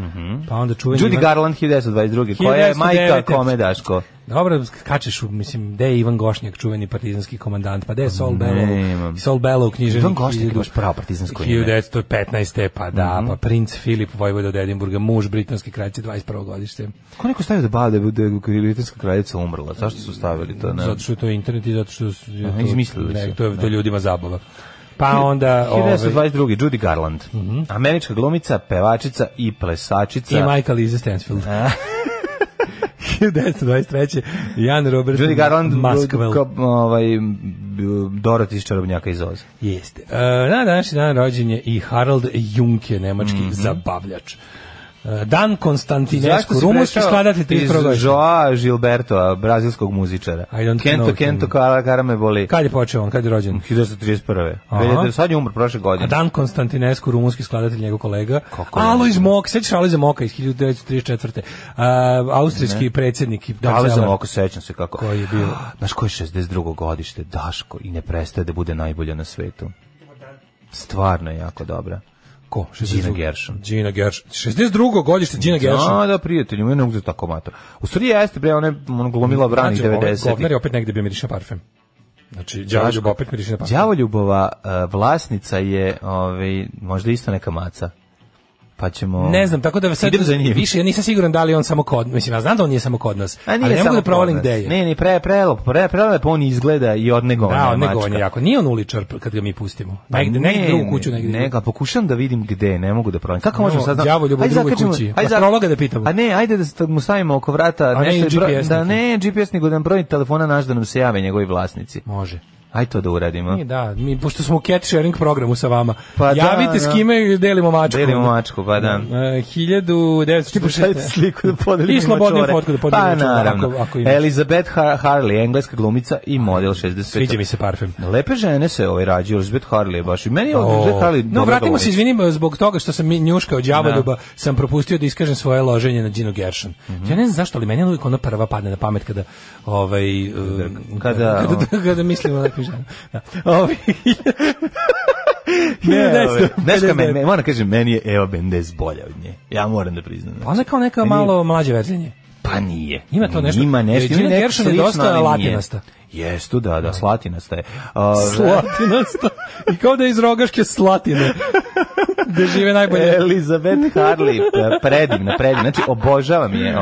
[SPEAKER 6] Pa onda čuveni
[SPEAKER 7] Judy Garland 1922. Koja je majka kome, Daško?
[SPEAKER 6] Dobro, kačeš, mislim, gde je Ivan Gošnjak, čuveni partizanski komandant, pa gde je Sol Bellow? Sol Bellow u književnik.
[SPEAKER 7] Ivan Gošnjak je baš pravo partizansko ime.
[SPEAKER 6] 1915. pa da, pa princ Filip, vojvoda od Edinburga, muž britanske kraljice, 21. godište.
[SPEAKER 7] Ko neko stavio da bada da je britanska kraljica umrla? Zašto su stavili to? Ne?
[SPEAKER 6] Zato što je to internet i zato što je
[SPEAKER 7] izmislili
[SPEAKER 6] to je ljudima zabava. Pa onda
[SPEAKER 7] 1922. Judy Garland, američka glumica, pevačica i plesačica.
[SPEAKER 6] I majka Liza Stansfield. 1923. Jan Robert
[SPEAKER 7] Judy Garland,
[SPEAKER 6] Maxwell.
[SPEAKER 7] Dorothy iz Čarobnjaka iz Oza.
[SPEAKER 6] Jeste. Na današnji dan rođen je i Harald Junke, nemački zabavljač. Dan Konstantinescu, rumunski skladatelj 31. godište.
[SPEAKER 7] Joao Gilberto, brazilskog muzičara. Kento Karame boli.
[SPEAKER 6] Kad je počeo on, kad je rođen?
[SPEAKER 7] 1931. Sad je umro prošle godine.
[SPEAKER 6] Dan Konstantinescu, rumunski skladatelj, njegov kolega. Alojz Mok, sećaš Alojza Moka iz 1934. Austrijski predsjednik.
[SPEAKER 7] Alojza Moka, sećam se kako.
[SPEAKER 6] Koji je bio?
[SPEAKER 7] Znaš koji je 62. godište, Daško, i ne prestaje da bude najbolja na svetu. Stvarno je jako dobra.
[SPEAKER 6] Ko?
[SPEAKER 7] Gina Gershon.
[SPEAKER 6] 62. godište Gina Gershon.
[SPEAKER 7] Da, prijatelji, mu je ne uzeti tako mato. U stvari jeste, bre, ona je glumila branih 90.
[SPEAKER 6] Govnar je opet negde bio miriša parfem. Znači, Đavoljub opet miriša parfem.
[SPEAKER 7] Đavoljubova vlasnica je možda isto neka maca. Pa ćemo...
[SPEAKER 6] Ne znam, tako da sad više, ja nisam siguran da li on samo kod, mislim, ja znam da on nije samo kod nas, ali ne mogu da provalim gde je.
[SPEAKER 7] Ne, prelepo on izgleda i odnegovanje.
[SPEAKER 6] Da, odnegovanje jako. Nije on uličar kad ga mi pustimo. Negde drugu kuću, negde.
[SPEAKER 7] Ne, pokušam da vidim gde, ne mogu da provalim. Kako možemo sad...
[SPEAKER 6] Đavoljub u drugoj kući. Astrologa da pitamo.
[SPEAKER 7] A ne, ajde da mu stavimo oko vrata nešto... Da ne GPS, nego da nam broj telefona naš da nam se jave njegovi vlasnici.
[SPEAKER 6] Može.
[SPEAKER 7] Ajde to da uradimo.
[SPEAKER 6] Mi pošto smo u cat sharing programu sa vama. Pa javite s kime delimo mačku.
[SPEAKER 7] Delimo mačku, pa da.
[SPEAKER 6] 1946.
[SPEAKER 7] Sliku da podelimo.
[SPEAKER 6] I slobodnu fotku da podelimo.
[SPEAKER 7] Pa naravno. Elizabeth Harley, engleska glumica i model 65.
[SPEAKER 6] Sviđa mi se parfem.
[SPEAKER 7] Lepe žene se rađaju, Elizabeth Harley je baš. I meni je Elizabeth Harley.
[SPEAKER 6] No, vratimo se, izvinim, zbog toga što sam njuška od đavoljuba, sam propustio da iskažem svoje loženje na Ginu Gershon. Ja ne znam zašto, ali meni je uvijek ona prva padne na pamet kada mislim o nekim ženama.
[SPEAKER 7] Moram kažem, meni je Eva Mendes bolja od nje. Ja moram da priznam.
[SPEAKER 6] Pa ona kao neka malo mlađa verzija.
[SPEAKER 7] Pa nije.
[SPEAKER 6] Ima to nešto.
[SPEAKER 7] Ima nešto.
[SPEAKER 6] Gina Gershon je dosta latinasta.
[SPEAKER 7] Jestu, da, slatinasta je.
[SPEAKER 6] Slatinasta. I kao da je iz Rogaške Slatine. Da žive najbolje.
[SPEAKER 7] Elizabeth Harley, predivna. Znači, obožavam je,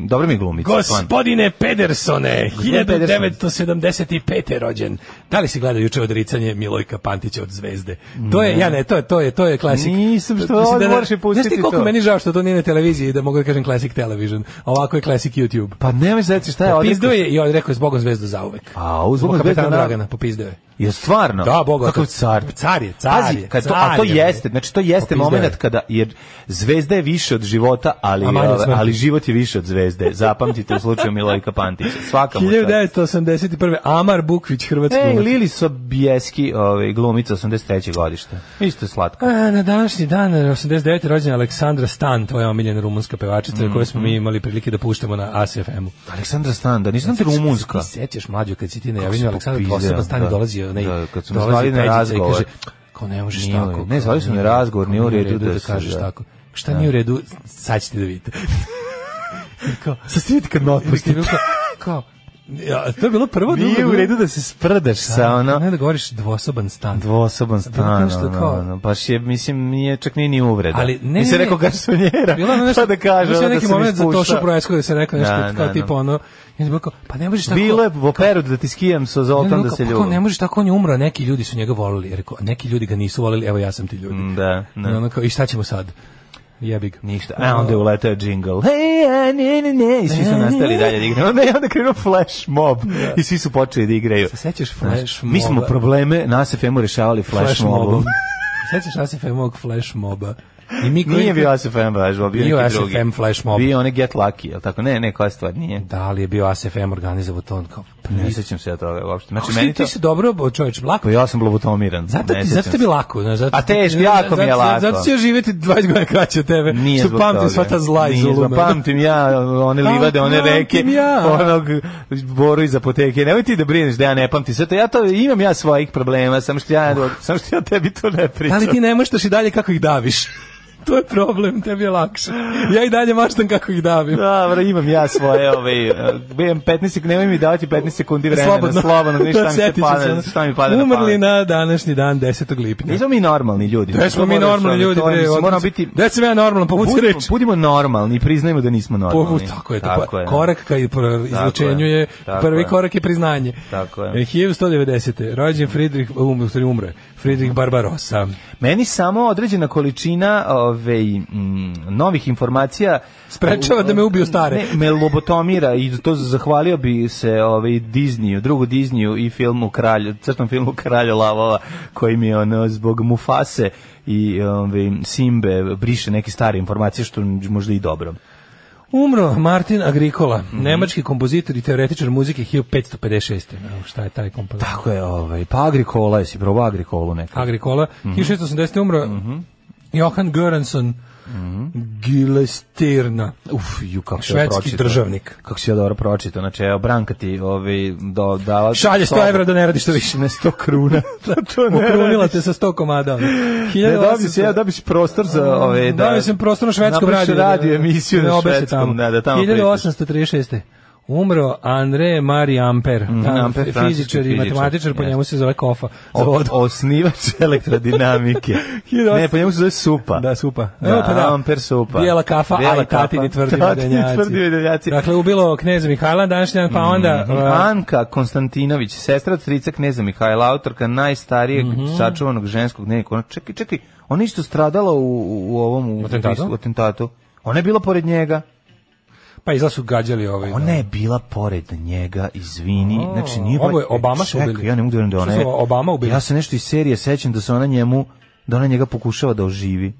[SPEAKER 7] dobro mi glumica.
[SPEAKER 6] Gospodine Pedersone, 1975. rođen. Da li si gledao juče odricanje Milojka Pantića od Zvezde? To je klasik.
[SPEAKER 7] Nisam, što ovdje moraš i pustiti to.
[SPEAKER 6] Znaš ti koliko meni žao što to nije na televiziji, da mogu da kažem Classic Television. Ovako je Classic YouTube.
[SPEAKER 7] Pa nemoj znači šta je ovdje.
[SPEAKER 6] Popizdeo je i on rekao je zbogom Zvezdu zauvek.
[SPEAKER 7] Zbog
[SPEAKER 6] kapetana Dragana, popizdeo je.
[SPEAKER 7] Je stvarno?
[SPEAKER 6] Da, Boga.
[SPEAKER 7] Kakav car?
[SPEAKER 6] Car je.
[SPEAKER 7] A to jeste, znači to jeste moment kada, jer Zvezda je više od života, ali život je više od Zvezde. Zapamtite u slučaju Milojka Pantića. Svaka mu
[SPEAKER 6] 1981. Amar Bukvić, hrvatski glumac.
[SPEAKER 7] Lili Sobieski, glumica, 83. godište. Isto je slatka.
[SPEAKER 6] Na današnji dan, 89. rođena Aleksandra Stan, tvoja omiljena rumunska pevačica, koju smo mi imali prilike da puštamo na ASFM-u.
[SPEAKER 7] Aleksandra Stan, da nisam ti rumunska.
[SPEAKER 6] Ti sećaš mlađu kad si ti najavio Aleksandra poseban stan dolazio.
[SPEAKER 7] Kad smo zvali na razgovor.
[SPEAKER 6] Kao ne možeš tako.
[SPEAKER 7] Ne, zvali su na razgovor, nije u redu
[SPEAKER 6] da kažeš tako. Šta nije u redu, sad ćete da vidite. Sad ste vidite kad me otpustite. Kao, Ja, to je bilo prvo.
[SPEAKER 7] Nije u redu da se sprdaš sa ono.
[SPEAKER 6] Ne da govoriš dvosoban stan.
[SPEAKER 7] Dvosoban stan, baš je, mislim, nije čak ni uvreda.
[SPEAKER 6] Ali ne,
[SPEAKER 7] mi se rekao garsonjera, pa da kaže,
[SPEAKER 6] ono
[SPEAKER 7] da
[SPEAKER 6] neki
[SPEAKER 7] se
[SPEAKER 6] moment za Tošu
[SPEAKER 7] spušta.
[SPEAKER 6] Proesku da se rekao nešto kao tipa ono, pa ne možeš tako.
[SPEAKER 7] Bilo je u operu da ti skijam sa Zoltan da se ljubim.
[SPEAKER 6] Ne možeš tako, on je umro, neki ljudi su njega voleli. Rekao, neki ljudi ga nisu voleli, evo ja sam ti ljudi.
[SPEAKER 7] Da.
[SPEAKER 6] I šta ćemo sad? Jebig.
[SPEAKER 7] Ništa. A onda je uletao džingl. Ne. I svi su nastavili dalje da igraju. Onda krenuo Flash Mob. I svi su počeli da igraju.
[SPEAKER 6] Se sećaš Flash Moba?
[SPEAKER 7] Mi smo probleme na ASFM-u rešavali Flash Mobom.
[SPEAKER 6] Sećaš ASFM-ovog Flash Moba?
[SPEAKER 7] Nije bio ASFM Flash Mob, bio neki drugi.
[SPEAKER 6] Bio ASFM Flash Mob.
[SPEAKER 7] Bio onaj Get Lucky, je li tako? Ne, koja stvar nije.
[SPEAKER 6] Da li je bio ASFM organizovao to?
[SPEAKER 7] Ne sećam se ja toga uopšte. Znači,
[SPEAKER 6] meni ti se dobro, čovječ, lako.
[SPEAKER 7] Pa ja sam lobotomiran.
[SPEAKER 6] Zato ti bi lako.
[SPEAKER 7] A teško, jako mi je lako.
[SPEAKER 6] Zato će živjeti 20 godina kraće od tebe.
[SPEAKER 7] Nije
[SPEAKER 6] što pamtim sva ta zla i zuluma.
[SPEAKER 7] Pamtim ja one livade, one reke, onog Boru iz apoteke. Nemoj ti da brineš da ja ne pamtim sve to. Imam ja svojih problema, samo što ja tebi to ne pričam.
[SPEAKER 6] Ali ti ne možeš i dalje kako ih daviš. To je problem, tebi je lakše. Ja i dalje maštam kako ih davim.
[SPEAKER 7] Dobro, imam ja svoje, nemoj mi davati 15 sekundi vremena, slobodno, šta mi pada na pamet.
[SPEAKER 6] Umrli na današnji dan, 10. lipnja.
[SPEAKER 7] Nismo mi normalni ljudi.
[SPEAKER 6] Da smo mi normalni ljudi, da sam ja normalno, povuci reč.
[SPEAKER 7] Budimo normalni, priznajmo da nismo normalni.
[SPEAKER 6] Tako je, korak ka izlučenju je, prvi korak je priznanje.
[SPEAKER 7] Tako je.
[SPEAKER 6] 1190. Rođen umro je Friedrich Barbarossa.
[SPEAKER 7] Meni samo određena količina novih informacija
[SPEAKER 6] sprečava da me ubiju stare.
[SPEAKER 7] Me lobotomira i to zahvalio bi se Disneyu, drugu Disneyu i crtom filmu Kralj lavova, koji mi zbog Mufase i Simbe briše neke stare informacije, što možda i dobro.
[SPEAKER 6] Umro Martin Agricola, nemački kompozitor i teoretičar muzike 1556. Šta je taj kompozitor?
[SPEAKER 7] Tako je, pa Agricola, jesi probao Agricolu nekako?
[SPEAKER 6] Agricola, 1680. umro Johan Göransson Gilestirna, švedski državnik.
[SPEAKER 7] Kako si ja dobro pročitao, znači evo Branka ti dala...
[SPEAKER 6] Šalje 100 evra da ne radiš to više.
[SPEAKER 7] Ne 100 kruna.
[SPEAKER 6] Ukrunila te sa 100 komada.
[SPEAKER 7] Da bi si prostor za...
[SPEAKER 6] Da sam prostor na švedskom radiju.
[SPEAKER 7] Napraviš radio emisiju na švedskom.
[SPEAKER 6] 1836. Umro André Marie Ampère, fizičar i matematičar, po njemu se zove Kofa.
[SPEAKER 7] Osnivač elektrodinamike. Ne, po njemu se zove Supa.
[SPEAKER 6] Da, Supa.
[SPEAKER 7] Ampere Supa.
[SPEAKER 6] Bijela kafa, ali tatini tvrdi vedenjaci. Dakle, ubilo kneza Mihajla današnjan, pa onda...
[SPEAKER 7] Anka Konstantinović, sestra od strica kneza Mihajla, autorka najstarijeg sačuvanog ženskog dnevnika. Čekaj, ona isto stradala u ovom atentatu. Ona je bila pored njega.
[SPEAKER 6] Pa izla su gađali
[SPEAKER 7] Ona je bila pored njega, izvini. Znači, nije
[SPEAKER 6] ovo je Obama su ubili.
[SPEAKER 7] Ja ne mogu da ona je.
[SPEAKER 6] Obama ubili.
[SPEAKER 7] Ja se nešto iz serije sećam da se ona njega pokušava da oživi.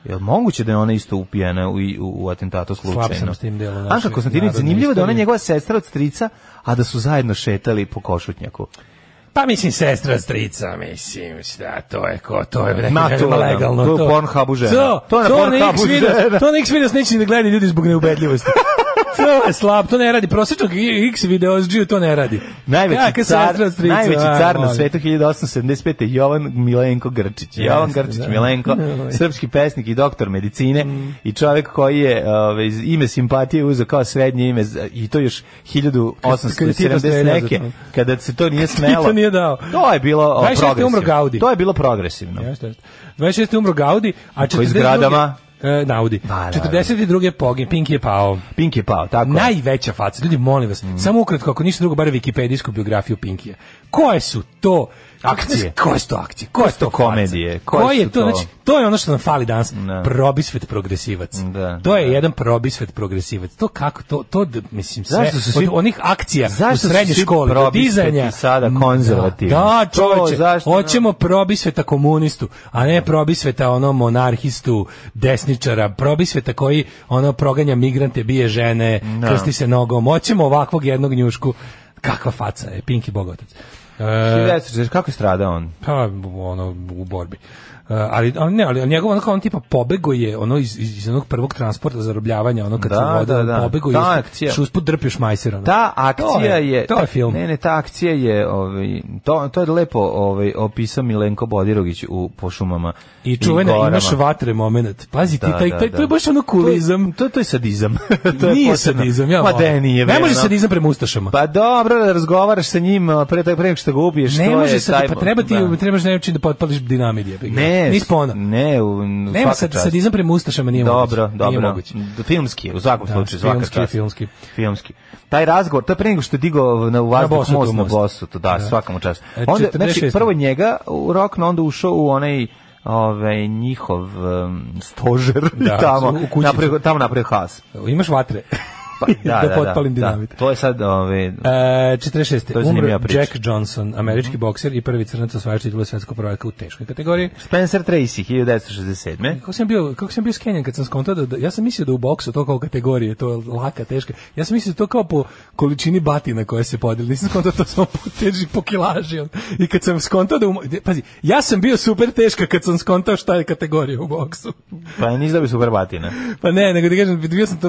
[SPEAKER 7] Jel moguće da je ona isto upijena u atentatu slučajno?
[SPEAKER 6] Slab sam s tim delom.
[SPEAKER 7] Anka Konstantinović, zanimljivo da ona njegova sestra od strica, a da su zajedno šetali po Košutnjaku.
[SPEAKER 6] Pa mislim sestra strica, mislim, šta, to je legalno.
[SPEAKER 7] To je Pornhubu žena. To je na Pornhubu žena.
[SPEAKER 6] To na X-Videos neće da gledaju ljudi zbog neubedljivosti. To je slab, to ne radi. Prosječnog X-Videos to ne radi.
[SPEAKER 7] Najveći car na svetu 1875. Jovan Milenko Grčić. Jovan Grčić Milenko, srpski pesnik i doktor medicine i čovjek koji je ime simpatije uzeo kao srednje ime i to još 1870 neke, kada se to nije smelo.
[SPEAKER 6] Nije dao.
[SPEAKER 7] To je bilo progresivno.
[SPEAKER 6] To
[SPEAKER 7] je bilo progresivno.
[SPEAKER 6] 26. umro Gaudi, a 42. Naudi. 42. pogin, Pinky je pao, tako. Najveća faca, ljudi, molim vas, samo ukratko, ako ništa drugo, bar wikipedijsku biografiju Pinkija. Koje su to
[SPEAKER 7] akcije?
[SPEAKER 6] Koje su to akcije? Koje su to
[SPEAKER 7] komedije?
[SPEAKER 6] Koje je to? Znači, to je ono što nam fali danas. Probisvet progresivac. To je jedan probisvet progresivac. To kako, to mislim, sve, od onih akcija u srednjoj školi, do dizanja.
[SPEAKER 7] Sada konzervativni.
[SPEAKER 6] Da, čoveče, hoćemo probisveta komunistu, a ne probisveta monarhistu, desničara, probisveta koji proganja migrante, bije žene, krsti se nogom. Hoćemo ovakvog jednog njušku. Kakva faca je, Pinky Bogotac.
[SPEAKER 7] Kako je stradao on?
[SPEAKER 6] Pa, u borbi. ali njegov ono kao on tipa pobego je ono iz onog prvog transporta zarobljavanja, ono kad se voda pobego je usput drpio šmajser.
[SPEAKER 7] Ta akcija
[SPEAKER 6] to je film.
[SPEAKER 7] Ne, ta akcija je to je lepo opisao Milenko Bodirogić po šumama
[SPEAKER 6] i čuvena imaš vatre momenat. Pazi ti to je baš ono kulizam.
[SPEAKER 7] To je sadizam.
[SPEAKER 6] Nije sadizam, ja.
[SPEAKER 7] Ma da nije.
[SPEAKER 6] Ne može sadizam prema ustašama.
[SPEAKER 7] Pa dobro da razgovaraš sa njim pre nego što ga ubiješ.
[SPEAKER 6] Ne može sad, pa trebaš nešto da potpališ dinamit.
[SPEAKER 7] Ne,
[SPEAKER 6] nema sadizam prema ustašama, nije moguće.
[SPEAKER 7] Dobro. Filmski, u svakom slučaju, svaka čast. Filmski. Taj razgovor, to je pre nego što je digao u vazduh most na Bosutu, svaka mu čast. Onda, znači, prvo njega u Rokno, onda ušao u onaj njihov stožer tamo napravio haos.
[SPEAKER 6] Imaš vatre. Da potpalim dinamit.
[SPEAKER 7] To je sad
[SPEAKER 6] 46. Umro Jack Johnson, američki bokser i prvi crnac osvajač titula svetskog prvaka u teškoj kategoriji.
[SPEAKER 7] Spencer Tracy 1967.
[SPEAKER 6] Kako sam bio skenjan kad sam skontao da ja sam mislio da u boksu to kao kategorije, to je laka, teška. Ja sam mislio da to kao po količini batina koje se podeli. Nisam skontao to samo po teži, po kilaži. I kad sam skontao pazi, ja sam bio super teška kad sam skontao šta je kategorija u boksu.
[SPEAKER 7] Pa nisi da bi super batina.
[SPEAKER 6] Pa ne, nego ti kažem,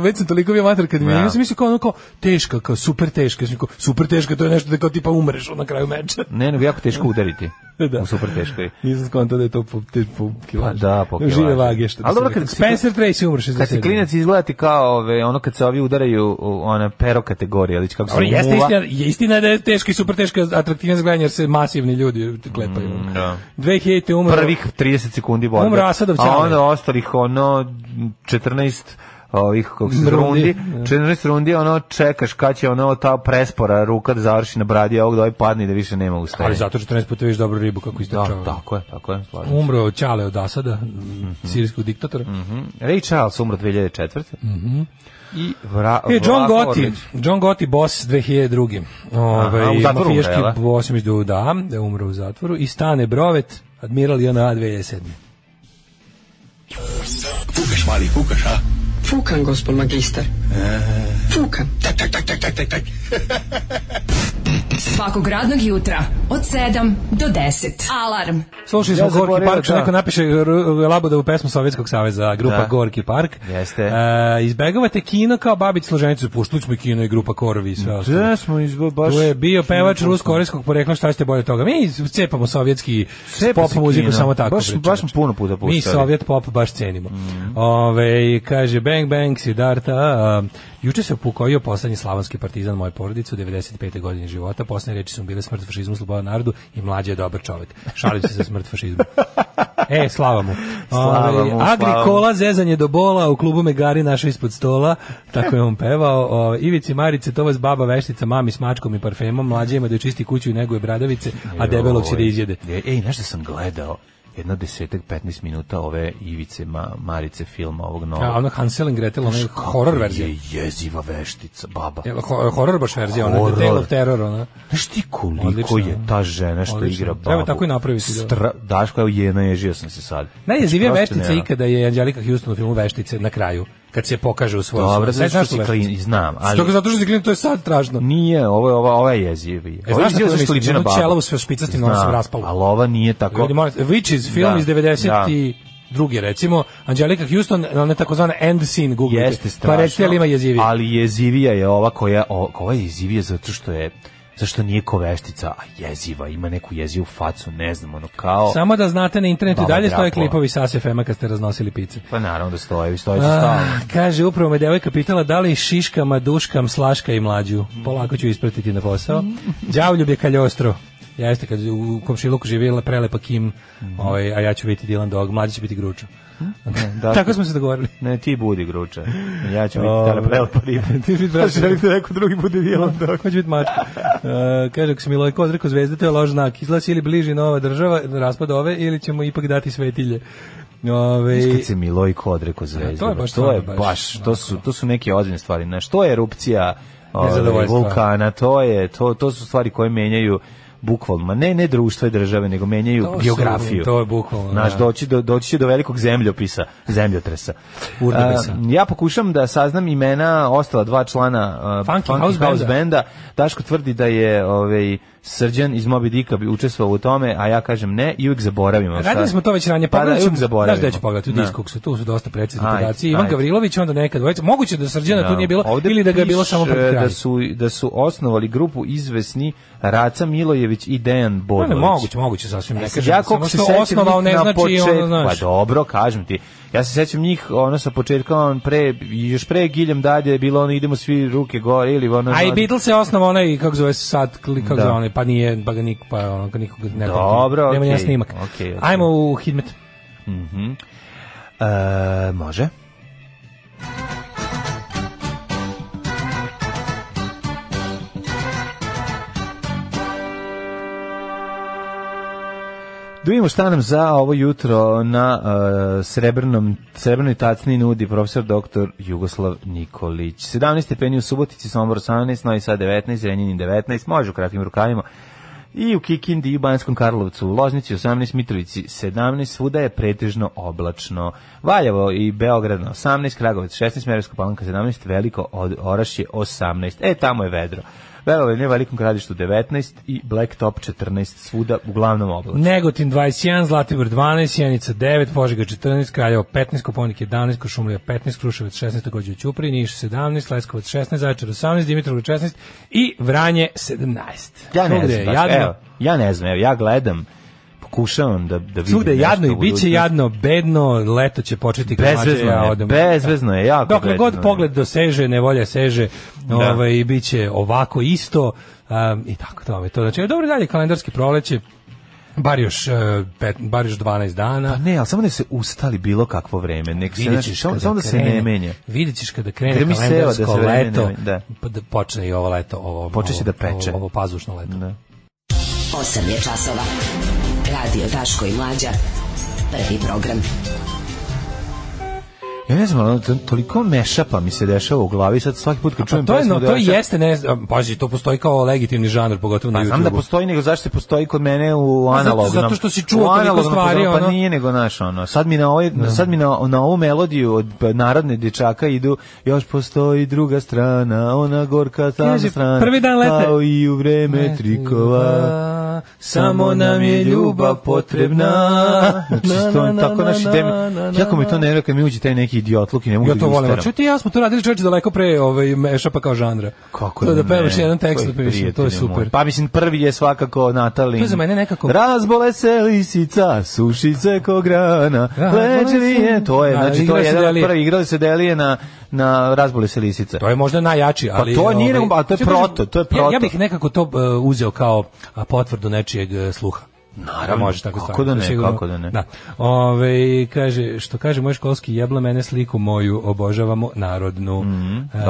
[SPEAKER 6] već sam toliko bio mater kad ja sam mislio kao teška, kao super teška. Super teška, to je nešto da kao tipa umreš na kraju meča.
[SPEAKER 7] Ne, nego jako teško udariti. U super teškoj.
[SPEAKER 6] Nisam skontao da je to po kilaži.
[SPEAKER 7] Pa da, po kilaži.
[SPEAKER 6] Žive vage što.
[SPEAKER 7] Ali dobro, kad
[SPEAKER 6] Spencer Tracy umre 67.
[SPEAKER 7] Kad si klinac izgledati kao ono kad se ovi udaraju ona pero kategorija, ali kako se muva.
[SPEAKER 6] Istina da je teška i super teška atraktivna za gledanje jer se masivni ljudi klepaju. 2000 umre.
[SPEAKER 7] Prvih 30 sekundi borbe.
[SPEAKER 6] Umre Asadov Ćale.
[SPEAKER 7] A onda ostalih 14 ovih kako se rundi, 14 rundi, čekaš kad će ta prespora ruka da završi na bradi, a ovog da ovaj padne i da više nema ustajanja.
[SPEAKER 6] Ali zato 14 puta vidiš dobru ribu kako istračava.
[SPEAKER 7] Tako je, slažem se.
[SPEAKER 6] Umro Ćale od Asada, sirijskog diktatora.
[SPEAKER 7] Ray Charles umro 2004. I
[SPEAKER 6] John Gotti, boss 2002.
[SPEAKER 7] U zatvoru
[SPEAKER 6] mafijaški boss da je umro u zatvoru. I Stane Brovet, admiral JNA 2007.
[SPEAKER 5] Fukaš, mali, fukaš, a?
[SPEAKER 8] Fukan, gospod magistar. Fukan. Tak.
[SPEAKER 4] Svakog radnog jutra od 7 do 10. Alarm.
[SPEAKER 6] Slušali smo Gorki Park, što neko napiše Labudovu pesmu Sovjetskog saveza, grupa Gorki Park.
[SPEAKER 7] Jeste.
[SPEAKER 6] Izbegavate kino kao Babić Složenicu, puštili smo i kino i grupa Korovi i sve ostalo. Tu je bio pevač rusko-korejskog porekla, šta ste bolje toga? Mi cepamo sovjetski pop muziku samo tako.
[SPEAKER 7] Baš puno puta puštali.
[SPEAKER 6] Mi sovjet pop baš cenimo. Kaže Bang Bang Siddharta, juče se upokojio poslednji slavonski partizan moje porodice u 95. godine života. Poslednje reči su bile smrt fašizmu, sloboda narodu i mlađe je dobar čovjek. Šalim se za smrt fašizmu. Slava mu. Agrikola, zezanje do bola, u klubu Megari našao ispod stola, tako je on pevao. Ivici Marice, to vas baba veštica, mami s mačkom i parfemom, mlađe ima da čiste kuću i neguje bradavice, a debelog će da izjede.
[SPEAKER 7] Nešto sam gledao. Jedno 10-15 minuta ove Ivice Marice filma ovog novog.
[SPEAKER 6] Ono Hansel and Gretel, ono je horror verzija.
[SPEAKER 7] Je jeziva veštica, baba.
[SPEAKER 6] Horror baš verzija, ono je The Tale of Terror, ono.
[SPEAKER 7] Znaš ti koliko je ta žena što igra babu?
[SPEAKER 6] Treba tako i napraviti.
[SPEAKER 7] Daško, evo ježio sam se sad.
[SPEAKER 6] Najjezivija veštica ikada je Angelika Houston u filmu Veštice na kraju. Kad se pokaže u svojom.
[SPEAKER 7] Dobro, zato što si znam.
[SPEAKER 6] Zato što si klin, to je sad strašno.
[SPEAKER 7] Nije, ovo je jezivi.
[SPEAKER 6] Znaš što liči na babu? Čela u sve špicastim nosom raspalo.
[SPEAKER 7] Ali ova nije tako.
[SPEAKER 6] Witches film iz 92. recimo, Angelika Houston, ona takozvana end scene, googlite.
[SPEAKER 7] Jeste strašno.
[SPEAKER 6] Pa recite li ima jezivija.
[SPEAKER 7] Ali jezivija je ova ova je jezivija zato što je zašto nije ko veštica, a jeziva, ima neku jezivu facu, ne znam, kao...
[SPEAKER 6] Samo da znate, na internetu dalje stoje klipovi sa FM-a kad ste raznosili pice.
[SPEAKER 7] Pa naravno da stoje stalno.
[SPEAKER 6] Kaže, upravo me devojka pitala da li šiškama, duškam, slaška i mlađu. Polako ću ispratiti na posao. Đavljub je kaljostro. Jeste, kad u komšiluku živjela prelepa Kim, a ja ću biti Dylan Dog, mlađi će biti Gruča. Tako smo se dogovorili.
[SPEAKER 7] Ne, ti budi Gruča. Ja ću biti tala prelepa riba.
[SPEAKER 6] Ti biti braća, želite neko drugi bude Dylan Dog. Hoće biti mačka. Kaže, ako se Milojko odrekao zvezde, to je loš znak. Izlazi ili bliži nova država, raspad ove, ili ćemo ipak dati svetilje.
[SPEAKER 7] Kad se Milojko odrekao zvezde, to su neke ozbiljne stvari. Što je erupcija vulkana, to su stvari koje menjaju bukvalno, ne društva i države, nego menjaju biografiju.
[SPEAKER 6] To je bukvalno.
[SPEAKER 7] Znaš, doći će do velikog zemljotresa. Ja pokušam da saznam imena ostala dva člana Funky House Banda. Daško tvrdi da je Srđan iz Moby Dicka bi učestvovao u tome, a ja kažem ne i uvijek zaboravimo.
[SPEAKER 6] Radili smo to već ranije,
[SPEAKER 7] pa da, uvijek zaboravimo.
[SPEAKER 6] Znaš da ću pogledati u Discogsu, tu su dosta precizni podaci. Ivan Gavrilović, onda nekad, moguće da Srđana tu nije bilo, ili da ga je bilo samo pred kraj.
[SPEAKER 7] Da su osnovali grupu izvesni Raca Milojević i Dejan Bodlović.
[SPEAKER 6] Moguće sasvim ne kažem.
[SPEAKER 7] Ja kako se
[SPEAKER 6] osnovao ne znači ono, znaš.
[SPEAKER 7] Pa dobro, kažem ti. Ja se sećam njih, ono sa početka, još pre Giljem Dalje je bilo ono idemo svi ruke gore ili ono.
[SPEAKER 6] A i Beatles je osnovao onaj, kako zove sad, kako zove onaj, pa nije, pa ga nikog ne
[SPEAKER 7] dobro,
[SPEAKER 6] nema okay, snimak.
[SPEAKER 7] Okay.
[SPEAKER 6] Ajmo u Hidmet.
[SPEAKER 7] Može. Da vidimo šta nam za ovo jutro na srebrnoj tacni nudi profesor dr. Jugoslav Nikolić. 17 stepeni u Subotici, Sombor 18, Novi Sad 19, Renjanin 19, može u kratkim rukavima. I u Kikindi i u Banskom Karlovcu, u Loznici 18, Mitrovici 17, svuda je pretežno oblačno. Valjevo i Beograd 18, Kragovec 16, Smederevska Palanka 17, Veliko Orašje 18. Tamo je vedro. Verovanje Velikom Gradištu 19 i Blacktop 14, svuda uglavnom oblačno.
[SPEAKER 6] Negotin 21, Zlatibor 12, Sjenica 9, Požega 14, Kraljevo 15, Koponik 11, Košumlija 15, Kruševac 16, takođe u Ćupriji, Niš 17, Leskovac 16, Zaječar 18, Dimitrovgrad 16 i Vranje 17.
[SPEAKER 7] Ja ne znam, ja ne znam, ja gledam, pokušavam da vidim.
[SPEAKER 6] Svugde je jadno i bit će jadno, bedno, leto će početi
[SPEAKER 7] bezvezno je, jako
[SPEAKER 6] dokle god pogled doseže, nevolja seže, i bit će ovako isto, i tako tome. To znači, dobro dalje kalendarski proleće, bar još 12 dana.
[SPEAKER 7] Pa ne, ali samo da se ustali bilo kakvo vreme, nek se znači, samo da se ne menja.
[SPEAKER 6] Vidjet ćeš kada krene kalendarsko leto, da počne i ovo leto,
[SPEAKER 7] počeće da peče.
[SPEAKER 6] Ovo pazušno leto.
[SPEAKER 4] 8 je časova. Radio Daško i Mlađa. Prvi program.
[SPEAKER 7] Ja ne znam, toliko mešapa mi se dešava u glavi, sad svaki put kad čujem pesmu
[SPEAKER 6] to jeste, pazi, to postoji kao legitimni žanr, pogotovo na YouTubeu.
[SPEAKER 7] Znam da postoji, nego zašto se postoji kod mene u analognom.
[SPEAKER 6] Zato što si čuo toliko stvari,
[SPEAKER 7] pa nije nego naš, sad mi na ovu melodiju od narodne dječaka idu, još postoji druga strana, ona gorka tam strana,
[SPEAKER 6] prvi dan leta,
[SPEAKER 7] kao i u vreme trikova, samo nam je ljubav potrebna. Znači, tako naši temi, jako mi to nervira kad mi uđe taj neki idiotluk i ne mogu da
[SPEAKER 6] to volim. Čuti, ja smo to radili čovječe daleko pre mešapa kao žanra.
[SPEAKER 7] Kako
[SPEAKER 6] to da pevaš jedan tekst, to je super.
[SPEAKER 7] Pa mislim, prvi je svakako Natalin.
[SPEAKER 6] To je za mene nekako...
[SPEAKER 7] Razbole se lisica, suši se ko grana, leđevije, to je, znači to je jedan prvi, igrali se delije na Razbole se lisica.
[SPEAKER 6] To je možda najjači, ali...
[SPEAKER 7] Pa to nije, a to je proto,
[SPEAKER 6] Ja bih nekako to uzeo kao potvrdu nečijeg sluha.
[SPEAKER 7] Naravno,
[SPEAKER 6] može tako
[SPEAKER 7] kako da ne, kako da ne.
[SPEAKER 6] Da. Kaže moj školski jebla mene sliku moju, obožavamo narodnu.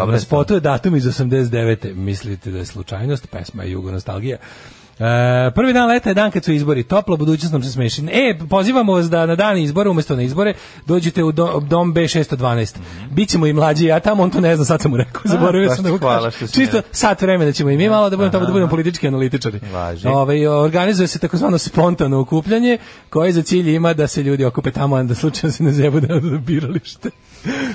[SPEAKER 6] Na spotu je datum iz 89. Mislite da je slučajnost, pesma je Jugonostalgija. Prvi dan leta je dan kad su izbori, topla budućnost nam se smeši. Pozivamo vas da na dan izbora, umjesto na izbore, dođete u dom B612. Bićemo i mlađi, ja tamo, on to ne zna, sad sam mu rekao, zaboravio sam da mu kažem. Čisto sat vremena ćemo i mi malo da budemo politički analitičari. Organizuje se takozvano spontano okupljanje, koje za cilj ima da se ljudi okupe tamo, a da slučajno se ne zebu da biralište.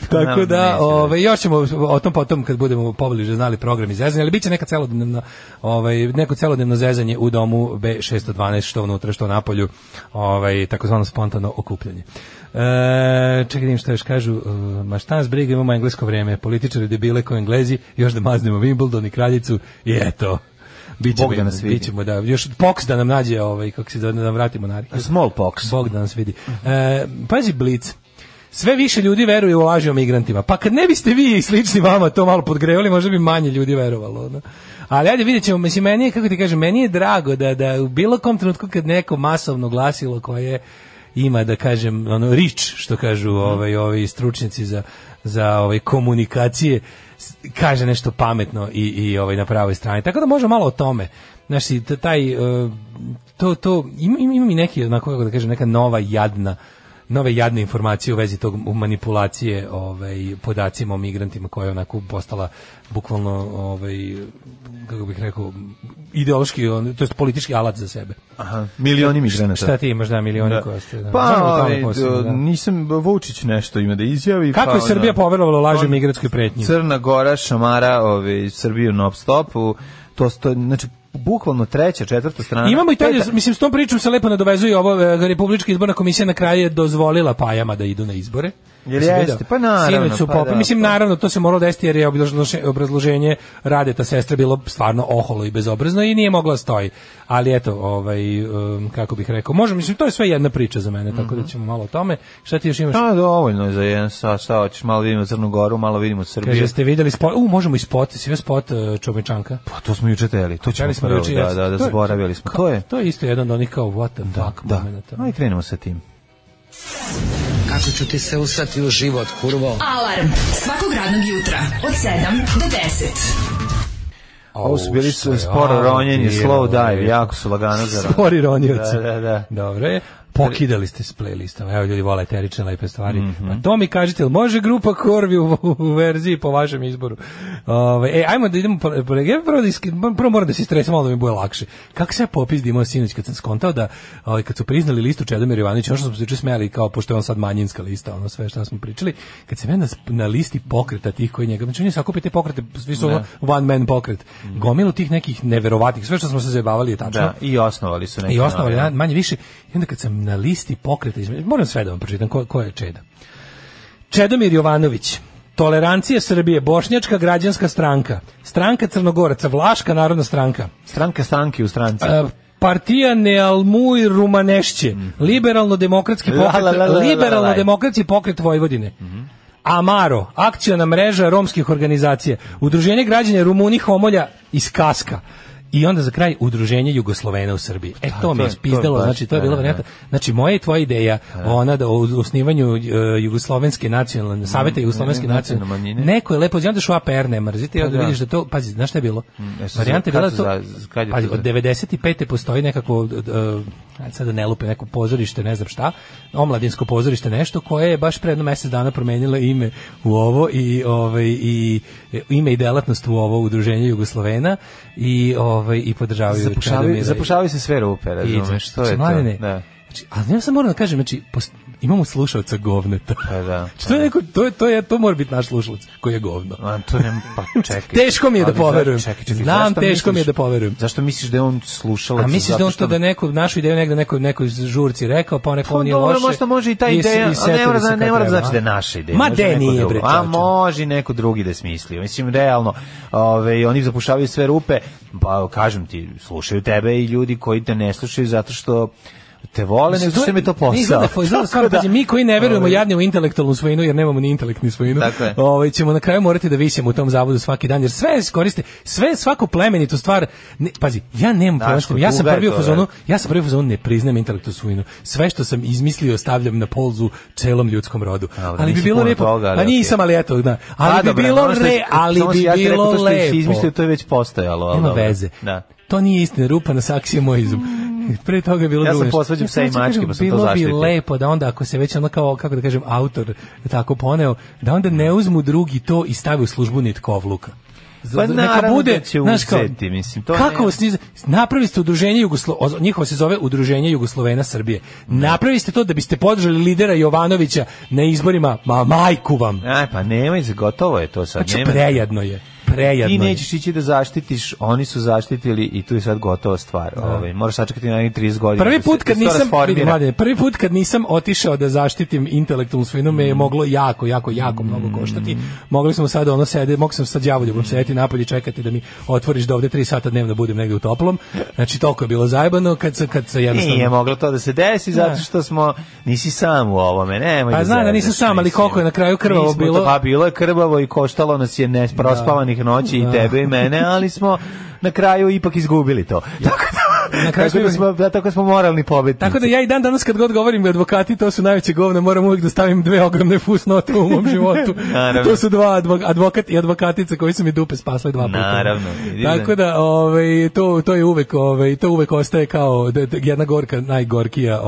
[SPEAKER 6] Tako da, još ćemo o tom potom kad budemo pobliže znali program izrezanja, ali bit će neko celodnevno zezanje u domu B612, što unutra, što napolju, takozvano spontano okupljanje. Čekaj, što još kažu, ma šta nas briga, imamo englesko vreme, političari debile ko Englezi, još da maznemo Wimbledon i Kraljicu, i eto.
[SPEAKER 7] Bog da nas vidi.
[SPEAKER 6] Bićemo, još Pox da nam nađe, kako se da nam vrati monarhiju.
[SPEAKER 7] Small Pox.
[SPEAKER 6] Bog da nas vidi. Pazi Blitz. Sve više ljudi veruje u laži o migrantima. Pa kad ne biste vi i slični vama to malo podgrevali, možda bi manje ljudi verovalo. No? Ali ajde vidjet ćemo, mislim, meni je, kako ti kažem, meni je drago da u bilo kom trenutku kad neko masovno glasilo koje ima, da kažem, rič, što kažu ovi stručnjaci za komunikacije, kaže nešto pametno i na pravoj strani. Tako da možemo malo o tome. Znači, ima mi neki, onako, kako da kažem, neka nove jadne informacije u vezi tog manipulacije podacima o migrantima koja je onako postala bukvalno kako bih rekao ideološki, to jest politički alat za sebe.
[SPEAKER 7] Aha, milioni migranata.
[SPEAKER 6] Šta ti imaš, milioni koji ste?
[SPEAKER 7] Pa, nisam, Vučić nešto ima da izjavi.
[SPEAKER 6] Kako je Srbija poverovala laži migratskoj pretnji?
[SPEAKER 7] Crna Gora šamara Srbiju non stop, znači bukvalno 3., 4. strana.
[SPEAKER 6] Imamo i to, mislim, s tom pričom se lepo nadovezuje ovo, Republička izborna komisija na kraju je dozvolila Pajama da idu na izbore.
[SPEAKER 7] Jel jeste? Pa naravno.
[SPEAKER 6] Mislim, naravno, to se moralo desiti jer je obrazloženje Radeta sestre bilo stvarno oholo i bezobrazno i nije mogla stoji. Ali eto, kako bih rekao, mislim, to je sve jedna priča za mene, tako da ćemo malo o tome. Šta ti još imaš?
[SPEAKER 7] Dovoljno je za jedan sat, šta hoćeš, malo vidimo Crnu Goru, malo vidimo Srbiju.
[SPEAKER 6] Kaže, ste videli spot, možemo i spot, si vidio spot Čomičanka?
[SPEAKER 7] Pa to smo juče teli, to ćemo prvo, da, zaboravili smo. To
[SPEAKER 6] je isto jedan od onih kao what the fuck momenta.
[SPEAKER 7] Aj, krenemo sa tim.
[SPEAKER 9] Kako ću ti se usrati u život, kurvo?
[SPEAKER 4] Alarm svakog radnog jutra od 7 do 10.
[SPEAKER 7] Ovo su bili sporo ronjenje, slow dive, jako su lagano za ronjenje.
[SPEAKER 6] Spori ronjoci.
[SPEAKER 7] Da.
[SPEAKER 6] Dobro je. Pokidali ste s playlistom. Evo, ljudi vole eterične lepe stvari. Pa to mi kažete, ili može grupa Korvi u verziji po vašem izboru? Ajmo da idemo, prvo moram da se stresam, malo da mi bude lakše. Kako se ja popis da imao sinoć kad sam skontao da, kad su priznali listu Čedomir Jovanović, ono što smo se juče smijali, kao pošto je on sad manjinska lista, ono sve što smo pričali, kad sam ja na listi pokreta tih koji njega, znači oni sakupi te pokrete, svi su one man pokret, gomilu tih nekih neverovatnih, sve što smo se zajebavali je tačno.
[SPEAKER 7] Da, i osnovali su neki.
[SPEAKER 6] I osnovali, manje više, i onda kad sam na listi pokreta, moram sve da vam pročitam ko je Čeda. Čedomir Jovanović, Tolerancija Srbije, Bošnjačka građanska stranka, Stranka Crnogoraca, Vlaška narodna stranka,
[SPEAKER 7] Stranka stranki u stranci,
[SPEAKER 6] Partija Nealmuj Rumanešće, Liberalno-demokratski pokret, Liberalno-demokratski pokret Vojvodine, Amaro, akciona mreža romskih organizacija, Udruženje građana Rumuni Homolja iz Kaska. I onda za kraj Udruženje Jugoslovena u Srbiji. To mi je spizdalo, znači to je bila varijanta. Znači moja i tvoja ideja, ona da o osnivanju Jugoslovenske nacionalne, Saveta Jugoslovenske nacionalne, neko je lepo, znam što APR ne mrzite, onda vidiš da to, pazi, znaš šta je bilo? Varijanta je bila to, pazi, od 95. postoji nekako, sada ne lupe, neko pozorište, ne znam šta, omladinsko pozorište nešto, koje je baš pre jedno mesec dana promenilo ime u ovo i ime i delatnost u ovo Udruženje Jugoslovena i podržavaju
[SPEAKER 7] zapušavaju se sve rupe, razumeš, što je to? Da.
[SPEAKER 6] Znači, ali ja sam moram da kažem, znači, imamo slušalca govneta.
[SPEAKER 7] Da.
[SPEAKER 6] Što je neko, to mora biti naš slušalac koji je govno.
[SPEAKER 7] To nema, pa čekaj.
[SPEAKER 6] Teško mi je da poverujem. Znam, teško mi je da poverujem.
[SPEAKER 7] Zašto misliš da je on slušalac?
[SPEAKER 6] A misliš da on što da neku našu ideju negde nekoj žurci rekao, pa neko nije loše.
[SPEAKER 7] Možda može i ta ideja, a ne mora znači da je naša ideja.
[SPEAKER 6] Ma de nije, bre.
[SPEAKER 7] A može neko drugi da smisli. Mislim, realno, oni zapušavaju sve rupe, pa kažem ti, slušaju tebe i ljudi koji te ne slušaju zato što te vole, nego što mi je to posao.
[SPEAKER 6] Mi koji ne verujemo jadni u intelektualnu svojinu, jer nemamo ni intelektnu svojinu, ćemo na kraju morati da visimo u tom zavodu svaki dan, jer sve koriste, svako plemenitu stvar, pazi, ja nemam problem, ja sam prvi u fazonu, ne priznajem intelektualnu svojinu. Sve što sam izmislio stavljam na polzu celom ljudskom rodu. Ali bi bilo lepo, pa nisam, ali eto, ali bi bilo lepo.
[SPEAKER 7] Izmislio, to je već postojalo.
[SPEAKER 6] Nema veze. To nije istina, rupa na saksije moj izum. Pre toga je bilo drugo.
[SPEAKER 7] Ja sam posvađam sve i mačke, pa sam to zaštitio.
[SPEAKER 6] Bilo bi lepo da onda, ako se već ono kao, kako da kažem, autor tako poneo, da onda ne uzmu drugi to i stavi u službu nitkovluka.
[SPEAKER 7] Pa naravno da će uzeti, mislim.
[SPEAKER 6] Kako napravili ste udruženje njihovo se zove Udruženje Jugoslovena Srbije. Napravili ste to da biste podržali lidera Jovanovića na izborima, majku vam.
[SPEAKER 7] Pa nemoj, gotovo je to sad.
[SPEAKER 6] Znači, prejedno je.
[SPEAKER 7] Ti nećeš ići da zaštitiš, oni su zaštitili i tu je sad gotova stvar. Moraš sačekati na 30 godina.
[SPEAKER 6] Prvi put kad nisam otišao da zaštitim intelektualnu svojinu me je moglo jako mnogo koštati. Mogli smo sad mogu sam sad đavoljubom sedeti napolje i čekati da mi otvoriš da ovde 3 sata dnevno budem negde u toplom. Znači toliko je bilo zajebano kad se jednostavno...
[SPEAKER 7] Nije moglo to da se desi zato što nisi sam u ovome, nemoj da
[SPEAKER 6] znam da nisam sam, ali koliko je na kraju krvavo bilo.
[SPEAKER 7] Pa bilo je krvavo i koštalo nas je neprospavanih noći i tebe i mene, ali smo na kraju ipak izgubili to. Tako smo moralni pobednici.
[SPEAKER 6] Tako da ja i dan danas kad god govorim advokati, to su najveće govne, moram uvijek da stavim 2 ogromne fusnote u mom životu. To su 2 advokat i advokatica koji su mi dupe spasli 2 puta.
[SPEAKER 7] Naravno.
[SPEAKER 6] Tako da to je uvek to uvek ostaje kao jedna gorka, najgorkija,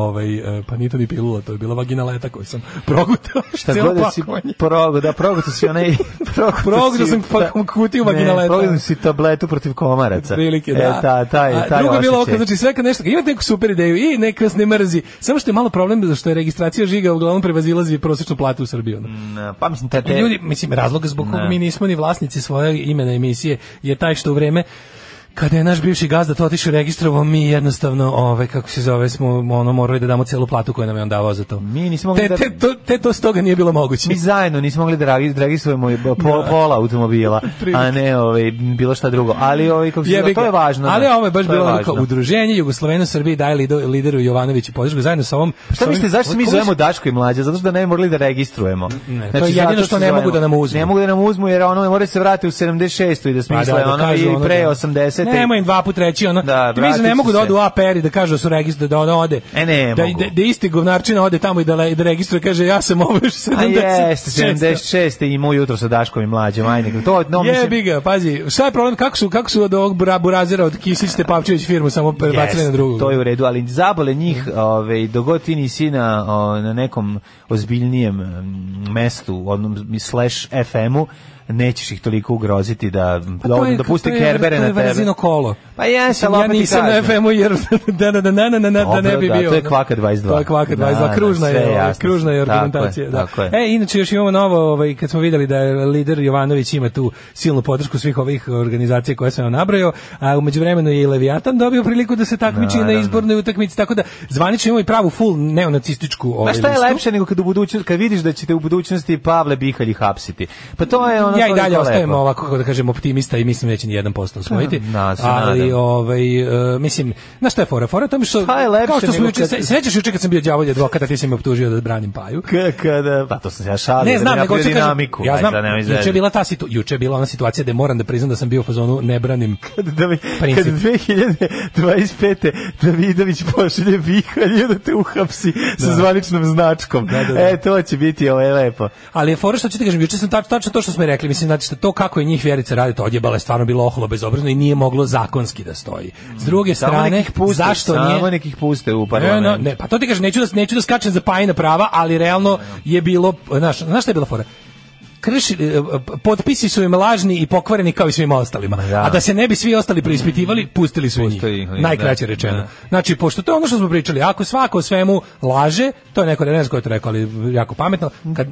[SPEAKER 6] pa nije to ni pilula, to je bila vaginaleta koju sam progutao.
[SPEAKER 7] Šta god da si progutao si onaj
[SPEAKER 6] progutao sam kutiju vaginaleta.
[SPEAKER 7] Progutao si tabletu protiv komaraca.
[SPEAKER 6] Prilike, da. Drugo je bilo znači sve kad nešto, imate neku super ideju i nek vas ne mrzi, samo što je malo problem što je registracija žiga uglavnom prevazilazi prosječnu platu u Srbiji.
[SPEAKER 7] Pa mislim
[SPEAKER 6] ljudi, razlog zbog kog mi nismo ni vlasnici svoje imena emisije je taj što u vreme kada je naš bivši gazda to otišao registrovao, mi jednostavno, kako se zove, smo morali da damo celu platu koju nam je on davao za to.
[SPEAKER 7] Mi nismo mogli
[SPEAKER 6] to s toga nije bilo moguće.
[SPEAKER 7] Mi zajedno nismo mogli da registrujemo pola automobila, a ne bilo šta drugo. Ali kako se to je važno.
[SPEAKER 6] Ali ovo je baš bilo udruženje Jugoslovena u Srbiji daje lideru Jovanoviću podršku zajedno sa ovom.
[SPEAKER 7] Šta mislite, zašto mi zovemo Daško i Mlađa? Zato što da ne bi morali da registrujemo.
[SPEAKER 6] To je jedino što ne mogu da nam uzmu.
[SPEAKER 7] Ne mogu da nam uzmu jer mora se vratiti u 76. i da smisle i pre 80.
[SPEAKER 6] Nema im dva put reći ne mogu da odu u APR i da kažu da su registrovani, da ono ode. Da isti govnarčina ode tamo i da registruje, kaže ja sam ovo još 76.
[SPEAKER 7] A jeste, 76. i moj jutro sa Daškom i Mlađom.
[SPEAKER 6] Jebi ga, pazi, šta je problem, kako su od ovog burazera od Kisić Tepavčević firmu samo prebacili na drugu?
[SPEAKER 7] To je u redu, ali zabole njih, dogod ti nisi na nekom ozbiljnijem mestu, / FM-u, nećeš ih toliko ugroziti da pusti Kerbere na tebe.
[SPEAKER 6] To je verzino kolo.
[SPEAKER 7] Pa jes, ali
[SPEAKER 6] ja nisam na FM-u jer da ne bi bio.
[SPEAKER 7] To je Kvaka 22.
[SPEAKER 6] To je Kvaka 22, kružna je argumentacija. Inače još imamo novo, kad smo vidjeli da je lider Jovanović ima tu silnu podršku svih ovih organizacija koje sam vam nabrojao, a u međuvremenu je i Leviatan dobio priliku da se takmiči na izbornoj utakmici, tako da zvanično imamo i pravu full neonacističku listu.
[SPEAKER 7] Šta je lepše nego kad vidiš da ćete u budućnosti Pavle Bihalj hapsiti? Pa to je
[SPEAKER 6] ja i dalje ostajem ovako, kako da kažem, optimista i mislim da će ni 1% osvojiti. Ali mislim, na šta je fora? Fora tome što kao što smo juče, sećaš juče kad sam bio đavolji advokat, a ti si me optužio da branim Paju.
[SPEAKER 7] Pa to sam se ja šalio.
[SPEAKER 6] Ne znam, nego hoću dinamiku. Ja znam, juče je bila ona situacija da moram da priznam da sam bio u fazonu ne branim princip.
[SPEAKER 7] Kad 2025. Davidović pošalje Bihalju da te uhapsi sa zvaničnom značkom. To će biti lepo.
[SPEAKER 6] Ali je fora što ću ti kažem, juče sam tačno to što smo rekli, mislim, znači to kako je njih Vjerica radi, to odjebala je stvarno bilo oholo bezobrazno i nije moglo zakonski da stoji. S druge strane, zašto nije?
[SPEAKER 7] Samo nekih puste u parlamentu.
[SPEAKER 6] Ne, pa to ti kažem, neću da skačem za Pajina prava, ali realno je bilo, znaš šta je bila fora? Potpisi su im lažni i pokvareni kao i svima ostalima. A da se ne bi svi ostali preispitivali, pustili su njih. Najkraće rečeno. Znači, pošto to je ono što smo pričali, ako svako o svemu laže, to je neko, ne znam ko je to rekao, ali jako pametno, kad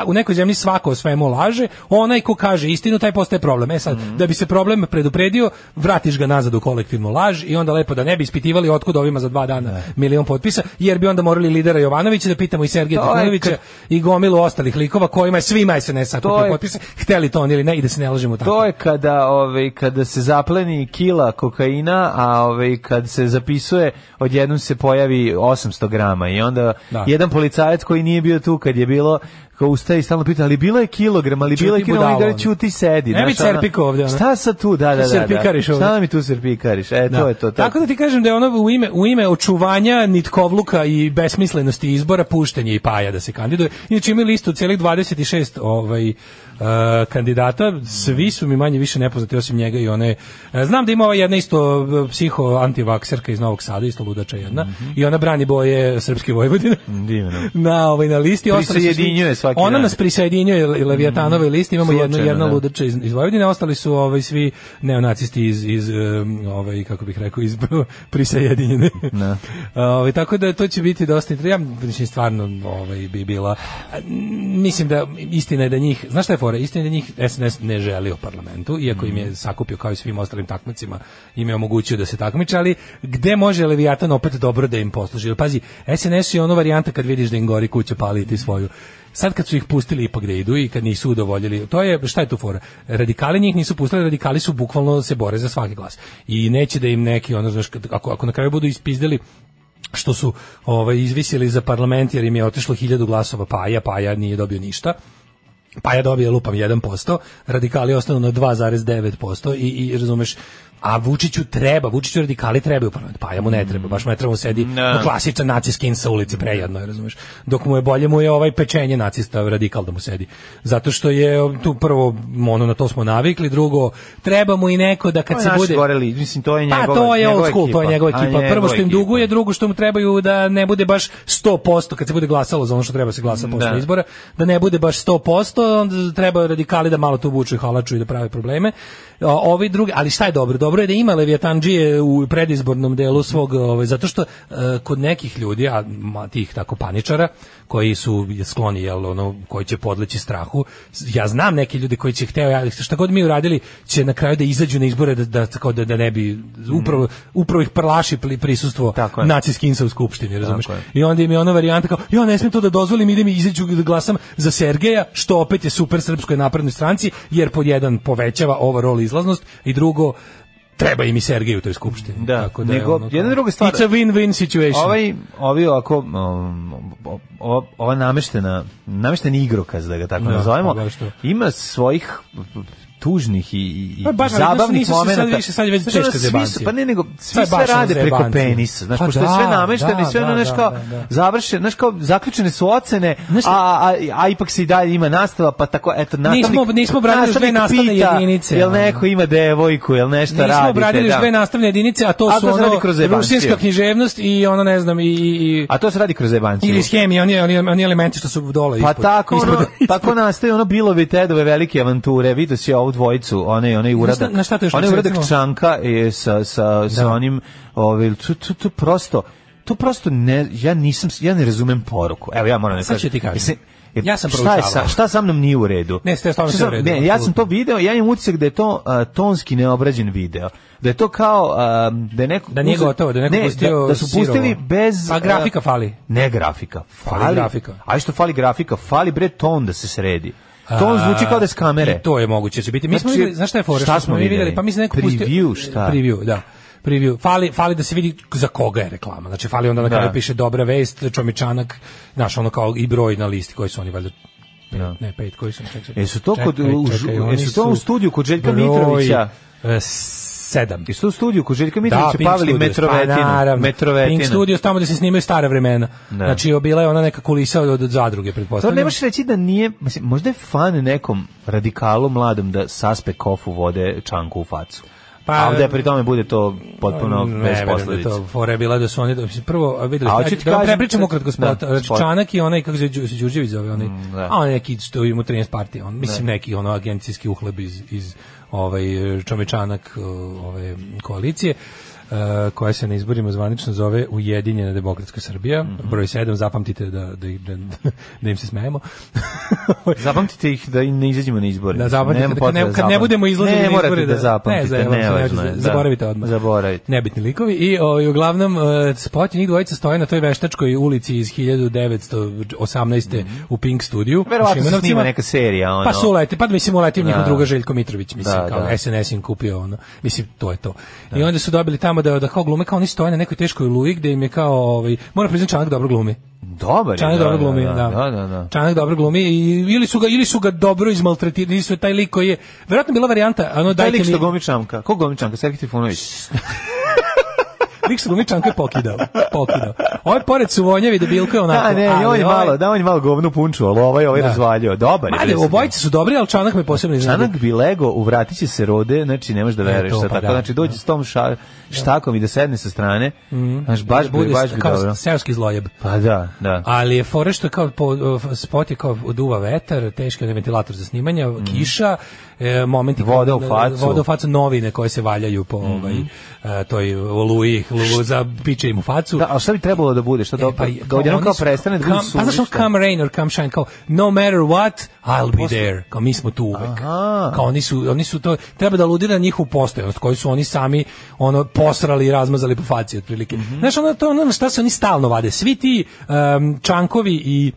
[SPEAKER 6] u nekoj zemlji svako o svemu laže, onaj ko kaže istinu, taj postaje problem. Sad, da bi se problem predupredio, vratiš ga nazad u kolektivnu laž i onda lepo da ne bi ispitivali otkud ovima za 2 dana milion potpisa, jer bi onda morali lidera Jovanovića da pitamo i Sergeja Trifunovića i gomilu ostalih likova kojima je svima SNS sakupio potpise, hteli to ili ne, i da se ne lažemo tako.
[SPEAKER 7] To je kada se zapleni kila kokaina, a kad se zapisuje, odjednom se pojavi 800 grama i onda jedan policajac koji nije bio tu kad je bilo, kao ustaje i stalno pita, ali bilo je kilogram, ali bilo je kilogram, i ćuti sedi.
[SPEAKER 6] Ne bi serpiko ovdje.
[SPEAKER 7] Šta sad tu, da. Šta mi tu serpikariš? To je to.
[SPEAKER 6] Tako da ti kažem da je ono u ime očuvanja nitkovluka i besmislenosti izbora puštenje i Paja da se kandiduje. Inače imaju listu celih 26 kandidata, svi su mi manje više nepoznati osim njega i one. Znam da ima ova jedna isto psiho-antivakserka iz Novog Sada, isto ludača jedna, i ona brani boje Srpske Vojvodine.
[SPEAKER 7] Divno.
[SPEAKER 6] Na listi
[SPEAKER 7] prisjedinjuje svaki
[SPEAKER 6] ona nas prisjedinjuje Leviatanove listi, imamo jedna ludača iz Vojvodine, ostali su svi neonacisti iz kako bih rekao, iz prisjedinjene. Tako da to će biti dosta interesantno. Ja mislim stvarno bi bila, mislim da istina je da njih, znaš šta je fora, istina je da njih SNS ne želi u parlamentu, iako im je sakupio kao i svim ostalim takmicima, im je omogućio da se takmiče, ali gde može Leviatan opet dobro da im posluži? Pazi, SNS je ono varijanta kad vidiš da im gori kuća, paliti svoju. Sad kad su ih pustili ipak da idu i kad nisu udovoljili, to je, šta je tu fora? Radikali njih nisu pustili, radikali su bukvalno se bore za svaki glas. I neće da im neki, znaš, ako na kraju budu ispizdeli što su izvisili za parlament jer im je otišlo 1000 glasova Paja nije dobio ništa. Paja dobije lupam 1%, radikali ostanu na 2,9% i razumeš, a Vučiću radikali trebaju parlament, Paja mu ne treba, baš mu ne treba, mu sedi klasičan naciskin sa ulice, prejedno je, razumeš, dok mu je bolje mu je pečenje nacista radikal da mu sedi, zato što je tu prvo, na to smo navikli, drugo, treba mu i neko da kad se bude...
[SPEAKER 7] Mislim, to je njegova
[SPEAKER 6] ekipa. To je old school, to je njegova ekipa, prvo što im duguje, drugo što mu trebaju da ne bude baš 100%, kad se bude glasalo za ono što treba se glasa posle izbora, da ne bude baš 100%, onda treba radikali da malo tu vuču i halaču i da prave probleme. Ovi drugi, ali šta je dobro? Dobro je da ima Leviatandžije u predizbornom delu svog, zato što kod nekih ljudi, a tih tako paničara, koji su skloni, jel, ono, koji će podleći strahu. Ja znam neke ljude koji će šta god mi uradili, će na kraju da izađu na izbore da ne bi upravo ih prlaši prisustvo naciskinsa u skupštini, razumeš? I onda im je ona varijanta kao, ja ne smijem to da dozvolim, idem i izađu da glasam za Sergeja, što opet je super Srpskoj naprednoj stranci, jer pod jedan povećava overall izlaznost i drugo treba im i Sergej u toj skupštini.
[SPEAKER 7] Da,
[SPEAKER 6] tako da
[SPEAKER 7] nego,
[SPEAKER 6] ono,
[SPEAKER 7] jedna druga stvar.
[SPEAKER 6] It's a win-win situation.
[SPEAKER 7] Ovi ovako, ova namešteni igrokaz, da ga tako nazovemo, ima svojih tužnih i zabavnih momenata.
[SPEAKER 6] Sad je već teška zebancija.
[SPEAKER 7] Pa ne, nego svi sve rade preko penisa. Znaš, pošto je sve namešteno i sve ono, znaš, kao završeno, znaš, kao zaključene su ocene, a ipak se i dalje ima nastava, pa tako, eto,
[SPEAKER 6] nismo obradili dve nastavne jedinice.
[SPEAKER 7] Jel neko ima devojku, jel nešto radite.
[SPEAKER 6] Nismo obradili dve nastavne jedinice, a to su ono rusinska književnost i ono, ne znam,
[SPEAKER 7] a to se radi kroz zebanciju.
[SPEAKER 6] Ili hemija, oni elementi što su dole ispod.
[SPEAKER 7] Pa tako nastaje ono Bilove i Tedove velike avanture, vidio si ovu dvojicu, onaj uradak. Onaj uradak Čanka je sa onim, to prosto ne, ja ne razumem poruku. Evo, ja moram da kažem.
[SPEAKER 6] Sad ću ti kažem. Ja sam proučavao.
[SPEAKER 7] Šta sa mnom nije u redu?
[SPEAKER 6] Ne, stvarno sve u redu.
[SPEAKER 7] Ne, ja sam to video, ja imam utisak da je to tonski neobrađen video. Da je to kao da je neko
[SPEAKER 6] da nije gotovo, da je neko pustio
[SPEAKER 7] da su pustili bez
[SPEAKER 6] pa grafika fali.
[SPEAKER 7] Ne grafika,
[SPEAKER 6] fali grafika.
[SPEAKER 7] A što fali grafika? Fali bre ton da se sredi. To zvuči kao da je s kamere.
[SPEAKER 6] I to je moguće će biti. Mi smo videli, znaš šta je fora?
[SPEAKER 7] Šta smo videli?
[SPEAKER 6] Pa mi se neko pustio preview, da. Preview. Fali da se vidi za koga je reklama. Znači fali onda na kraju piše dobra vest, Čomičanak, naš ono kao i broj na listi koji su oni valjda ne, 5 koji su.
[SPEAKER 7] Jesu to u studiju kod Željka Mitrovića?
[SPEAKER 6] 7.
[SPEAKER 7] Isto u studiju kod Željka Mitrovića pavili Metrovetinu.
[SPEAKER 6] Pink Studios, tamo da se snimaju stare vremena. Znači, bila je ona neka kulisa od zadruge, pretpostavljam.
[SPEAKER 7] To ne možeš reći da nije, mislim, možda je fan nekom radikalu mladom da saspe kofu vode Čanku u facu. A ovdje pri tome bude to potpuno bez posledica.
[SPEAKER 6] To fora je bila da su oni prvo videli. Da prepričamo ukratko spot. Čanak i onaj kako se Đurđević zove, onaj. A on neki što ima 13 partija, on mislim neki ono agencijski uhleb iz Čomičanak koalicije. Koja se na izborima zvanično zove Ujedinjena demokratska Srbija, broj 7, zapamtite da im se smejemo.
[SPEAKER 7] Zapamtite ih da ne izađemo na izbore.
[SPEAKER 6] Da zapamtite, kad ne budemo izlazili na izbore.
[SPEAKER 7] Ne morate da zapamtite,
[SPEAKER 6] zaboravite odmah. Nebitni likovi i uglavnom spot njih dvojica stoje na toj veštačkoj ulici iz 1918. u Pink studiju.
[SPEAKER 7] Verovatno se snima neka serija.
[SPEAKER 6] Pa su uleti, pa mislim uleti njihov druga Željko Mitrović, mislim, kao SNS im kupio ono. Mislim, to je to. I onda su dobili tamo da kao glume, kao oni stoje na nekoj teškoj oluji gde im je kao, moram priznati Čanak dobro glumi. Čanak dobro glumi, da. Čanak dobro glumi ili su ga dobro izmaltretirali, ili su taj lik koji je, verovatno bila varijanta, ono
[SPEAKER 7] dajte mi... Taj lik što glumi Čanka, ko glumi Čanka? Sergej Trifunović.
[SPEAKER 6] Lik što glumi Čanka je pokidao. Ovaj pored su vonjevi debilko je onako.
[SPEAKER 7] On je malo govnu punču, ali ovaj razvaljio. Dobar je.
[SPEAKER 6] Obojice su dobri, ali Čanak me posebno iznenadi.
[SPEAKER 7] Čanak bi lego u vratiće se rode, znači ne možeš da veruješ šta tako. Znači dođe s tom štakom i da sedne sa strane. Znaš, baš bi dobro.
[SPEAKER 6] Seoski zlojeb.
[SPEAKER 7] Pa da.
[SPEAKER 6] Ali je fore što kao spot je kao duva vetar, teški ventilator za snimanje, kiša, momenti
[SPEAKER 7] voda u
[SPEAKER 6] facu, novine koje se valjaju po toj oluji, za piče im u facu.
[SPEAKER 7] Da, a šta bi trebalo da bude? Šta da odjednom kao prestane da bude suvišta?
[SPEAKER 6] Pa znaš, come rain or come shine, kao no matter what, I'll be there. Kao mi smo tu uvek. Kao oni su to, treba da aludira na njihovu postojanost, koju su oni sami posrali i razmazali po faci otprilike. Znaš, to ono na šta se oni stalno vade. Svi ti Čankovi i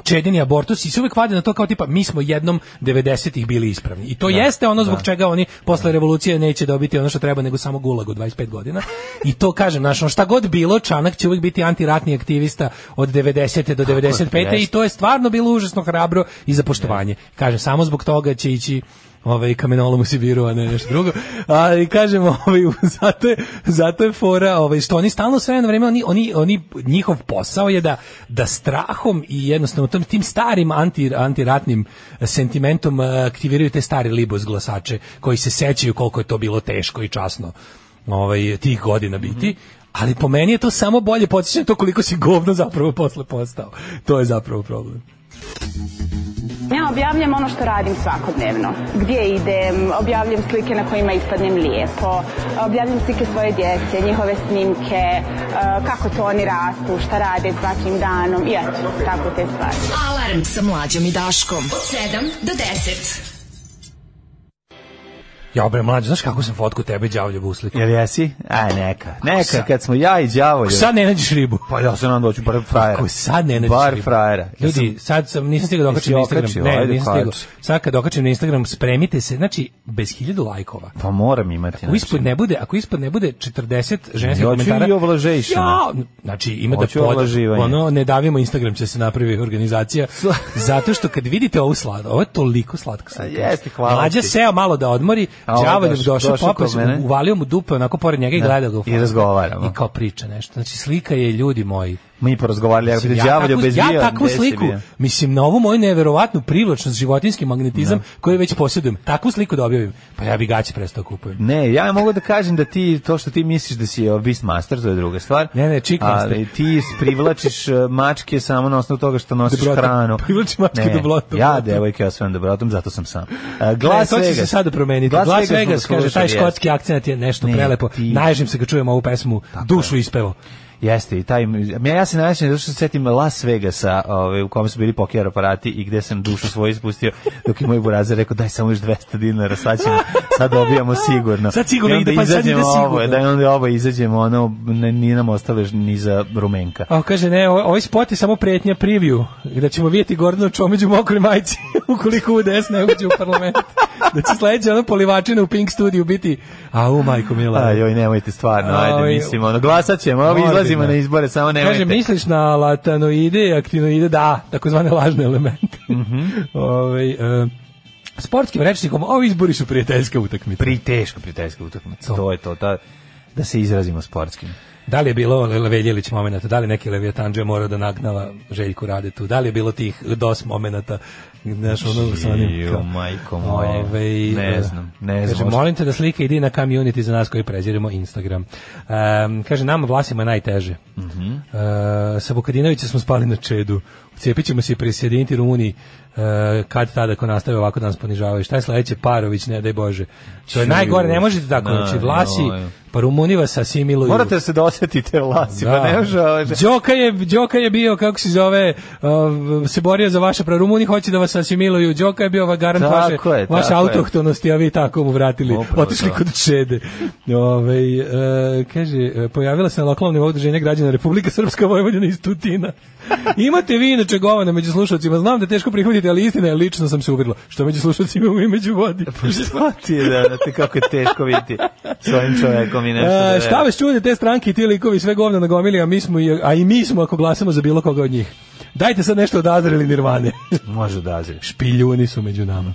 [SPEAKER 6] Čedini abortusi se uvek vade na to kao tipa mi smo jednom 90-ih bili ispravni. I to jeste ono zbog čega oni posle revolucije neće dobiti ono što treba nego samo gulag od 25 godina. I to kažem, znaš, šta god bilo, Čanak će uvek biti antiratni aktivista od 90. do 95. I to je stvarno bilo užasno hrabro i za poštovanje. Kažem, samo zbog toga će ići kamenolom u Sibiru, a ne nešto drugo. Ali kažem, zato je fora, što oni stalno sve na vreme, oni njihov posao je da strahom i jednostavno tim starim antiratnim sentimentom aktiviraju te stare libos glasače koji se sećaju koliko je to bilo teško i časno tih godina biti. Ali po meni je to samo bolje podsjećanje to koliko si govno zapravo posle postao. To je zapravo problem.
[SPEAKER 10] Ja objavljam ono što radim svakodnevno. Gdje idem, objavljam slike na kojima ispadnem lijepo, objavljam slike svoje djece, njihove snimke, kako to oni rastu, šta rade svakim danom i eto, tako te stvari.
[SPEAKER 4] Alarm sa Mlađom i Daškom od 7 do 10.
[SPEAKER 6] Ja bre mlađe, znaš kako sam fotku tebe đavolje uslikao?
[SPEAKER 7] Jel jesi? Aj neka kad smo ja i đavolje.
[SPEAKER 6] Sad ne nađeš ribu.
[SPEAKER 7] Pa ja se nam doću bar frajera.
[SPEAKER 6] Ako sad ne nađeš
[SPEAKER 7] bar
[SPEAKER 6] ribu.
[SPEAKER 7] frajera.
[SPEAKER 6] Ljudi, sad sam, nisam stigao da okačim na Instagram. Ne, nisam stigao. Sad kad okačim na Instagram, spremite se, znači, bez 1000 lajkova.
[SPEAKER 7] Pa moram imati.
[SPEAKER 6] Ako ispod ne bude 40 ženskih komentara.
[SPEAKER 7] Ja ću i ovlažejšina.
[SPEAKER 6] Ja, znači, ima da ono, ne davimo Instagram, će se napravi organizacija. Zato što kad vidite ovu slatku, ovo je toliko slatka slika.
[SPEAKER 7] Jeste, hvala.
[SPEAKER 6] Mlađa seo malo da odmori, đavolj došao, popao se, uvalio mu dupe onako pored njega i gledao ga u
[SPEAKER 7] i razgovaramo.
[SPEAKER 6] I kao priča nešto. Znači, slika je, ljudi moji.
[SPEAKER 7] Mi porazgovarali,
[SPEAKER 6] ja takvu sliku, mislim, na ovu moju neverovatnu privlačnost, životinski magnetizam, koji već posjedujem, takvu sliku da objavim, pa ja bi gaće prestao kupujem.
[SPEAKER 7] Ne, ja mogu da kažem da ti, to što ti misliš da si Beastmaster, to je druga stvar.
[SPEAKER 6] Ne, Chickmaster.
[SPEAKER 7] Ali ti privlačiš mačke samo na osnovu toga što nosiš hranu.
[SPEAKER 6] Privlači mačke dobrotom.
[SPEAKER 7] Ja, devojke, ja svojom dobrotom, zato sam sam.
[SPEAKER 6] Glas Vegas. To će se sada promeniti. Glas Vegas, kaže, taj škotski akcent je nešto prelepo. Naježim se kad čujem ovu pesmu, dušu ispevo.
[SPEAKER 7] Jeste, i taj, ja se najvećem zato što se setim Las Vegasa, u kome su bili poker aparati i gde sam dušu svoju ispustio, dok je moj burazer rekao daj samo još 200 dinara, sad dobijamo sigurno.
[SPEAKER 6] Sad sigurno ide, pa sad ide sigurno.
[SPEAKER 7] Da onda oba izađemo, ono, nije nam ostale ni za rumenka.
[SPEAKER 6] Kaže, ne, ovaj spot je samo pretnja preview, da ćemo vidjeti Gordana Čomić u mokroj majici, ukoliko UDS ne uđe u parlament. Da će sledeće ono polivačina u Pink studiju biti, majko mila.
[SPEAKER 7] Ajoj, nemojte stvarno, ajde, mislim, ono, glasat ćemo, ovi izlazimo na izbore, samo nemojte.
[SPEAKER 6] Kaže, misliš na latanoide, aktivnoide, da, takozvane lažne elemente. Sportskim rečnikom, ovi izbori su prijateljska utakmica.
[SPEAKER 7] Teška prijateljska utakmica, to je to, da se izrazimo sportskim.
[SPEAKER 6] Da li je bilo Veljević momenata, da li neki Leviatanđe morao da nagnava Željku Radetu, da li je bilo tih DOS momenata, znaš, ono sa onim...
[SPEAKER 7] majko moje, ne znam.
[SPEAKER 6] Kaže, molim te da slika ide na community za nas koji preziramo Instagram. Kaže, nama Vlasima najteže. Sa Vukadinovića smo spali na čedu. Cijepit ćemo se i prisjediniti Rumuniji kad tada ako nastave ovako da nas ponižavaju. Šta je sledeće? Parović, ne daj Bože. To je najgore, ne možete tako. Znači, Vlasi, pa Rumuni vas asimiluju.
[SPEAKER 7] Morate da se dosjetite Vlasi, pa ne može...
[SPEAKER 6] Đoka je bio, kako se zove, se borio za vaše pravo. Rumuni hoće da vas asimiluju. Đoka je bio garant vaše autohtonosti, a vi tako mu vratili. Otišli kod Čede. Kaže, pojavila se na lokalnom nivou udruženja građana Republika Srpska Vojvodina iz Tutina. Imate vi inače govana među slušalcima, znam da je teško prihvatiti, ali istina je, lično sam se uverila. Što među slušalcima i među vodi.
[SPEAKER 7] Pa šta ti je da te kako je teško vidjeti s ovim čovekom i nešto da
[SPEAKER 6] šta vas čude te stranke i ti likovi sve govna nagomili, a i mi smo ako glasamo za bilo koga od njih. Dajte sad nešto od Azra ili Nirvane.
[SPEAKER 7] Može od Azra.
[SPEAKER 6] Špiljuni su među nama.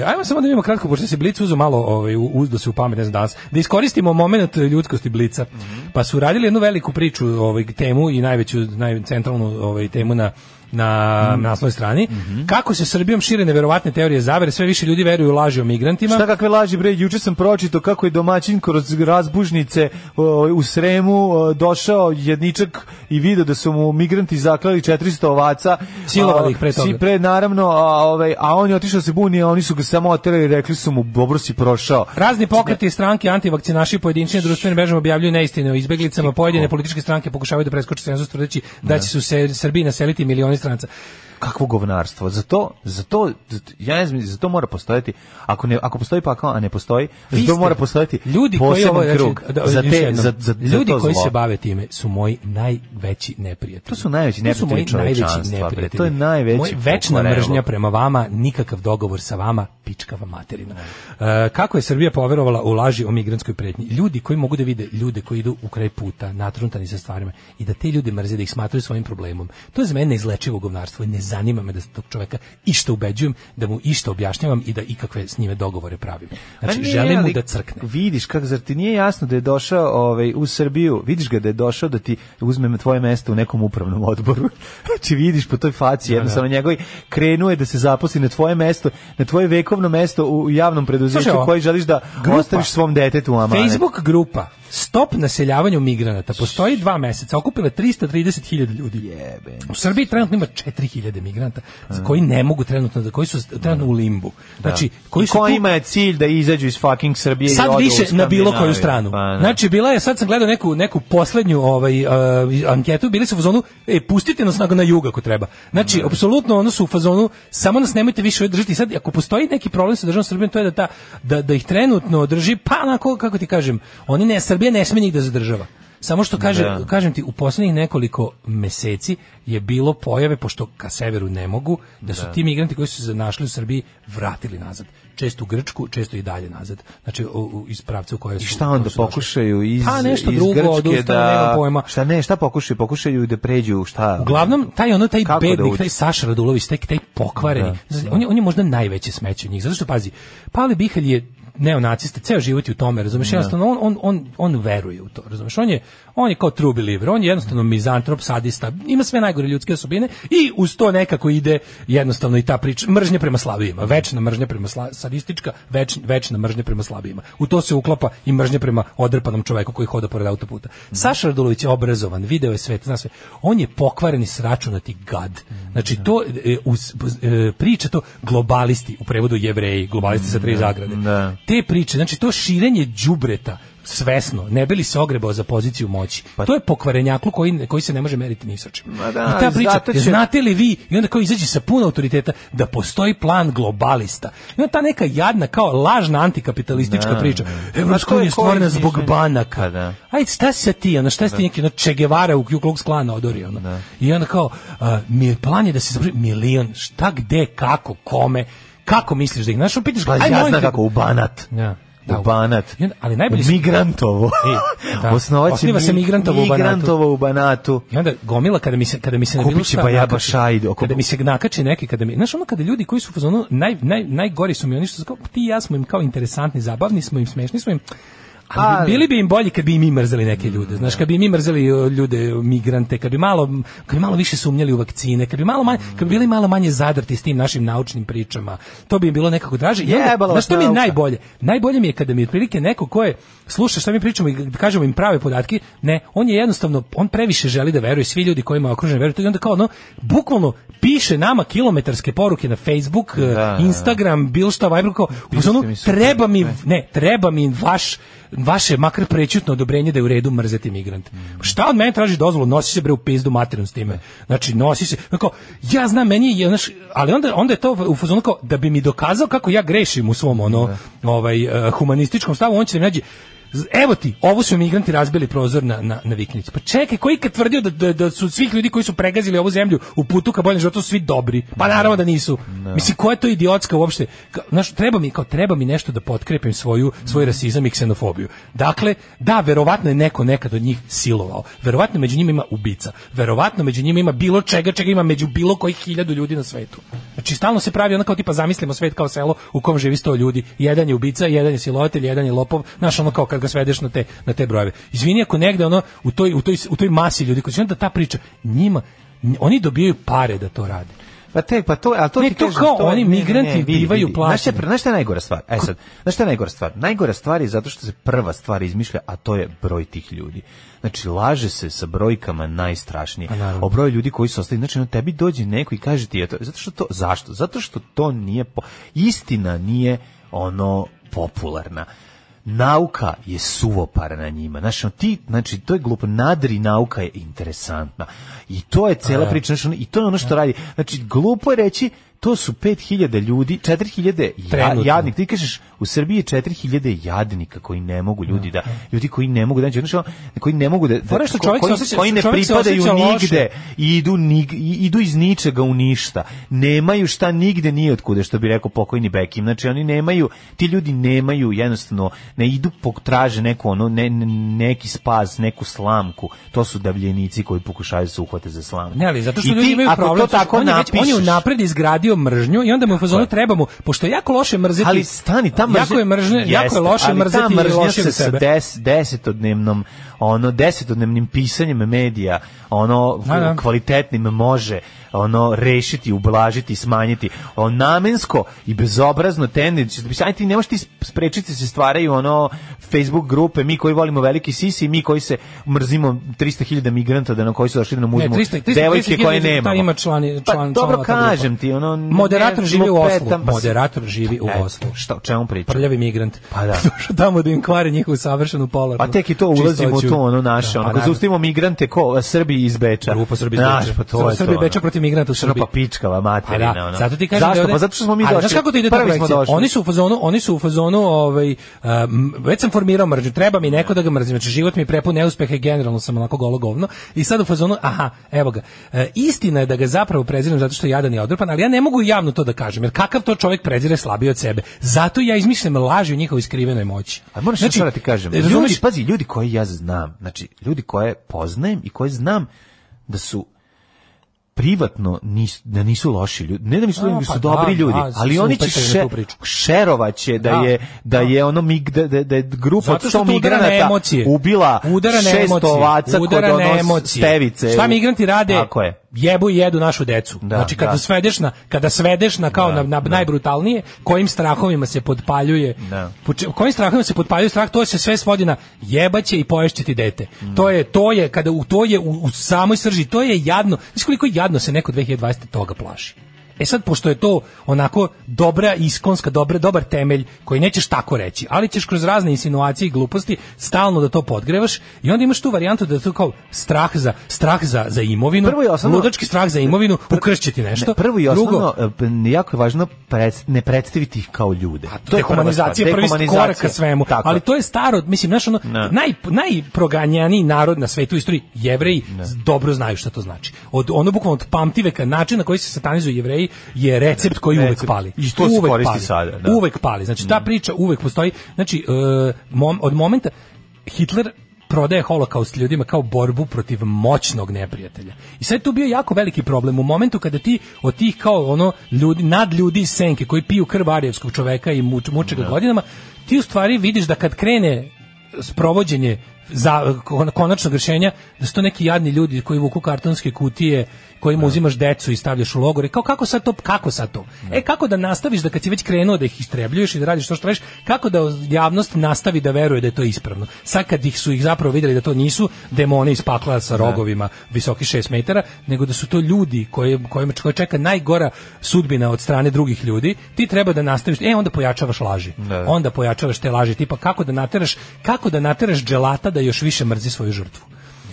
[SPEAKER 6] Ajmo samo da vidimo kratko, pošto se Blic uzeo malo uzdo se u pamet, ne znam danas, da iskoristimo moment ljudskosti Blica. Pa su radili jednu veliku priču, temu i najcentralnu temu na naslovnoj strani. Kako se Srbijom šire neverovatne teorije zavere, sve više ljudi veruju u laži o migrantima.
[SPEAKER 7] Šta kakve laži, bre, juče sam pročitao kako je domaćin kroz razbužnice u Sremu došao jedničak i video da su mu migranti zaklali 400 ovaca.
[SPEAKER 6] Silovali ih pre toga.
[SPEAKER 7] Naravno, a on je otišao se buni, a oni su ga samo oterali i rekli su mu, dobro si prošao.
[SPEAKER 6] Razni pokreti, stranke, antivakcinaši, pojedinčne društvene mreže objavljuju neistine o izbeglicama, pojedine političke stranke pokušavaju da preskoče cenzus tvrdeći da će se u Srbiji naseliti milioni stranca.
[SPEAKER 7] Kakvo govnarstvo. Zato ja ne znam, zato mora postojati, ako postoji pakao, a ne postoji, zato mora postojati poseban krug.
[SPEAKER 6] Ljudi koji se bave time su moji najveći neprijatelji.
[SPEAKER 7] To su najveći neprijatelji čovečanstva. To je najveći
[SPEAKER 6] večna mržnja prema vama, nikakav dogovor sa vama, pičkava materina. Kako je Srbija poverovala u laži o migrantskoj pretnji? Ljudi koji mogu da vide ljude koji idu u kraj puta, natruntani sa stvarima i da te ljude mrze, da ih smatraju svojim problemom. To je za mene neizlečivo govnarstvo i ne zanima me da tog čoveka išta ubeđujem, da mu išta objašnjavam i da ikakve s njime dogovore pravim. Znači, želim mu da crkne.
[SPEAKER 7] Vidiš, zar ti nije jasno da je došao u Srbiju, vidiš ga da je došao da ti uzme tvoje mesto u nekom upravnom odboru. Znači, vidiš po toj faci, jednostavno njegovi krenuo je da se zaposli na tvoje mesto, na tvoje vekovno mesto u javnom preduzeću koji želiš da ostaviš svom detetu u amanet.
[SPEAKER 6] Facebook grupa stop naseljavanju migranata postoji 2 meseca, okupile 330.000 ljudi. U Srbiji trenutno ima 4.000 migranata koji ne mogu trenutno, koji su trenutno u limbu. Znači, koji su
[SPEAKER 7] ima je cilj da izađu iz fucking Srbije
[SPEAKER 6] sad više na bilo koju stranu. Znači, bila je, sad sam gledao neku poslednju anketu, bili su u fazonu, pustite nas na jug ako treba. Znači, apsolutno ono su u fazonu, samo nas nemojte više držiti. Sad, ako postoji neki problem sa državom Srbijom, to je da ih trenutno drži, pa onako, kako ti kažem, Srbija ne sme njih da zadržava. Samo što kažem ti, u poslednjih nekoliko meseci je bilo pojave, pošto ka severu ne mogu, da su ti migranti koji su se našli u Srbiji vratili nazad. Često u Grčku, često i dalje nazad. Znači, iz pravca u koje su...
[SPEAKER 7] I šta onda pokušaju iz
[SPEAKER 6] Grčke da... Pojma.
[SPEAKER 7] Šta pokušaju? Pokušaju da pređu, šta?
[SPEAKER 6] Uglavnom, taj bednik, taj Saša Radulović, taj pokvareni, on je možda najveće smeće od njih. Zato što, pazi, Pavle Bihalj je neonacista, ceo život je u tome, razumeš, jednostavno on veruje u to, razumeš, on je kao true believer, on je jednostavno mizantrop, sadista, ima sve najgore ljudske osobine i uz to nekako ide jednostavno i ta priča, mržnja prema slabijima, večna mržnja prema sadistička, večna mržnja prema slabijima. U to se uklapa i mržnja prema odrpanom čoveku koji hoda pored autoputa. Saša Radulović je obrazovan, video je svet, zna sve. On je pokvareni sračunati gad. Znači to priča to globalisti, u prevodu Jevreji, globalisti sa 3 zagrade. Te priče, znači to širenje đubreta svesno, ne bi li se ogrebao za poziciju moći. To je pokvarenjaklu koji se ne može meriti ni sa čim. I ta priča, znate li vi, i onda kao izađe sa puno autoriteta, da postoji plan globalista. I onda ta neka jadna, kao lažna antikapitalistička priča. Evropska unija je stvorena zbog banaka. Ajde, šta si ti, šta si ti neki Che Guevara u Ku Klux Klana odori. I onda kao, plan je da se završi milion, šta, gde, kako, kome, kako misliš da ih našao, pitaš ga,
[SPEAKER 7] ja znam kako, u Banat. U Banat.
[SPEAKER 6] Ali najbolje
[SPEAKER 7] Migrantovo.
[SPEAKER 6] Osniva se Migrantovo
[SPEAKER 7] u Banatu.
[SPEAKER 6] I onda gomila kada mi se na bilo šta kada mi se nakače neki, znaš ono kada ljudi koji su u fazonu najgori su mi oni što su kao ti i ja smo im kao interesantni, zabavni smo im, smešni smo im. Ali bili bi im bolji kad bi i mi mrzeli neke ljude. Znaš, kad bi mi mrzeli ljude, migrante, kad bi malo više sumnjali u vakcine, kad bi bili malo manje zadrti s tim našim naučnim pričama. To bi im bilo nekako draže. Znaš što mi je najbolje? Najbolje mi je kada mi otprilike neko ko je sluša šta mi pričamo i kažemo im prave podatke, ne, on je jednostavno, on previše želi da veruje, svi ljudi kojima je okružen veruju, i onda kao bukvalno piše nama kilometarske poruke na Facebook, Instagram, bilo šta, Viber, kao, treba mi vaše makar prećutno odobrenje da je u redu mrzeti migrante. Šta od mene traži dozvolu? Nosi se bre u pizdu materinu s time. Znači, nosi se, kao, ja znam, meni je, ali onda je to u fazonu kao, da bi mi dokazao kako ja grešim u svom humanističkom stavu, on će da mi nađe, evo ti, ovo su migranti razbili prozor na viknici. Pa čekaj, koji kad tvrdio da su svih ljudi koji su pregazili ovu zemlju u putu ka boljem životu svi dobri? Pa naravno da nisu. Mislim, koja je to idiotska uopšte? Treba mi nešto da potkrepim svoj rasizam i ksenofobiju. Dakle, da, verovatno je neko nekad od njih silovao. Verovatno među njima ima ubica. Verovatno među njima ima bilo čega ima među bilo kojih 1000 ljudi na svetu. Znači, stalno se pravi ono kao tipa zamislimo svet kao selo u kom živi 100 ljudi. Jedan je ubica, jedan je silovatelj, jedan je lopov. Znaš, ono kao kad ga svedeš na te brojeve. Izvini ako negde u toj masi ljudi koji će onda ta priča njima, oni dobijaju pare da to rade.
[SPEAKER 7] Ali to ti kažem,
[SPEAKER 6] kao oni migranti bivaju plaćeni.
[SPEAKER 7] Znaš šta je najgora stvar? Znaš šta je najgora stvar? Najgora stvar je zato što se prva stvar izmišlja, a to je broj tih ljudi. Znači, laže se sa brojkama najstrašnije. O broju ljudi koji su ostali. Znači, tebi dođe neko i kaže ti, zašto? Zato što to nije, istina nije popularna. Nauka je suvopara na njima. Znači, to je glupo. Nadri nauka je interesantna. I to je cela priča. I to je ono što radi. Znači, glupo je reći, to su 5.000 ljudi, 4.000 jadnika. Ti kažeš, u Srbiji je 4.000 jadnika koji ne mogu ljudi koji ne mogu koji ne mogu koji ne pripadaju nigde i idu iz ničega u ništa. Nemaju šta nigde ni otkude, što bi rekao pokojni Bekim. Znači, oni nemaju, ti ljudi nemaju, jednostavno, ne idu potraže neki spas, neku slamku. To su davljenici koji pokušaju se uhvate za slamku.
[SPEAKER 6] Ne, ali zato što ljudi imaju problem. On je unapred izgradio mržnju i onda mu u fazonu trebamo, pošto je jako loše mrzeti.
[SPEAKER 7] Ali stani, ta mržnja,
[SPEAKER 6] jako je loše mrzeti i loše za sebe.
[SPEAKER 7] Desetodnevnim pisanjem medija, kvalitetnim može rešiti, ublažiti, smanjiti. Namensko i bezobrazno tendencija. Ajde, ti ne možeš ti sprečiti se stvaraju Facebook grupe, mi koji volimo veliki sisi, mi koji se mrzimo 300.000 migranta da nam koji su došli da nam uzmu devojke koje nemamo.
[SPEAKER 6] Ima član,
[SPEAKER 7] dobro kažem ti, ono
[SPEAKER 6] moderator živi u Oslu. Moderator živi u Oslu.
[SPEAKER 7] Šta, o čemu pričam?
[SPEAKER 6] Prljavi migrant.
[SPEAKER 7] Pa da.
[SPEAKER 6] Došao tamo da im kvari njihovu savršenu polarnu.
[SPEAKER 7] A tek i to ulazimo u to, ono naše, ono, kad zaustavimo migrante ko Srbi iz Beča.
[SPEAKER 6] Grupa Srbi iz Beča.
[SPEAKER 7] Pa to je
[SPEAKER 6] Srbi Beča protiv migranata u Srbiji.
[SPEAKER 7] Pa pičkava materina, ono.
[SPEAKER 6] Zato ti kažem
[SPEAKER 7] zašto? Pa zato što smo mi došli.
[SPEAKER 6] Znaš kako to ide ta projekcija? Oni su u fazonu, već sam formirao mržnju, treba mi neko da ga mrzim. Znači, život mi prepun neuspeha i generalno sam onako golo govno. I sad u fazonu, aha, evo ga. Istina je da ga zapravo prezirem zato što je jadan i odrpan, ali ja ne mogu javno to da kažem, jer kakav to čovjek prezire slabiji od sebe. Zato ja izmišljam laži o njihovoj skrivenoj moći.
[SPEAKER 7] A moraš da ti kažem, ljudi koji ja znam, znači, ljudi koje poznajem i koje znam da su privatno nisu loši ljudi, ne da nisu ljudi, su dobri ljudi, ali oni će šerovaće da je ono da je grupa od 100 migranata ubila 600 ovaca kod ono stevice.
[SPEAKER 6] Šta migranti rade? Jebu i jedu našu decu. Znači kada svedeš na kao na najbrutalnije, kojim strahovima se potpaljuje. Kojim strahovima se potpaljuje strah, to se sve svodi na jebaće i poješće ti dete. To je kada to je u samoj srži, to je jadno. Znaš koliko jadno se neko 2020 toga plaši. E sad, pošto je to onako dobra iskonska, dobar temelj koji nećeš tako reći, ali ćeš kroz razne insinuacije i gluposti stalno da to podgrevaš i onda imaš tu varijantu da je to kao strah za imovinu, ludački strah za imovinu, ukršće ti nešto.
[SPEAKER 7] Prvo i osnovno, jako je važno ne predstaviti ih kao ljude.
[SPEAKER 6] To je humanizacija, prvi korak ka svemu. Tako. Ali to je staro, mislim, znaš, ono, najproganjaniji narod na svetu u istoriji, Jevreji, dobro znaju šta to znači. Bukvalno od pamtiveka, način na koji se satanizuju Jevreji je recept koji uvek pali.
[SPEAKER 7] I to se koristi sada. Da.
[SPEAKER 6] Uvek pali. Znači, ta priča uvek postoji. Znači, od momenta Hitler prodaje holokaust ljudima kao borbu protiv moćnog neprijatelja. I sad je tu bio jako veliki problem. U momentu kada ti od tih kao ono nadljudi iz senke koji piju krv arijevskog čoveka i muče ga godinama, ti u stvari vidiš da kad krene sprovođenje za konačnog rješenja, da su to neki jadni ljudi koji vuku kartonske kutije, kojima uzimaš decu i stavljaš u logore. Kako sad to? Kako da nastaviš da kad si već krenuo da ih istrebljuješ i da radiš to što radiš, kako da javnost nastavi da veruje da je to ispravno? Sad kad su ih zapravo vidjeli da to nisu demoni iz pakla sa rogovima visoki 6 metara, nego da su to ljudi kojima čeka najgora sudbina od strane drugih ljudi, ti treba da nastaviš, onda pojačavaš laži. Onda pojačavaš te laži, tipa kako da nateraš dželata da još više mrzi svoju žrtvu.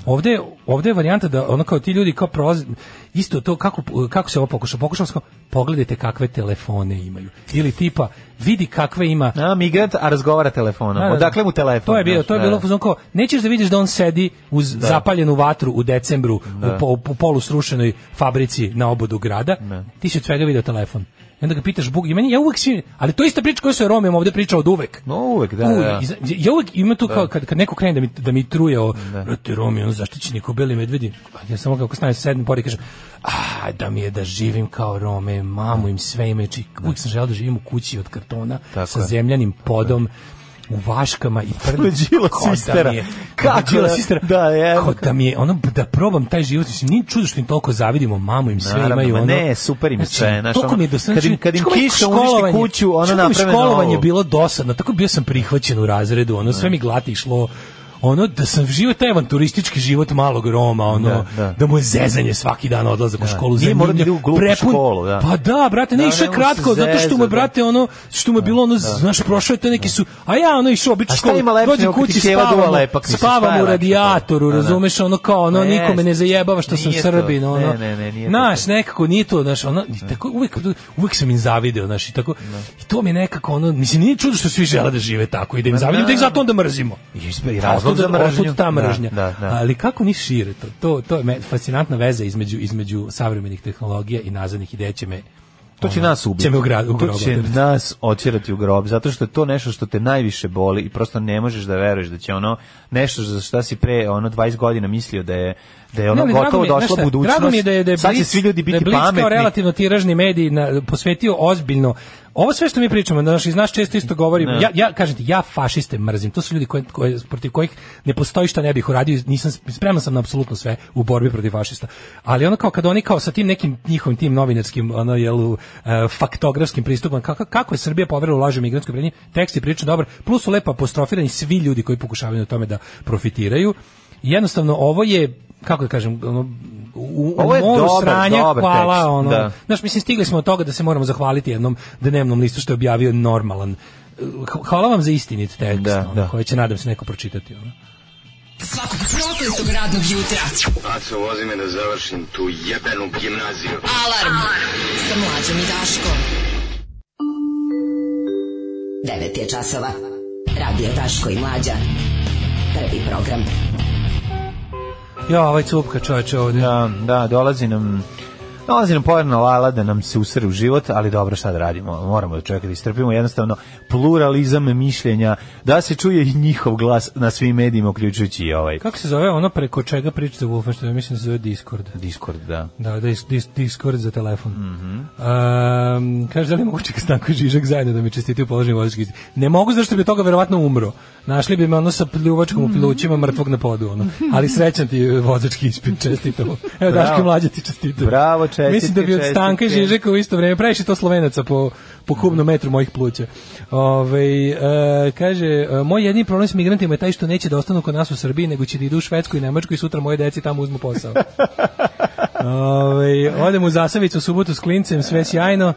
[SPEAKER 6] Ovdje je varijanta da ono kao ti ljudi kao prolaze, isto to kako se ovo pokušao kao pogledajte kakve telefone imaju. Ili tipa vidi kakve ima.
[SPEAKER 7] Migrant, a razgovara telefonom. Odakle mu telefon?
[SPEAKER 6] To je bilo kao nećeš da vidiš da on sedi uz zapaljenu vatru u decembru u polusrušenoj fabrici na obodu grada. Ti si od svega video telefon. I onda ga pitaš Bog, ja uvek svi, ali to je ista priča koju se Romima ovdje pričao od uvek.
[SPEAKER 7] Uvek, da.
[SPEAKER 6] Ja uvek ima tu kao kad neko krene da mi truje o Romi, on zaštićeni ko beli medvedi. Ja samo kako stavim se sedem pored i kažem, da mi je da živim kao Rome, mamu im sve imajući. Uvek sam želeo da živim u kući od kartona sa zemljanim podom. U vaškama i prvi
[SPEAKER 7] sistera.
[SPEAKER 6] Da mi je ono da probam taj život, nije čudo što im toliko zavidimo, mamu im sve imaju ono.
[SPEAKER 7] Ne, super im sve, kad im kiša uništi kuću, ono naprave
[SPEAKER 6] školovanje je bilo dosadno, tako bio sam prihvaćen u razredu, ono sve mi glati išlo. Ono da sam živio taj avanturistički život malog Roma, ono da mu je zezanje svaki dan odlazak u školu,
[SPEAKER 7] prepun školu,
[SPEAKER 6] pa da, brate, ne išao kratko, zato što mu je, brate, ono što mu je bilo ono, znaš, prošao je to neki su, a ja ono išao obično školu, dođe kući, spavam u radijatoru, razumeš, ono kao, ono, nikome ne zajebava što sam Srbin, ono, znaš, nekako nije to, znaš, ono, tako, uvek sam im zavideo, znaš, i tako, i to mi je nekako, ono, mislim, nije čudo što svi žele da žive tako i da im zavidim, da ih zato onda mrzimo. Ta mržnja. Ali kako ni šire to je fascinantna veza između savremenih tehnologija i nazadnih ideja
[SPEAKER 7] to će nas ubiti. To će nas otjerati u grob, zato što je to nešto što te najviše boli i prosto ne možeš da veruješ da će ono nešto za šta si pre 20 godina mislio da je ono gotovo došla budućnost.
[SPEAKER 6] Drago mi je da je
[SPEAKER 7] sad će svi ljudi biti pametni.
[SPEAKER 6] Kao relativno tiražni medij posvetio ovo sve što mi pričamo, iz nas često isto govorimo, ja kažem ti, ja fašiste mrzim, to su ljudi protiv kojih ne postoji šta ne bih uradio, spreman sam na apsolutno sve u borbi protiv fašista, ali ono kao kada oni kao sa tim nekim njihovim tim novinarskim, faktografskim pristupom, kako je Srbija poverila u laži migrantskoj prednji, tekst je prilično dobar, plus su lepo apostrofirani svi ljudi koji pokušavaju na tome da profitiraju. Jednostavno, ovo je, kako da kažem, ovo je moru sranja, hvala, znaš, mislim, stigli smo od toga da se moramo zahvaliti jednom dnevnom listu što je objavio normalan. Hvala vam za istinit tekst, koji će, nadam se, neko pročitati.
[SPEAKER 4] Svakog prokletog radnog jutra.
[SPEAKER 5] Aco, vozi me da završim tu jebenu gimnaziju.
[SPEAKER 4] Alarm sa Mlađom i Daškom.
[SPEAKER 11] 9 je časova. Radio Daško i Mlađa. Prvi program.
[SPEAKER 6] Ja, ovaj cupka čovječe ovdje.
[SPEAKER 7] Da, dolazi nam pojedna lala da nam se usere u život, ali dobro, šta da radimo, moramo da čovjeka da istrpimo, jednostavno pluralizam mišljenja, da se čuje i njihov glas na svim medijima, uključujući i ovaj.
[SPEAKER 6] Kako se zove ono preko čega pričate u Wolfensteinu? Mislim da se zove Discord.
[SPEAKER 7] Discord, da.
[SPEAKER 6] Da, Discord za telefon. Kaže, da li moguće kad Stanko i Žižak zajedno da mi čestitaju položeni vozački ispit? Ne mogu, zašto bi toga verovatno umro. Našli bi me ono sa pljuvačkom u plućima mrtvog na podu, ono. Ali srećan ti vozački ispit, čestitamo. Evo, Daško Mlađa ti čestitao.
[SPEAKER 7] Bravo, čestitke.
[SPEAKER 6] Mislim da bi od Stanka i Žižeka u isto vreme, previše to Slovenaca po kubnom metru mojih pluća. Kaže, moj jedini problem s migrantima je taj što neće da ostanu kod nas u Srbiji, nego će da idu u Švedsku i Nemačku i sutra moje deci tamo uzmu posao. Odemo u Zasavicu u subotu s klincem, sve sjajno.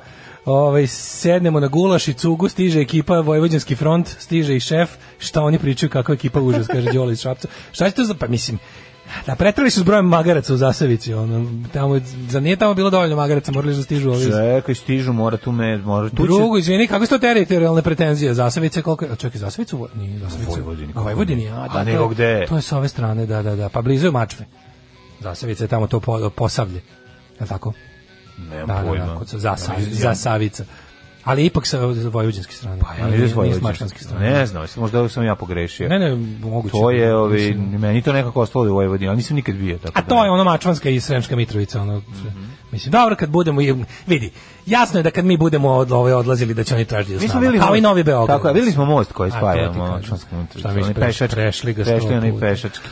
[SPEAKER 6] Sednemo na gulaš i cugu, stiže ekipa Vojvođanski front, stiže i šef, šta oni pričaju, kakva ekipa užas, kaže Đole iz Šapca. Šta će to za, pa mislim, da pretrali su s brojem magaraca u Zasavici, zar nije tamo bilo dovoljno magaraca, morali da stižu ovi.
[SPEAKER 7] Čekaj, stižu, mora tu.
[SPEAKER 6] Drugo, izvini, kako su to teritorijalne pretenzije? Zasavice, koliko je? Čekaj, Zasavicu? Nije Zasavicu.
[SPEAKER 7] U
[SPEAKER 6] Vojvodini,
[SPEAKER 7] a nego gde?
[SPEAKER 6] To je s ove strane, da, pa blizu je Mačve. Zasavica je tamo to Posavlje, je li tako?
[SPEAKER 7] Nemam pojma.
[SPEAKER 6] Zasavica. Ali ipak sa vojvođanske strane.
[SPEAKER 7] Pa ja ne znam,
[SPEAKER 6] s mačvanske strane.
[SPEAKER 7] Ne znam, možda sam ja pogrešio.
[SPEAKER 6] Ne, moguće.
[SPEAKER 7] To je, meni to nekako ostalo u Vojvodini, ali nisam nikad bio.
[SPEAKER 6] A to je ono Mačvanska i Sremska Mitrovica. Mislim, dobro, kad budemo, vidi, jasno je da kad mi budemo odlazili da će oni tražiti s nama, kao i Novi Beograd.
[SPEAKER 7] Tako je, videli smo most koji spajamo Mačvansku Mitrovicu.
[SPEAKER 6] Prešli ga
[SPEAKER 7] pešački.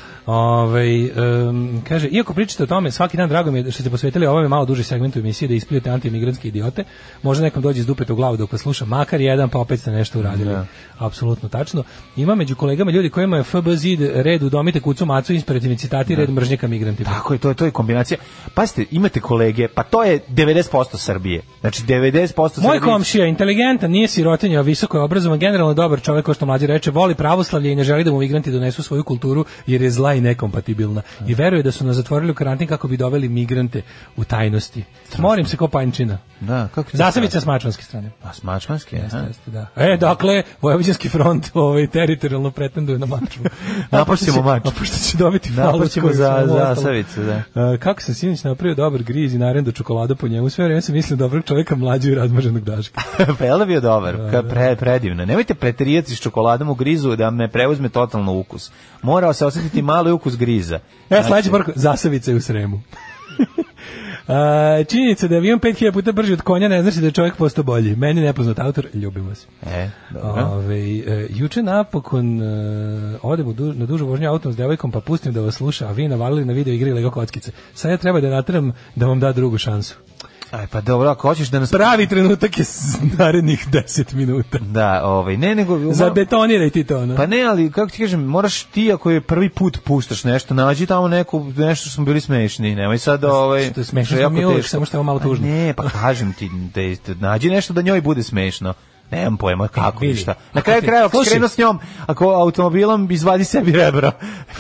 [SPEAKER 6] Kaže, iako pričate o tome, svaki dan drago mi je što ste posvetili ovome malo duži segmentu emisije da ispljujete antimigrantske idiote. Možda nekom dođe iz dupeta u glavu dok vas sluša, makar jedan, pa opet ste nešto uradili. Apsolutno tačno. Ima među kolegama ljudi kojima je FB zid red udomite kucu macu, inspirativni citati, red mržnje ka migrantima.
[SPEAKER 7] Tako je, to je kombinacija. Pazite, imate kolege, pa to je 90% Srbije. Znači 90% Srbije.
[SPEAKER 6] Moj komšija, inteligentan, nije sirotinja, visoko je obrazovan, generalno dobar čovjek, kao što Mlađi reče, voli pravoslavlje i ne želi da mu migranti donesu svoju kulturu jer je zla i nekompatibilna. I veruje da su nas zatvorili u karantin kako bi doveli migrante u tajnosti. Morim se ko panjčina.
[SPEAKER 7] Da, kako
[SPEAKER 6] Zasavica s mačvanske strane.
[SPEAKER 7] A s mačvanske,
[SPEAKER 6] jeste, da. Dakle, Vojvođanski front pretenduje pretenduje na Mačvu.
[SPEAKER 7] Napašćemo Mačvu.
[SPEAKER 6] A pošto će dobiti falu.
[SPEAKER 7] Napašćemo za Zasavicu, da.
[SPEAKER 6] Kako sam sinoć napravio dobar griz i narendu čokolada po njemu, sve vreme sam mislio dobrog čovjeka Mlađu i razmaženog Daška.
[SPEAKER 7] Pa je li bio dobar? Predivno. Nemojte preterijati s čokoladom u grizu da me preuzme totalno ukus. Morao se osjetiti mali ukus griza.
[SPEAKER 6] Sledeći poruk, Zasavica je u Sremu. Činjenica da je avion 5000 puta brži od konja ne znači da je čovjek postao bolji. Meni nepoznat autor, ljubim vas.
[SPEAKER 7] Dobro.
[SPEAKER 6] Juče napokon odem na dužu vožnju autom s devojkom pa pustim da vas sluša, a vi navalili na video igri Lego kockice. Sad ja treba da nateram da vam da drugu šansu.
[SPEAKER 7] Aj, pa dobro, ako hoćeš da nas...
[SPEAKER 6] Pravi trenutak je narednih 10 minuta.
[SPEAKER 7] Da, ne nego...
[SPEAKER 6] Zabetoniraj ti to, no?
[SPEAKER 7] Pa ne, ali, kako ti kažem, moraš ti, ako je prvi put puštaš nešto, nađi tamo nešto što smo bili smešni, nemoj sad,
[SPEAKER 6] Što je smešno smo mi uvijek, samo što je malo tužno.
[SPEAKER 7] Ne, pa kažem ti, nađi nešto da njoj bude smešno. Nemam pojma kako i šta. Na kraju kraja, ako krenu s njom, ako automobilom izvadi sebi rebro,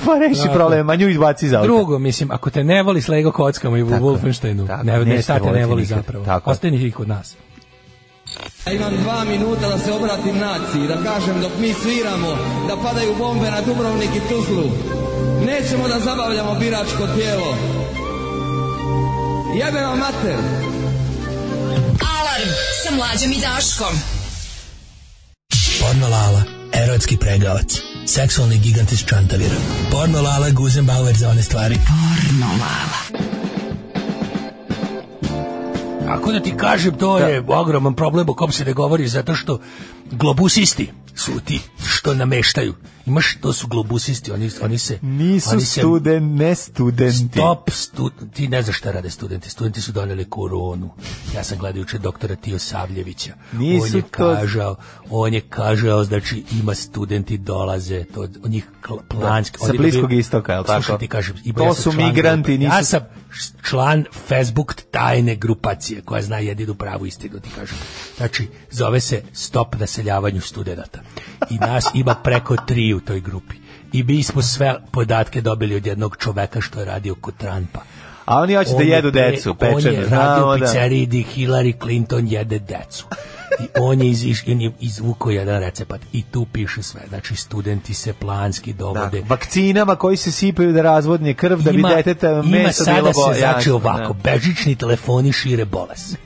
[SPEAKER 7] pa reši problem, a nju izbaci iz auta.
[SPEAKER 6] Drugo, mislim, ako te ne voli s Lego kockama i u Wolfensteinu, ne state ne voli zapravo. Ostani ih od nas.
[SPEAKER 12] Ja imam 2 minuta da se obratim naciji, da kažem dok mi sviramo, da padaju bombe na Dubrovnik i Tuzlu. Nećemo da zabavljamo biračko tijelo. Jebe vam mater!
[SPEAKER 4] Alarm sa Mlađom i Daškom.
[SPEAKER 13] Porno Lala, erotski pregavac, seksualni gigant iz Čantavira. Porno Lala, Guzenbauer za one stvari.
[SPEAKER 4] Porno Lala.
[SPEAKER 6] Tako da ti kažem, to je ogroman problem o kom se ne govori, zato što globusisti su ti što nameštaju. Imaš, to su globusisti, oni se...
[SPEAKER 7] Nisu ne studenti.
[SPEAKER 6] Ti ne znaš šta rade studenti. Studenti su doneli koronu. Ja sam gledao juče doktora Tijosavljevića. On je kažao, znači ima studenti dolaze, to od njih planski.
[SPEAKER 7] Sa Bliskog istoka, je li tako?
[SPEAKER 6] Slušaj, ti kažem,
[SPEAKER 7] to su migranti, nisu...
[SPEAKER 6] Ja sam član Facebook tajne grupacije, koja zna jedinu pravu istinu, ti kažem. Znači, zove se Stop naseljavanju studenata. I nas ima preko 3 u toj grupi. I mi smo sve podatke dobili od jednog čoveka što je radio kod Trumpa.
[SPEAKER 7] A oni hoće da jedu decu, pečenu.
[SPEAKER 6] On je radio u pizzeriji gdje Hillary Clinton jede decu. I on je izvukao jedan recept i tu piše sve. Znači, studenti se planski dovode.
[SPEAKER 7] Vakcinama koji se sipaju da razvodnje krv, da bi deteta meso bilo
[SPEAKER 6] sada se znači ovako, bežični telefoni šire bolest.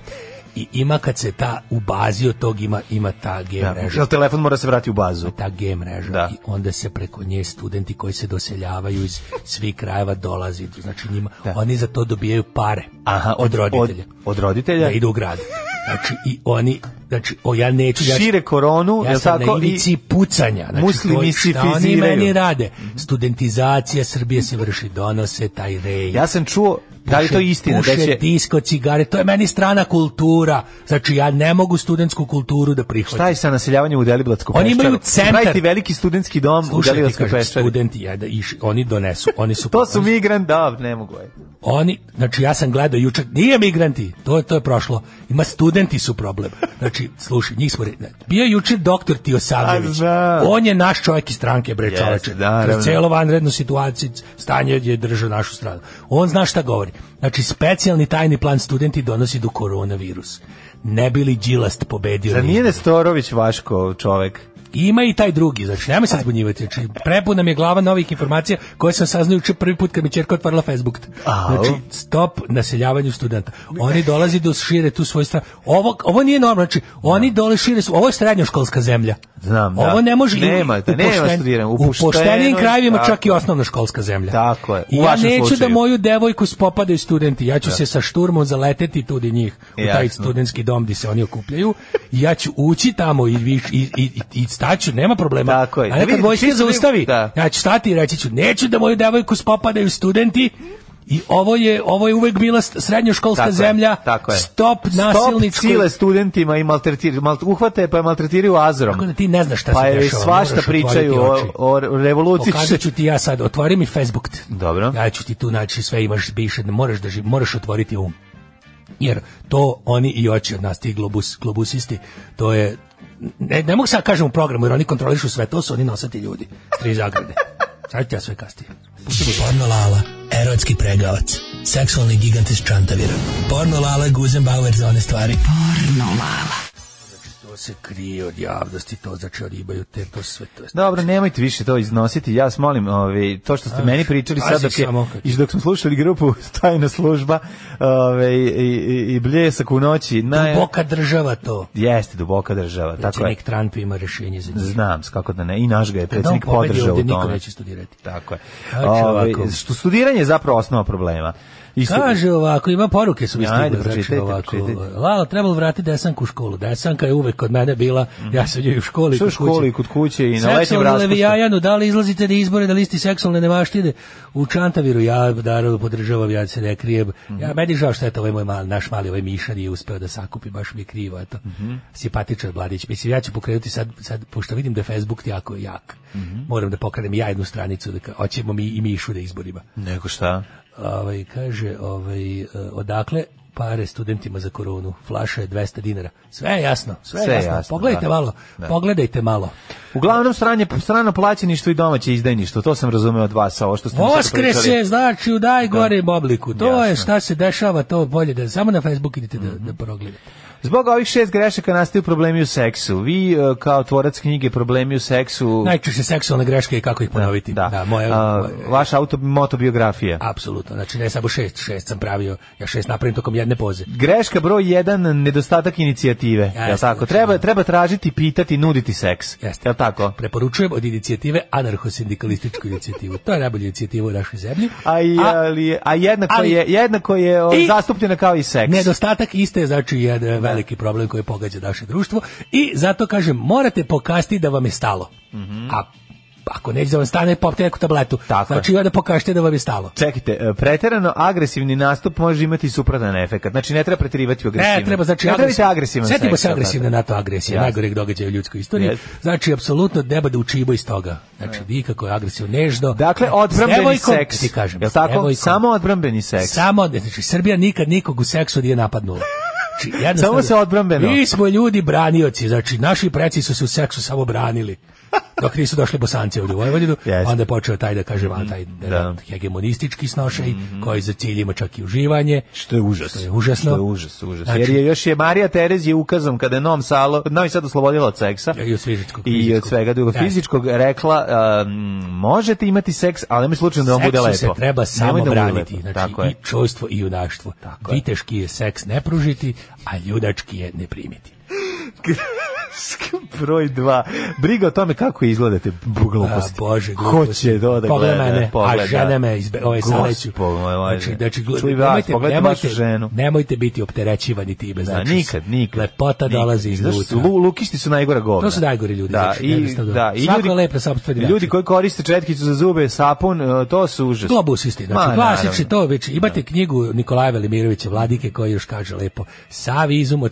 [SPEAKER 6] I ima kad se ta u bazi od tog ima ta G mreža.
[SPEAKER 7] Jel telefon mora se vratiti u bazu?
[SPEAKER 6] Ta G mreža. I onda se preko nje studenti koji se doseljavaju iz svih krajeva dolazi. Znači njima, oni za to dobijaju pare.
[SPEAKER 7] Aha,
[SPEAKER 6] od roditelja.
[SPEAKER 7] Od roditelja?
[SPEAKER 6] Da idu u grad. Znači i oni, znači ja neću...
[SPEAKER 7] Šire koronu,
[SPEAKER 6] ja sam na ivici pucanja. Znači,
[SPEAKER 7] muslimiziraju.
[SPEAKER 6] Šta oni meni rade? Studentizacija Srbije se vrši, donose taj rej.
[SPEAKER 7] Ja sam čuo... Da li to istina?
[SPEAKER 6] Puše, disko, cigare, to je meni strana kultura. Znači, ja ne mogu studentsku kulturu da prihvatim.
[SPEAKER 7] Šta je sa naseljavanjem u Deliblatskoj
[SPEAKER 6] Peščari? Oni imaju centar.
[SPEAKER 7] Praviti veliki studentski dom u Deliblatskoj Peščari.
[SPEAKER 6] Studenti, oni donesu. Oni su
[SPEAKER 7] to su migranti, ne mogu.
[SPEAKER 6] Oni, znači, ja sam gledao jučer, nije migranti, to je prošlo. Ima studenti su problem. Znači, slušaj, njih smo... Bio je jučer doktor Tijosavljević. On je naš čovjek iz stranke, bre, čoveče. Kroz cijelo vanrednu situaciju, stanje je držao našu stranu. On zna šta govori. Znači, specijalni tajni plan studenti donosi do koronavirus. Ne bi li Đilast pobedio?
[SPEAKER 7] Zar nije Nestorović Vaško čovek?
[SPEAKER 6] Ima i taj drugi, znači nemoj se zbunjivati. Znači, prepuna mi je glava novih informacija koje sam saznao juče prvi put kad mi ćerka otvarala Facebook. Znači, stop naseljavanju studenta. Oni dolazi da šire tu svoju stranu. Ovo nije normalno, znači, oni dole šire su, ovo je srednjoškolska zemlja.
[SPEAKER 7] Znam,
[SPEAKER 6] ovo ne može
[SPEAKER 7] nema studiranja.
[SPEAKER 6] U poštenim krajevima čak i osnovna školska zemlja.
[SPEAKER 7] Tako je.
[SPEAKER 6] I ja neću da moju devojku spopadaju studenti. Ja ću se sa šturmom zaleteti tudi njih u taj studentski dom gdje se oni okupljaju. I ja ću ući tamo i staću, nema problema.
[SPEAKER 7] Tako je.
[SPEAKER 6] A nekad vojska zaustavi, ja ću stati i reći ću, neću da moju devojku spopadaju studenti. I ovo je uvek bila srednjoškolska zemlja. Stop nasilničkoj.
[SPEAKER 7] Stop cile studentima i uhvate pa je maltretiraju azorom.
[SPEAKER 6] Tako da ti ne znaš šta
[SPEAKER 7] se
[SPEAKER 6] dešava.
[SPEAKER 7] Pa je svašta pričaju o revoluciji.
[SPEAKER 6] Pokazat ću ti ja sad, otvori mi Facebook.
[SPEAKER 7] Dobro.
[SPEAKER 6] Ja ću ti tu naći sve, imaš biše, moraš otvoriti Jer to oni i hoće od nas, ti globusisti, to je... Ne mogu sad kažem u programu, jer oni kontrolišu sve, to su oni nosati ljudi. 3 zagrade. Sad ću ja sve kasnije.
[SPEAKER 13] Porno Lala, erotski pregavac, seksualni gigant iz Čantavira. Porno Lala, Guzenbauer za one stvari.
[SPEAKER 4] Porno Lala.
[SPEAKER 6] To se krije od javnosti, to znači ribaju te, to sve to.
[SPEAKER 7] Dobro, nemojte više to iznositi, ja vas molim, to što ste meni pričali sad dok smo slušali grupu Tajna služba i Bljesak u noći.
[SPEAKER 6] Duboka država to.
[SPEAKER 7] Jeste, duboka država.
[SPEAKER 6] Predsjednik Trump ima rješenje za njih.
[SPEAKER 7] Znam, kako da ne, i naš ga je predsjednik podržao u tome.
[SPEAKER 6] Niko neće studirati.
[SPEAKER 7] Tako je. Studiranje je zapravo osnova problema.
[SPEAKER 6] Kaže ovako, ima poruke su mi stigle, znači ovako. Lala, trebalo vratiti Desanku u školu. Desanka je uvek kod mene bila, ja sam joj u školi
[SPEAKER 7] i kod kuće i na letnjem raspustu.
[SPEAKER 6] Seksualne Levijajanu, da li izlazite na izbore na listi seksualne nevaštine u Čantaviru? Ja naravno podržavam, ja se ne krijem. Ja meni žao što je to naš mali Miša nije uspeo da sakupi, baš mi je krivo, eto. Simpatičan mladić. Mislim, ja ću pokrenuti sad, pošto vidim da je Facebook jako jak. Moram da pokrenem ja jednu stranicu, da hoćemo mi i Mišu da izborima.
[SPEAKER 7] Nego šta?
[SPEAKER 6] Kaže, odakle pare studentima za koronu? Flaša je 200 dinara. Sve je jasno. Pogledajte malo.
[SPEAKER 7] Uglavnom strano plaćeništvo i domaće izdajništvo. To sam razumeo od vas. Ovo što ste
[SPEAKER 6] Voskres je, znači, u najgorem obliku. To je šta se dešava, to bolje da samo na Facebook idete da progledate.
[SPEAKER 7] Zbog ovih 6 grešaka nastaju problemi u seksu. Vi kao tvorac knjige Problemi u seksu...
[SPEAKER 6] Najčešće seksualne greške i kako ih ponoviti.
[SPEAKER 7] Da. Vaša motobiografija.
[SPEAKER 6] Apsolutno. Znači ne samo 6 sam pravio, ja 6 napravim tokom jedne poze.
[SPEAKER 7] Greška broj 1, nedostatak inicijative. Jel tako? Treba tražiti, pitati, nuditi seks. Jel tako?
[SPEAKER 6] Preporučujem od inicijative anarcho-sindikalističku inicijativu. To je najbolja inicijativa u našoj zemlji.
[SPEAKER 7] A jednako je zastupljena kao i seks.
[SPEAKER 6] Nedostatak iste je znači jedan veliki problem koji pogađa naše društvo i zato kažem, morate pokazati da vam je stalo. A ako neće da vam stane, popite neku tabletu. Znači, onda pokažite da vam je stalo.
[SPEAKER 7] Čekajte, preterano agresivni nastup može imati suprotan efekat. Znači, ne treba preterivati u agresivno.
[SPEAKER 6] Ne treba, znači,
[SPEAKER 7] agresivan seks.
[SPEAKER 6] Setimo se agresivne NATO agresije, najgoreg događaja u ljudskoj istoriji. Znači, apsolutno treba da učibo iz toga. Znači, nikako je agresivno, nežno.
[SPEAKER 7] Dakle, odbrambeni seks.
[SPEAKER 6] Ti kažem,
[SPEAKER 7] je li tako? Samo odbrambeni seks.
[SPEAKER 6] Znači, Srbija nikad nikog u seksu nije napadnula. Znači,
[SPEAKER 7] samo se odbrambeno.
[SPEAKER 6] Mi smo ljudi branioci, znači naši preci su se u seksu samo branili. Dok nisu došli Bosanci ovdje u Vojvodinu, onda je počeo taj, da kažem, taj hegemonistički snošaj, koji za cilj ima čak i uživanje.
[SPEAKER 7] Što je užas.
[SPEAKER 6] Što je užasno.
[SPEAKER 7] Što je užas. Znači, jer je još Marija Terezija ukazom, kada je Novi Sad oslobodila od seksa i od svega drugog fizičkog, rekla, možete imati seks, ali nemoj slučajno da vam bude lepo.
[SPEAKER 6] Seksu se treba samo braniti. Znači, i čojstvo i junaštvo. Viteški je seks ne pružiti, a ljudački je ne primiti.
[SPEAKER 7] Broj 2. Briga o tome kako izgledate gluposti.
[SPEAKER 6] Bože,
[SPEAKER 7] gluposti. Hoće da
[SPEAKER 6] pogleda mene, a žene me saleću. Znači, nemojte biti opterećivani time. Znači,
[SPEAKER 7] nikad.
[SPEAKER 6] Lepota dolazi iznutra.
[SPEAKER 7] Lukisti su najgora govna.
[SPEAKER 6] To su najgori ljudi.
[SPEAKER 7] Svako je lep na sopstveni način. Ljudi koji koriste četkicu za zube, sapun, to su užas.
[SPEAKER 6] Globusisti. Znači, klasični to već. Imate knjigu Nikolaja Velimirovića Vladike koji još kaže lepo: sav izum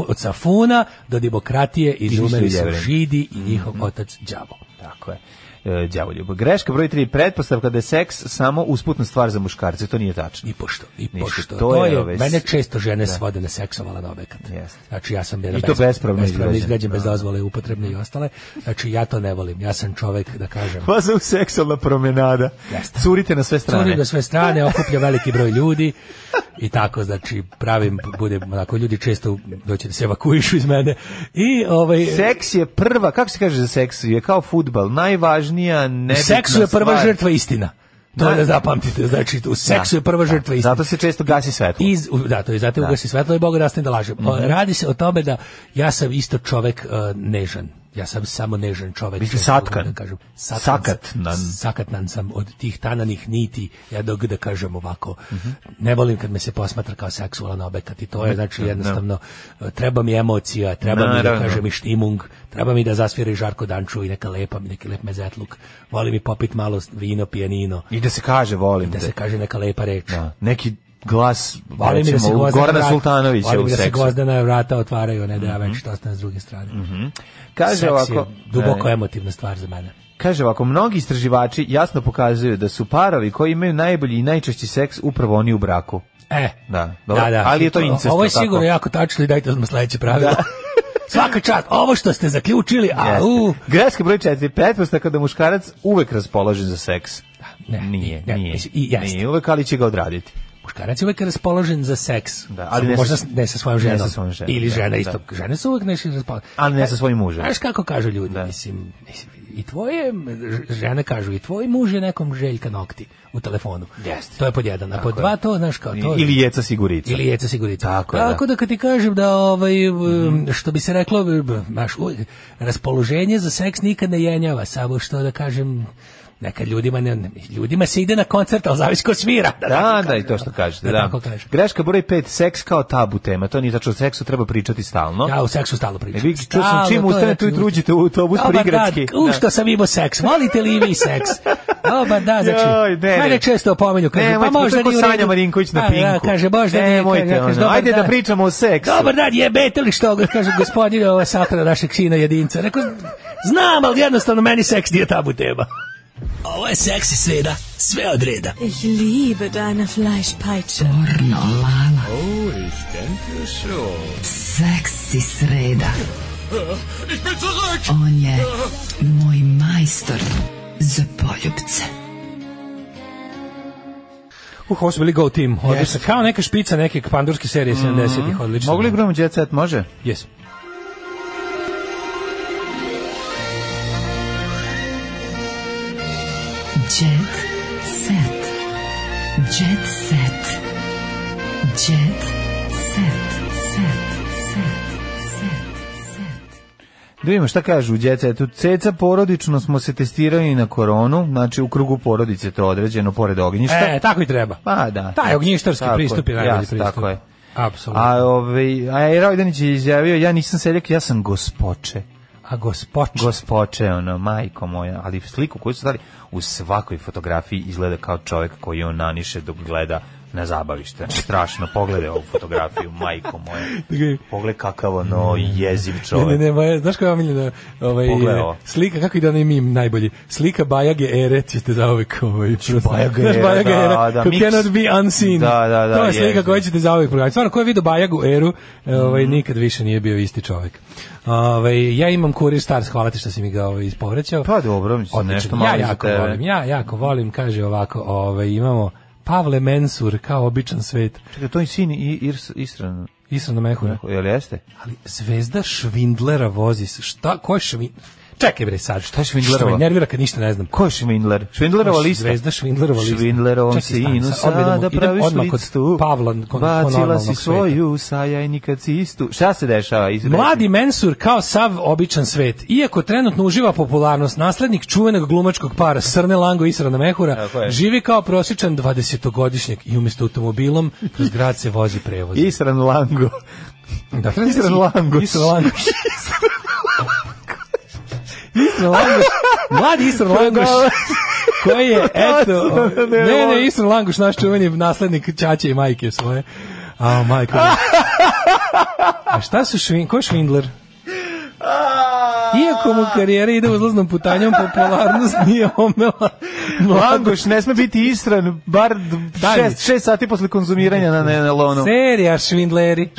[SPEAKER 6] od Safuna do demokratije izumeli su Židi i njihov otac đavo.
[SPEAKER 7] Tako je. Đavoljub. Greška broj 3, pretpostavka da je seks samo usputna stvar za muškarce, to nije tačno.
[SPEAKER 6] I pošto. To je mene često žene svode na seksovala na obekat. Znači ja sam
[SPEAKER 7] i to bespravno
[SPEAKER 6] izgrađen bez dozvole, upotrebne i ostale. Znači ja to ne volim. Ja sam čovek, da kažem.
[SPEAKER 7] Faza u seksualna promenada. Curite na sve strane.
[SPEAKER 6] Curite na sve strane, okuplja veliki broj ljudi i tako, znači bude onako, ljudi često doći da se evakuišu iz mene. I
[SPEAKER 7] seks je prva, kako se kaže za seks, je kao fudbal, najvažnija nebitna stvar.
[SPEAKER 6] U seksu je prva žrtva istina. To da zapamtite, znači u seksu je prva žrtva istina.
[SPEAKER 7] Zato se često gasi svetlo.
[SPEAKER 6] To je zato ugasi svetlo i Bog rastne da laže. Radi se o tome da ja sam isto čovek nežan. Ja sam samo nežan čovek.
[SPEAKER 7] Mislim satkan.
[SPEAKER 6] Sakatnan sam od tih tananih niti. Ja da kažem ovako, ne volim kad me se posmatra kao seksualan obekat i to je znači jednostavno, treba mi emocija, treba mi da kažem i štimung, treba mi da zasvira i Žarko Danču i neki lep mezetluk. Volim i popit malo vino, pijanino.
[SPEAKER 7] I da se kaže volim.
[SPEAKER 6] I da se kaže neka lepa reč.
[SPEAKER 7] Neki glas, recimo, Gorana Sultanovića u seksu.
[SPEAKER 6] Volim da se gvozdana vrata otvaraju, ne da ja već to ostane s druge strane.
[SPEAKER 7] Kaže ovako,
[SPEAKER 6] je duboko emotivna stvar za mene.
[SPEAKER 7] Kaže ovako, mnogi istraživači jasno pokazuju da su parovi koji imaju najbolji i najčešći seks upravo oni u braku. Da. Ali je to incest.
[SPEAKER 6] Ovo je sigurno jako tačno i dajte odmah sledeće pravilo. Svaka čast, ovo što ste zaključili,
[SPEAKER 7] Greška broj 4, pretpostavka da muškarac uvek raspoložen za seks. Nije uvek, ali će ga odraditi.
[SPEAKER 6] Muškarac je uvek raspoložen za seks,
[SPEAKER 7] ali
[SPEAKER 6] možda ne sa svojom ženom. Ili žena isto. Žene su uvek nešto raspoložene.
[SPEAKER 7] Ali ne sa svojim mužem.
[SPEAKER 6] Znaš kako kažu ljudi, mislim, i tvoje žene kažu, i tvoj muž je nekom Željka Nokti u telefonu. To je pod jedan. A pod dva to, znaš kao to.
[SPEAKER 7] Ili Jeca Sigurica.
[SPEAKER 6] Tako da kad ti kažem da, što bi se reklo, raspoloženje za seks nikad ne jenjava, samo što da kažem, nekad ljudima se ide na koncert, ali zavisi ko svira.
[SPEAKER 7] Da, i to što kažete. Greška broj 5, seks kao tabu tema. To nije tačno, o seksu treba pričati stalno.
[SPEAKER 6] Ja u seksu stalno pričam.
[SPEAKER 7] Čuo sam čim ustanete ujutru uđete u autobus prigradski.
[SPEAKER 6] Što sam imao seks, volite li vi seks? Dobar, da, znači, mene često opomenju.
[SPEAKER 7] Pa možda nije Sanja Marinković na Pinku.
[SPEAKER 6] Kaže, možda nije.
[SPEAKER 7] Ajde da pričamo o seksu.
[SPEAKER 6] Dobar dan, jebete li što? Kaže, gospodine, ovo je sahrana našeg sina jedinca. Rekao, znam, ali jednostavno meni seks nije tabu tema. Ovo je seksi sreda, sve od reda.
[SPEAKER 14] Ich liebe deine Fleischpeitsche.
[SPEAKER 11] Pornolala.
[SPEAKER 15] Oh, ich denke schon.
[SPEAKER 11] Seksi sreda.
[SPEAKER 15] Ich bin zurück.
[SPEAKER 11] On je moj majstor za poljubce.
[SPEAKER 6] Ovo su bili Go Team, odlično. Kao neka špica neke pandurske serije 70-ih, odlično.
[SPEAKER 7] Mogu li igramo Jet Set, može?
[SPEAKER 6] Yes.
[SPEAKER 4] Jet Set. Jet Set. Jet Set.
[SPEAKER 7] Da vidimo šta kažu u Jet Setu. Ceca, porodično smo se testirali na koronu, znači u krugu porodice to određeno, pored ognjišta.
[SPEAKER 6] Tako i treba.
[SPEAKER 7] Pa da.
[SPEAKER 6] Taj ognjištarski pristup je najbolji pristup.
[SPEAKER 7] Tako je.
[SPEAKER 6] Apsolutno.
[SPEAKER 7] A Rajdanić je izjavio, ja nisam seljak, ja sam gospoče.
[SPEAKER 6] A
[SPEAKER 7] Gospoče, majko moja. Ali sliku koju su dali u svakoj fotografiji izgleda kao čovjek koji on naniše dok gleda na zabavište. Znači, strašno, pogledaj ovu fotografiju, majko moja. Pogledaj kakav jeziv čovjek.
[SPEAKER 6] Ne, znaš koja je omiljena slika, kako ide onaj mim najbolji? Slika Bajage Ere, ćete zauvek
[SPEAKER 7] Bajage Ere,
[SPEAKER 6] who cannot be unseen. To je slika koju ćete zauvek programiti. Stvarno, ko je vidio Bajagu Eru, nikad više nije bio isti čovjek. Ja imam Kurir Stars, hvala ti što si mi ga ispovraćao.
[SPEAKER 7] Pa dobro, mislim, nešto malo za tebe.
[SPEAKER 6] Ja jako volim, kaže ovako, imamo Pavle Mensur, kao običan svet.
[SPEAKER 7] Čekaj, to je sin
[SPEAKER 6] Israna Mehura.
[SPEAKER 7] Jel jeste?
[SPEAKER 6] Ali Zvezda Švindlera vozi se. Šta? Ko je Švindler? Čekaj bre sad.
[SPEAKER 7] Šta je Švindlerova?
[SPEAKER 6] Što me nervira kad ništa ne znam.
[SPEAKER 7] Ko je Švindler? Švindlerova lista.
[SPEAKER 6] Zvezda Švindlerova lista.
[SPEAKER 7] Švindlerovom sinu sada praviš listu.
[SPEAKER 6] Pavla,
[SPEAKER 7] bacila si svoju sajajnika cistu. Šta se dešava?
[SPEAKER 6] Mladi Mensur kao sav običan svet. Iako trenutno uživa popularnost, naslednik čuvenog glumačkog para Srne Lango i Israna Mehura živi kao prosječan 20-godišnjak i umjesto automobilom kroz grad se vozi prevoz.
[SPEAKER 7] Isran Lango.
[SPEAKER 6] Isran Lango. Mladi Isran Langoš koji je, eto, ne, Isran Langoš, naš čuveni naslednik ćaće i majke svoje. Majko. A šta su ko je Švindler? Iako mu karijera ide uzlaznom putanjom, popularnost nije omela.
[SPEAKER 7] Langoš ne sme biti Isran, bar 6 sati posle konzumiranja na lonu.
[SPEAKER 6] Serija Švindleri.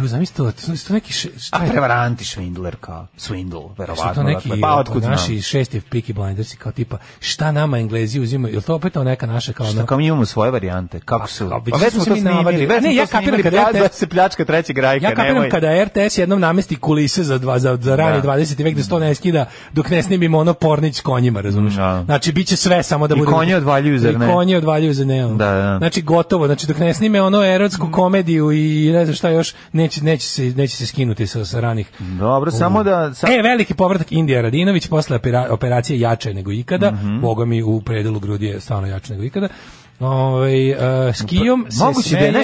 [SPEAKER 6] Zamisli to neki
[SPEAKER 7] prevaranti Švindler kao Swindle, verovatno.
[SPEAKER 6] To neki naši šesti Peaky Blindersi kao tipa šta nama Englezi uzimaju, ili to opet neka naša kao
[SPEAKER 7] šta kao mi imamo svoje varijante, kako su
[SPEAKER 6] već smo to snimili, ja kapiram kada
[SPEAKER 7] se pljačka trećeg rajka,
[SPEAKER 6] ja kapiram kada RTS jednom namesti kulise za rani 20. vek da sto ne skida dok ne snimimo ono Pornić s konjima, razumiješ? Znači biće sve samo da bude
[SPEAKER 7] i konje odvaljuju za neon.
[SPEAKER 6] Znači gotovo, znači dok ne snime ono erotsku komediju i ne znam šta još neće se skinuti sa ranih.
[SPEAKER 7] Dobro, samo da
[SPEAKER 6] veliki povratak Indija Radinović posle operacije jače nego ikada. Boga mi u predelu grudi je stvarno jače nego ikada. S Kijom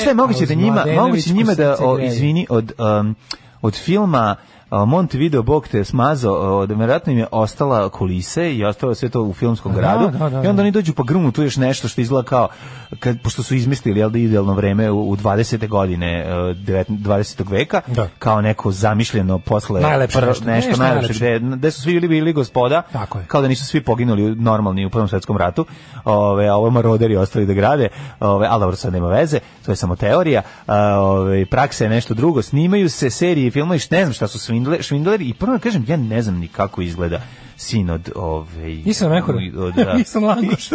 [SPEAKER 6] se
[SPEAKER 7] moguće njima da izvini od filma Montevideo Bog te smazao, vjerojatno im je ostala kulise i ostalo sve to u filmskom gradu. I onda oni dođu pa grunu tu još nešto što izgleda kao, pošto su izmislili idealno vreme u 20. godine 20. veka, kao neko zamišljeno posle nešto najlepše, gde su svi bili gospoda, kao da nisu svi poginuli normalni u Prvom svetskom ratu, a ovo maroderi ostali da grade, ali dobro, sad nema veze, to je samo teorija, praksa je nešto drugo, snimaju se serije i filmovi, ne znam šta su Švindler i prvo da kažem, ja ne znam ni kako izgleda sin od
[SPEAKER 6] Isran Mehura. Isran Langoš.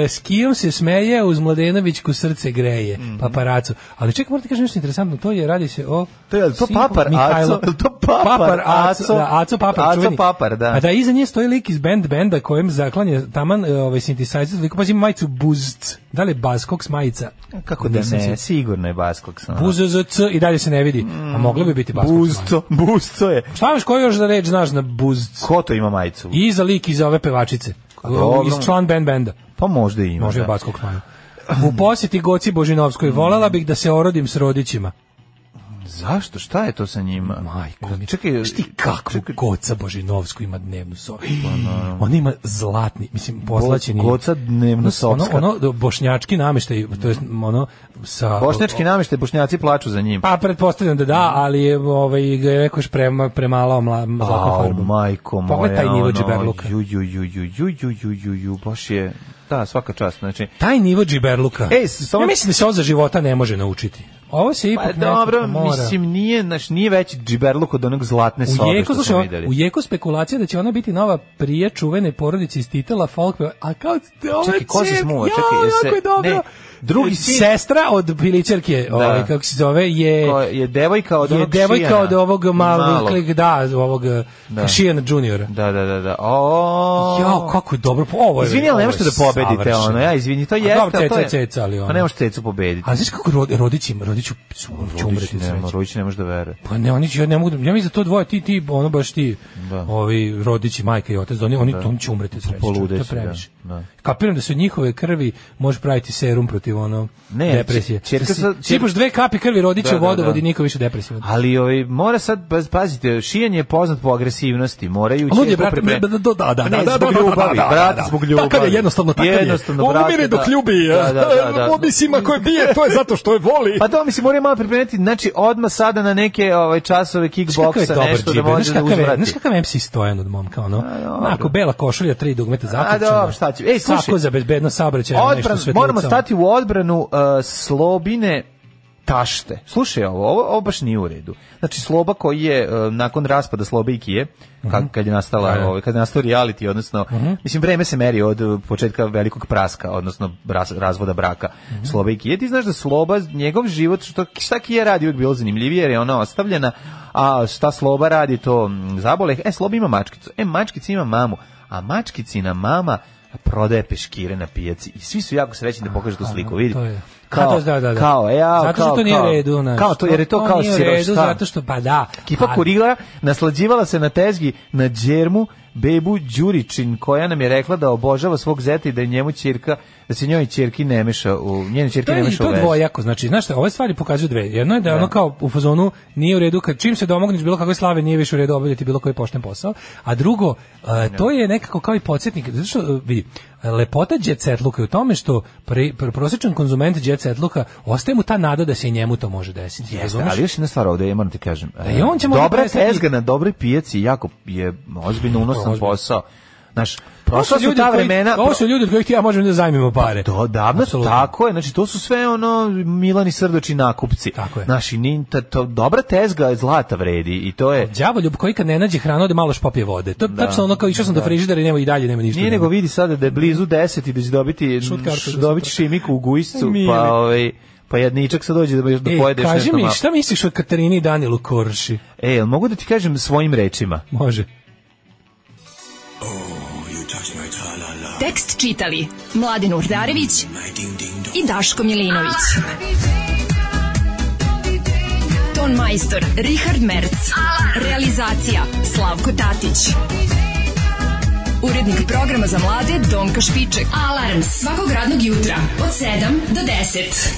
[SPEAKER 6] S Kijom se smeje, uz Mladenovićku srce greje, paparacu. Ali čekaj, morate kažem nešto interesantno, radi se o...
[SPEAKER 7] To je Papar Aco.
[SPEAKER 6] Aco Papar, čuveni.
[SPEAKER 7] Da.
[SPEAKER 6] A da iza nje stoji lik iz benda kojem zaklanje taman synthesizer, pa ima majicu Buzc. Da li je Baskoks majica?
[SPEAKER 7] Kako da ne, sigurno je Baskoks.
[SPEAKER 6] Buzc i dalje se ne vidi. A moglo bi biti Baskoks.
[SPEAKER 7] Buzco je.
[SPEAKER 6] Šta imaš koju još da reč znaš na Buzc?
[SPEAKER 7] Ko to ima majicu?
[SPEAKER 6] I za lik iz ove pevačice. Iz član benda.
[SPEAKER 7] Pa možda ima.
[SPEAKER 6] Može Baskoks majica. U posjeti Goci Božinovskoj volela bih da se orodim s rodićima.
[SPEAKER 7] Zašto? Šta je to sa njima?
[SPEAKER 6] Majko, čekaj, šti kako Goca Božinovsko ima dnevnu sobu. On ima zlatni, mislim, poslaćeni.
[SPEAKER 7] Goca dnevnu sobu.
[SPEAKER 6] Ono bošnjački namještaj, to je ono sa...
[SPEAKER 7] Bošnjački namještaj, bošnjaci plaču za njim.
[SPEAKER 6] Pa pretpostavljam da, ali je rekao još premalo zlatnom farbom.
[SPEAKER 7] Majko moja.
[SPEAKER 6] Pogledaj taj nivo džiberluka.
[SPEAKER 7] Baš je... Da, svaka čast, znači.
[SPEAKER 6] Taj nivo džiberluka. Ja mislim da se ovo za života ne može naučiti. Ovo se ipak
[SPEAKER 7] dobro,
[SPEAKER 6] mora.
[SPEAKER 7] mislim, nije veći džiberluk od onog zlatne sobe što smo videli.
[SPEAKER 6] U jeku spekulacija da će ona biti nova prije čuvene porodice iz titela folk, a kao
[SPEAKER 7] čekaj, ko se smuva, čekaj,
[SPEAKER 6] je dobro.
[SPEAKER 7] Drugi sin,
[SPEAKER 6] sestra od pilićarke, kako se zove, je
[SPEAKER 7] devojka od onog
[SPEAKER 6] devojka od ovog malog, ovog Šijana juniora.
[SPEAKER 7] Da.
[SPEAKER 6] Ja, kako je dobro. Ovo je.
[SPEAKER 7] Izvini, ali ne možete da pobedite ono. Ja izvini, to jeste,
[SPEAKER 6] to je ceca, ali ono.
[SPEAKER 7] Pa ne možete cecu pobediti.
[SPEAKER 6] A znaš kako rodići će umreti sreće.
[SPEAKER 7] Rodići ne može da veruje.
[SPEAKER 6] Pa ne, oni će, ne mogu, ja mislim za to dvoje ti ono baš ti, ovi rodići, majka i otac, oni će umreti sreće. To je previše. Kapiram da se od njihove krvi može praviti serum protiv ono depresije. Sipaš 2 kapi krvi rodića u vodovod i niko više depresije.
[SPEAKER 7] Ali mora sad, pazite, Šijan je poznat po agresivnosti, moraju će zbog ljubavi.
[SPEAKER 6] Takav je jednostavno takav je. Umire dok ljubi. Mislim, ako je bije, to je zato što je voli.
[SPEAKER 7] Pa to mislim, mora malo pripremiti, znači odmah sada na neke časove kickboksa, nešto da može da uzvrati.
[SPEAKER 6] Znaš kakav MC Stojan od momka, ono? Onako, bela košulja, 3 dugmeta zaključena.
[SPEAKER 7] Ej, slušaj,
[SPEAKER 6] tako za bezbedno saobraćaj, nešto sve.
[SPEAKER 7] Moramo stati u odbranu Slobine tašte. Slušaj, ovo baš nije u redu. Znači Sloba koji je nakon raspada Slobe i Kije, kad je nastala, kad je nastao reality, odnosno mislim vreme se meri od početka velikog praska, odnosno razvoda braka Slobe i Kije. Ti znaš da Sloba, njegov život, šta Kije radi uvijek bilo zanimljivije jer je ona ostavljena, a šta Sloba radi to zabole. Sloba ima mačkicu. Mačkica ima mamu, a mačkicina mama prodaje peškire na pijaci i svi su jako srećni da pokažu tu sliku, vidi. Kao,
[SPEAKER 6] zato što to nije redu,
[SPEAKER 7] kao to, jer je to kao sirošta.
[SPEAKER 6] Zato što, pa da.
[SPEAKER 7] Kipa Kurila naslađivala se na tezgi na džermu bebu Đuričin, koja nam je rekla da obožava svog zeta i da je njemu ćerka, da se njoj ćerki ne meša u njene ćerke ne meša u vez.
[SPEAKER 6] To je dvojako, znači, znaš šta, ove stvari pokazuju dve. Jedno je da je ono kao u fazonu nije u redu, kad čim se domogneš bilo kakve slave, nije više u redu obavljati bilo koji pošten posao. A drugo, to je nekako kao i podsjetnik, zato što vidi, lepota jet setluka je u tome što prosječan konzument jet setluka ostaje mu ta nada da se i njemu to može desiti.
[SPEAKER 7] Jeste, ali još jedna stvar ovdje, ja moram ti kažem.
[SPEAKER 6] Dobra
[SPEAKER 7] tezga na dobroj pijaci jako je ozbiljno unosan posao. Znaš, prošla su ta vremena.
[SPEAKER 6] Ovo su ljudi od kojih ti ja možemo da zajmimo pare.
[SPEAKER 7] To davno, tako je. Znači, to su sve ono Milani Srdoči nakupci.
[SPEAKER 6] Tako je.
[SPEAKER 7] Znaš, dobra tezga zlata vredi i to je...
[SPEAKER 6] Đavoljub koji kad ne nađe hranu ode malo špopije vode. To je tačno ono kao išao sam do frižidera i nema ništa.
[SPEAKER 7] Nije nego vidi sada da je blizu 10 i da će dobiti šimiku u gujscu, pa jedničak sad dođe da pojedeš nešto malo.
[SPEAKER 6] Kaži mi, šta misliš o Katarini i Danilu Korši?
[SPEAKER 7] Mogu da ti kažem svojim rečima?
[SPEAKER 6] Može.
[SPEAKER 4] Tekst čitali Mladin Urdarević i Daško Milinović. Ton majstor Richard Merc. Realizacija Slavko Tatić. Urednik programa za mlade Donka Špiček. Alarms svakog radnog jutra od 7 do 10.